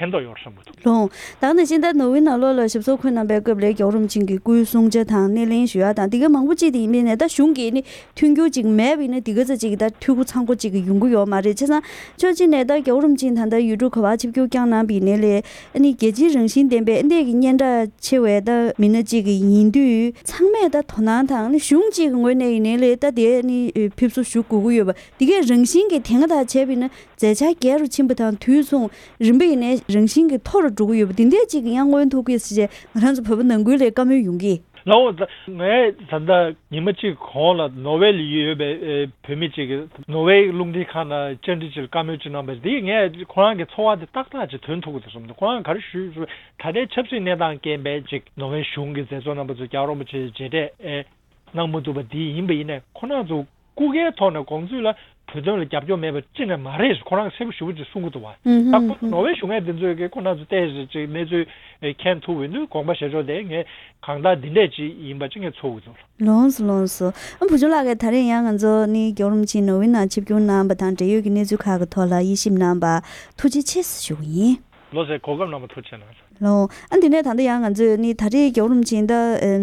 ཕན་ཐོགས་ཡོད་བསམ་གྱི་འདུག་ལོང་། ད་ནང་བཞིན་ད་ནོར་ཝེ་ནང་ལོགས་ལ་ཞབས་སོར་འཁོད་གནང་པའི་སྐབས་ལ་རྒྱལ་བ་རིན་པོ་ཆེ་གི་སྐུའི་གསུང་བྱ་དང་སྣེ་ལེན་ཞུ་ཡ་དང་དེ་ག་མང་པོ་ཅིག་དེ་ཡིན་པས་ནས་ད་གཞུང་གིས་ནི་མཐུན་འགྱུར་ཅིག་མེད་པ་ཡིན་ན་དེ་ག་ཚོད་ཅིག་ད་འཐུས་སྒོ་ཚང་པོ་ཅིག་ཡོང་གི་ཡོད་མ་རེད། བྱས་ཙང་ཕྱོགས་གཅིག་ནས་ད་རྒྱལ་བ་རིན་པོ་ཆེ་ད་ལྟ་ཡུལ་གྲུ་ག་བར་ཆིབས་བསྒྱུར་བསྐྱངས་གནང་པ་ཡིན་ནའི་ལས་ཨ་ནི་རྒྱལ་སྤྱིའི་རང་བཞིན་ལྡན་པའི་ཨ་འདས་ཀྱི་སྙན་གྲགས་ཆེ་བའི་ད་མི་སྣ་ཅིག་ཡིན་དུས་ཚང་མས་ད་དོ་སྣང་དང་ཨ་ནི་གཞུང་གཅིག་གི་ངོས་ནས་ཡིན་ནའི་ལས་ད་དེ་ཨ་ནི་ཕེབས་བསུ་ཞུ་དགོས་ཀྱི་ཡོད་པ་དེ་གས་རང་བཞིན་གྱི་དེ་སྔ་དང་བྱས་པ་ཡིན་ན། མཛད་འཆར་རྒྱས་རུ་ཕྱིན་པ་དང་དུས་མཚུངས་རིམ་པས་ཡིན་ནའི་རང་བཞིན་གྱིས་མཐོ་རུ་འགྲོ་གི་ཡོད་པ་འདི་འདྲས་ཅིག་གི་ཡང་མངོན་ཐུབ་ཀྱི་ཟེར་བྱས་ང་རང་ཚོ་བོད་པ་ནང་ཁུལ་ལ་བཀའ་མོལ་ཡོང་གི། ལའོ། ད་ངས་ད་ལྟ་ཉི་མ་གཅིག་གོང་ལ་ནོར་ཝེ་ལ་ཡོད་པའི་ཨེ་བོད་མི་གཅིག་གིས་ནོར་ཝེ་རླུང་འཕྲིན་ཁང་ནང་བཅར་འདྲི་ཅིག་ལ་བཀའ་མོལ་ཅིག་གནང་བས་འདི་ངས་ཁོ་རང་གི་ཚོར་བ་དེ་ཏག་ཏག་ཅིག་ཐོན་ཐུབ་ཀྱི་འདུག་བསམ་འདུག་ཁོ་རང་ག་རེ་ཞུས་ཞུས་ད་ལྟའི་ཆབ་སྲིད་གནས་སྟངས་རྐྱེན་པས་ཅིག་ནོར་ཝེ་གཞུང་གི་མཛད་གཙོ་རྣམ་པ་ཚོས་རྒྱལ་བ་རིན་པོ་ཆེའི་མཇལ་འཕྲད་ཨེ་གནང་མ་ཐུབ་པ་འདི་ཡིན་པ་ཡིན་ནའི་ཁོ་རང་ཚོ་སྐུ་སྒེར་ཐོག་ནས་དགོངས་ཚུལ་ལ་བོད་དོན་ལ་རྒྱབ་སྐྱོར་མེད་པ་ཅི་ནས་མ་རེད་ཁོ་རང་གསལ་པོ་ཞེ་པོ་ཅིག་གསུང་གི་འདུག་བ། ད་ཁོ་ནོར་ཝེ་གཞུང་ངོས་འདི་ཚོས་ཀྱི་ཁོ་རང་ཚོ་ཏོག་ཙམ་ཅིག་གནས་ཚུལ་མཁྱེན་ཐུབ་ཡོད་དུས་དགོངས་པ་བཞེས་ཕྱོགས་དེ་ངས་གང་ལྟར་འདི་འདྲས་ཅིག་ཡིན་པ་ཅིག་ངས་ཚོར་གི་འདུག་ལོངས་སུ་ལོངས་སུ། ཨ་བུ་ཆུང་ལགས་ཀྱིས་ད་རེས་ཡང་ང་ཚོ་ནི་རྒྱལ་བ་རིན་པོ་ཆེ་ནོར་ཝེ་ནང་ཆིབས་བསྒྱུར་གནང་བ་དང་འབྲེལ་ཡོད་ཀྱི་གནས་ཚུལ་ཁག་གི་ཐོག་ལ་དབྱེ་ཞིབ་གནང་བར་ཐུགས་རྗེ་ཆེ་ཞུ་གི་ཡིན། ལོ་ཟེར་གོ་སྐབས་གནང་བ་ཐུགས་རྗེ་གནང་། ལོ། ཨ་འདི་ནས་ད་ལྟ་ཡང་ང་ཚོས་ནི་ད་རེས་རྒྱལ་བ་རིན་པོ་ཆེ་ད་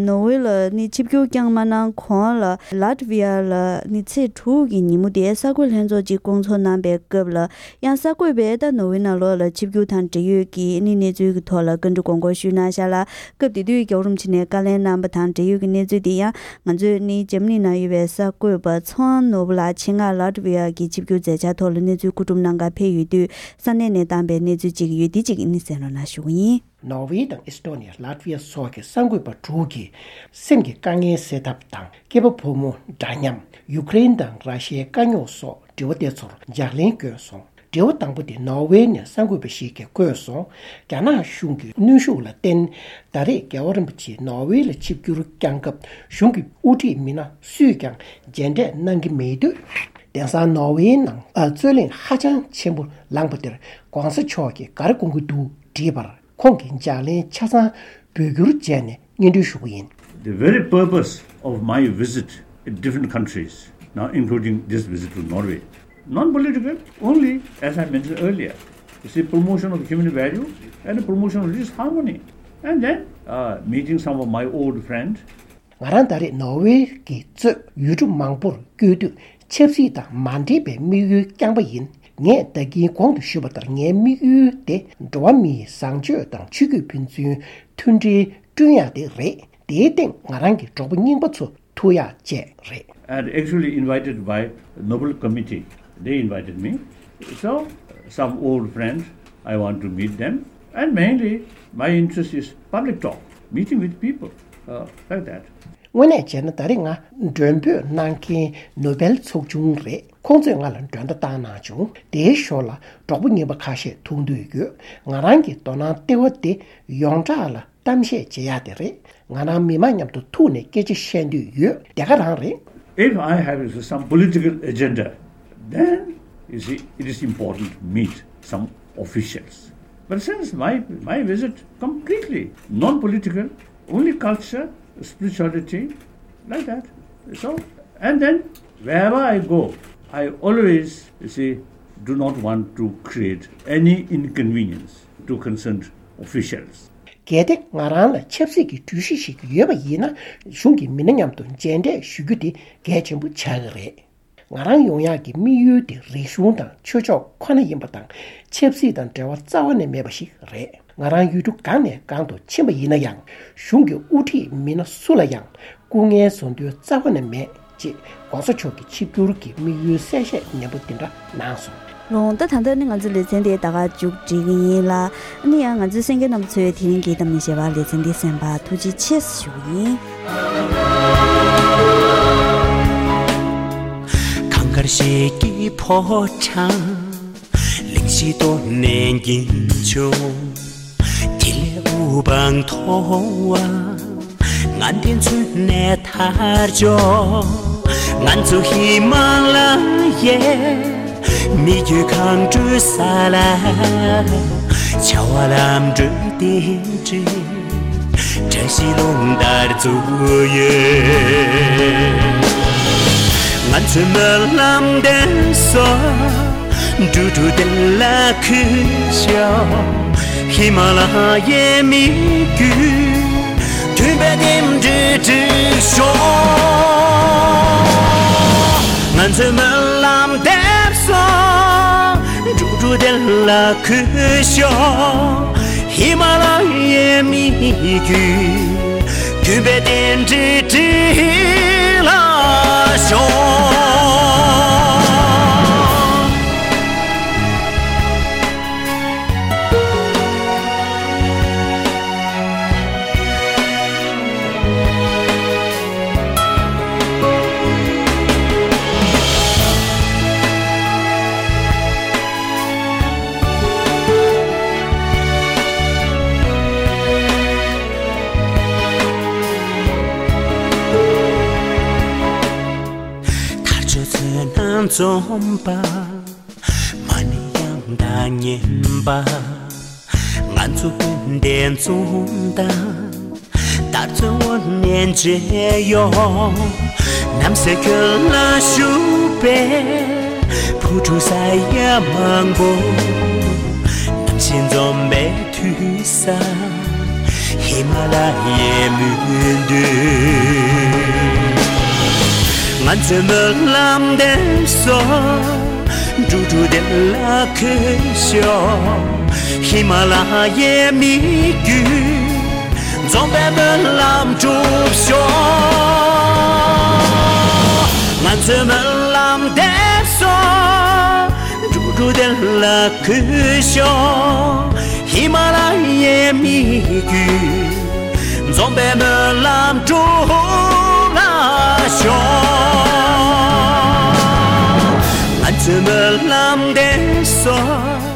ནོར་ཝེ་ལ་ནི་ཆིབས་བསྒྱུར་བསྐྱངས་མ་གནང་གོང་ལ་ལ་ཏི་ཝི་ཡ་ལ་ནི་ཚེས་དྲུག་གི་ཉིན་མོ་དེ་གསར་འགོད་ལྷན་ཚོགས་ཅིག་བསྐོང་ཚོགས་གནང་པའི་སྐབས་ལ་ཡང་གསར་འགོད་པས་ད་ནོར་ཝེ་ནང་ལོགས་ལ་ཆིབས་བསྒྱུར་དང་འབྲེལ་ཡོད་ཀྱི་ནི་གནས་ཚུལ་གྱི་ཐོག་ལ་བཀའ་འདྲི་དགོངས་སྐོར་ཞུས་གནང་བཞག་ལ། སྐབས་དེ་དུས་རྒྱལ་བ་རིན་པོ་ཆེ་ནས་བཀའ་ལན་གནང་པ་དང་འབྲེལ་ཡོད་ཀྱི་གནས་ཚུལ་དེ་ཡང་ང་ཚོས་ནི་འཇར་མ་ནི་ནང་ཡོད་པའི་གསར་འགོད་པ་ཚོང་ནོར་བུ་ལགས་ཆེད་མངགས་ལ་ཏི་ཝི་ཡ་གི་ཆིབས་བསྒྱུར་མཛད་འཆར་ཐོག་ལ་གནས་ཚུལ་བཀོད་སྒྲུབ་གནང་གར་ཕེབས་ཡོད་དུས་ས་གནས་ནས་བཏང་པའི་གནས་ཚུལ་ཅིག་ཡོད་དེ་ཅིག་ནི་གསན་རོགས་གནང་ཞུ་གི་ཡིན། ནོར་ཝེ་དང་ཨེས་ཏོ་ནི་ཡ། ལ་ཏི་ཝི་ཡ་སོགས་ཀྱི་གསར་འགོད་པ་དྲུག་གིས་སེམས་ཀྱི་དཀའ་ངལ་སེལ་ཐབས་དང་། སྐྱེས་པ་ཕོ་མོ་འདྲ་མཉམ། ཡུ་ཀེ་རེན་དང་ར་ཤི་ཡའི་དཀའ་རྙོག་སོགས་དྲི་བ་དེ་ཚོར་ལྗགས་ལན་བསྐྱོན་སོང་། དྲི་བ་དང་པོ་དེ་ནོར་ཝེ་ནས་གསར་འགོད་པ་ཞིག་གིས་བཀོད་སོང་། རྒྱ་ནག་གཞུང་གི་གནོན་ཤུགས་ལ་བརྟེན། ད་རེས་རྒྱལ་བ་རིན་པོ་ཆེ་ནོར་ཝེ་ལ་ཆིབས་བསྒྱུར་བསྐྱངས་སྐབས་གཞུང་གི་དབུ་ཁྲིད་མི་སྣ་སུས་ཀྱང་མཇལ་འཕྲད་གནང་གི་མེད་དུས། དེང་སང་ནོར་ཝེའི་ནང་རྩོད་གླེང་ཧ་ཅང་ཆེན་པོ་ལངས་པ་དེར་༧གོང་ས་མཆོག་གིས་ག་རེ་དགོངས་ཀྱི་འདུག་དྲིས་པར། ཁོང་གིས་ལྗགས་ལན་ཆ་ཚང་འབོད་སྐུལ་བྱས་ནས་སྙན་སྒྲོན་ཞུ་གི་ཡིན། The very purpose of my visit in different countries, now including this visit to Norway, non-political, only, as I mentioned earlier, it's the promotion of human value and the promotion of religious harmony, and then uh, meeting some of my old friends. ང་རང་ད་རེས་ནོར་ཝེ་གི་གཙོས་ཡུལ་གྲུ་མང་པོར་བསྐྱོད་དུས་ཆབ་སྲིད་དང་མ་འབྲེལ་བའི་དམིགས་ཡུལ་རྐྱང་པ་ཡིན། ངས་ད་གིན་གོང་དུ་ཞུས་པ་ལྟར་ངའི་དམིགས་ཡུལ་དེ་འགྲོ་བ་མིའི་བཟང་སྤྱོད་དང་ཆོས་བརྒྱུད་ཕན་ཚུན་མཐུན་སྒྲིལ་བསྐྲུན་ཡག་དེ་རེད། དེའི་སྟེང་ང་རང་གི་གྲོགས་པོ་རྙིང་པ་ཚོ་ཐུག་ཡག་བཅས་རེད། And actually invited by Nobel Committee, they invited me. So, some old friends, I want to meet them. And mainly, my interest is public talk, meeting with people, uh, like that. དངོས་གནས་བྱས་ན་ད་རེས་ང་མགྲོན་འབོད་གནང་མཁན་ནོ་བེལ་ཚོགས་ཆུང་རེད། ཁོང་ཚོས་ང་ལ་མགྲོན་བརྡ་བཏང་གནང་བྱུང་། དེའི་ཞོར་ལ་གྲོགས་པོ་རྙིང་པ་ཁ་ཤས་ཐུག་འདོད་ཡོད། ང་རང་གི་དོ་སྣང་ལྟེ་བ་དེ་ཡོངས་གྲགས་ལ་གཏམ་བཤད་བྱེད་ཡག་དེ་རེད། ང་རང་མི་མང་མཉམ་དུ་ཐུག་ནས་སྐད་ཆ་བཤད་འདོད་ཡོད། དེ་ག་རང་རེད། If I have some political agenda, then you see, it is important to meet some officials. But since my, my visit completely non-political, only culture, spirituality, like that. So, and then wherever I go, I always, you see, do not want to create any inconvenience to concerned officials. གལ་ཏེ་ང་རང་ལ་ཆབ་སྲིད་ཀྱི་གྲོས་གཞི་ཞིག་ཡོད་པ་ཡིན་ན། གཞུང་གི་མི་སྣ་མཉམ་དུ་མཇལ་འཕྲད་ཞུ་རྒྱུ་དེ་གལ་ཆེན་པོ་ཆགས་ཀྱི་རེད། ང་རང་ཡོང་ཡག་གི་དམིགས་ཡུལ་དེ་རིག་གཞུང་དང་ཆོས་ཕྱོགས་ཁོ་ན་ཡིན་པ་དང་། ཆབ་སྲིད་དང་འབྲེལ་བ་རྩ་བ་ནས་མེད་པ་ཞིག་རེད། ང་རང་ཡུལ་གྲུ་གང་ནས་གང་དུ་ཕྱིན་པ་ཡིན་ན་ཡང་། གཞུང་གི་དབུ་ཁྲིད་མི་སྣ་སུ་ལ་ཡང་སྐུ་ངལ་བཟོ་འདོད་རྩ་བ་ནས་མེད། ཅེས་༸གོང་ས་མཆོག་གི་ཆིབས་བསྒྱུར་གྱི་དམིགས་ཡུལ་གསལ་བཤད་ཉན་པོ་འདི་འདྲ་གནང་སོང་། རོང་ད་ད་ལྟ་ནི་ང་ཚོའི་ལེ་ཚན་དེ་ད་ག་མཇུག་སྒྲིལ་གྱི་ཡིན་ལ། ཨ་ནི་ཡང་ང་ཚོའི་གསན་མཁན་རྣམ་པ་ཚོས་དེ་རིང་གི་གཏམ་ནི་ཞེས་པ་ལེ་ཚན་འདི་གསན་པར་ཐུགས་རྗེ་ཆེ་ཞུ་གི་ཡིན། གངས་དཀར་ཞལ་གྱི་ཕོ་བྲང་། གླིང་བཞི་སྟོད་ནས་འགྱིང་བྱུང་། དེ་ལས་དབུ་འཕང་མཐོ་བ། ང་འདི་ཚུན་ནས་ཐར་ཆོག་ང་ཚོ་ཧི་མ་ལ་ཡའི་མི་རྒྱུད་གངས་ཁྲོད་ས་ལ། བྱ་བ་ལམ་འགྲོ་རྟེན་འབྲེལ། བཀྲ་ཤིས་རླུང་ལྟར་འཛུགས་ཡོད། ང་ཚོའི་སྨོན་ལམ་འདེབས་སོ། འགྲོ་དྲུག་བདེ་ལ་གུས་ཤོག་ཧི་མ་ལ་ཡའི་མི་རྒྱུད། མཐུན་པའི་རྟེན་འབྲེལ་འགྲིག་ཤོག་ང་ཚོའི་སྨོན་ལམ་འདེབས་སོ། འགྲོ་དྲུག་བདེ་ལ་གུས་ཤོག་ཧི་མ་ལ་ཡའི་མི་རྒྱུད། མཐུན་པའི་རྟེན་འབྲེལ་འགྲིག་ལ་ཤོག་ཐར་ཆོག་ཚོད་སྣང་འཛོམས་པ། མ་ཎི་དབྱངས་དང་མཉམ་པ། ང་ཚོ་ཀུན་ལྡན་འཛུམ་མདངས། དར་ཚོན་འོད་ནས་མཇལ་ཡོང་། ནམ་ཟླ་ཁྱོད་ལ་བཞུགས་པའི་བུ་ཕྲུག་ས་ཡ་མང་པོ། ནམ་ཞིག་འཛོམས་པའི་དུས་ས། ཧི་མ་ལ་ཡའི་མུན་སྟོད། ང་ཚོའི་སྨོན་ལམ་འདེབས་སོ། འགྲོ་དྲུག་བདེ་ལ་གུས་ཤོག་ཧི་མ་ལ་ཡའི་མི་རྒྱུད། འཛོམས་པའི་སྨོན་ལམ་འགྲུབ་ཤོག་ང་ཚོའི་སྨོན་ལམ་འདེབས་སོ། འགྲོ་དྲུག་བདེ་ལ་གུས་ཤོག་ཧི་མ་ལ་ཡའི་མི་རྒྱུད། འཛོམས་པའི་སྨོན་ལམ་འགྲུབ་ལ་ཤོག་ང་ཚོའི་སྨོན་ལམ་འདེབས་སོ།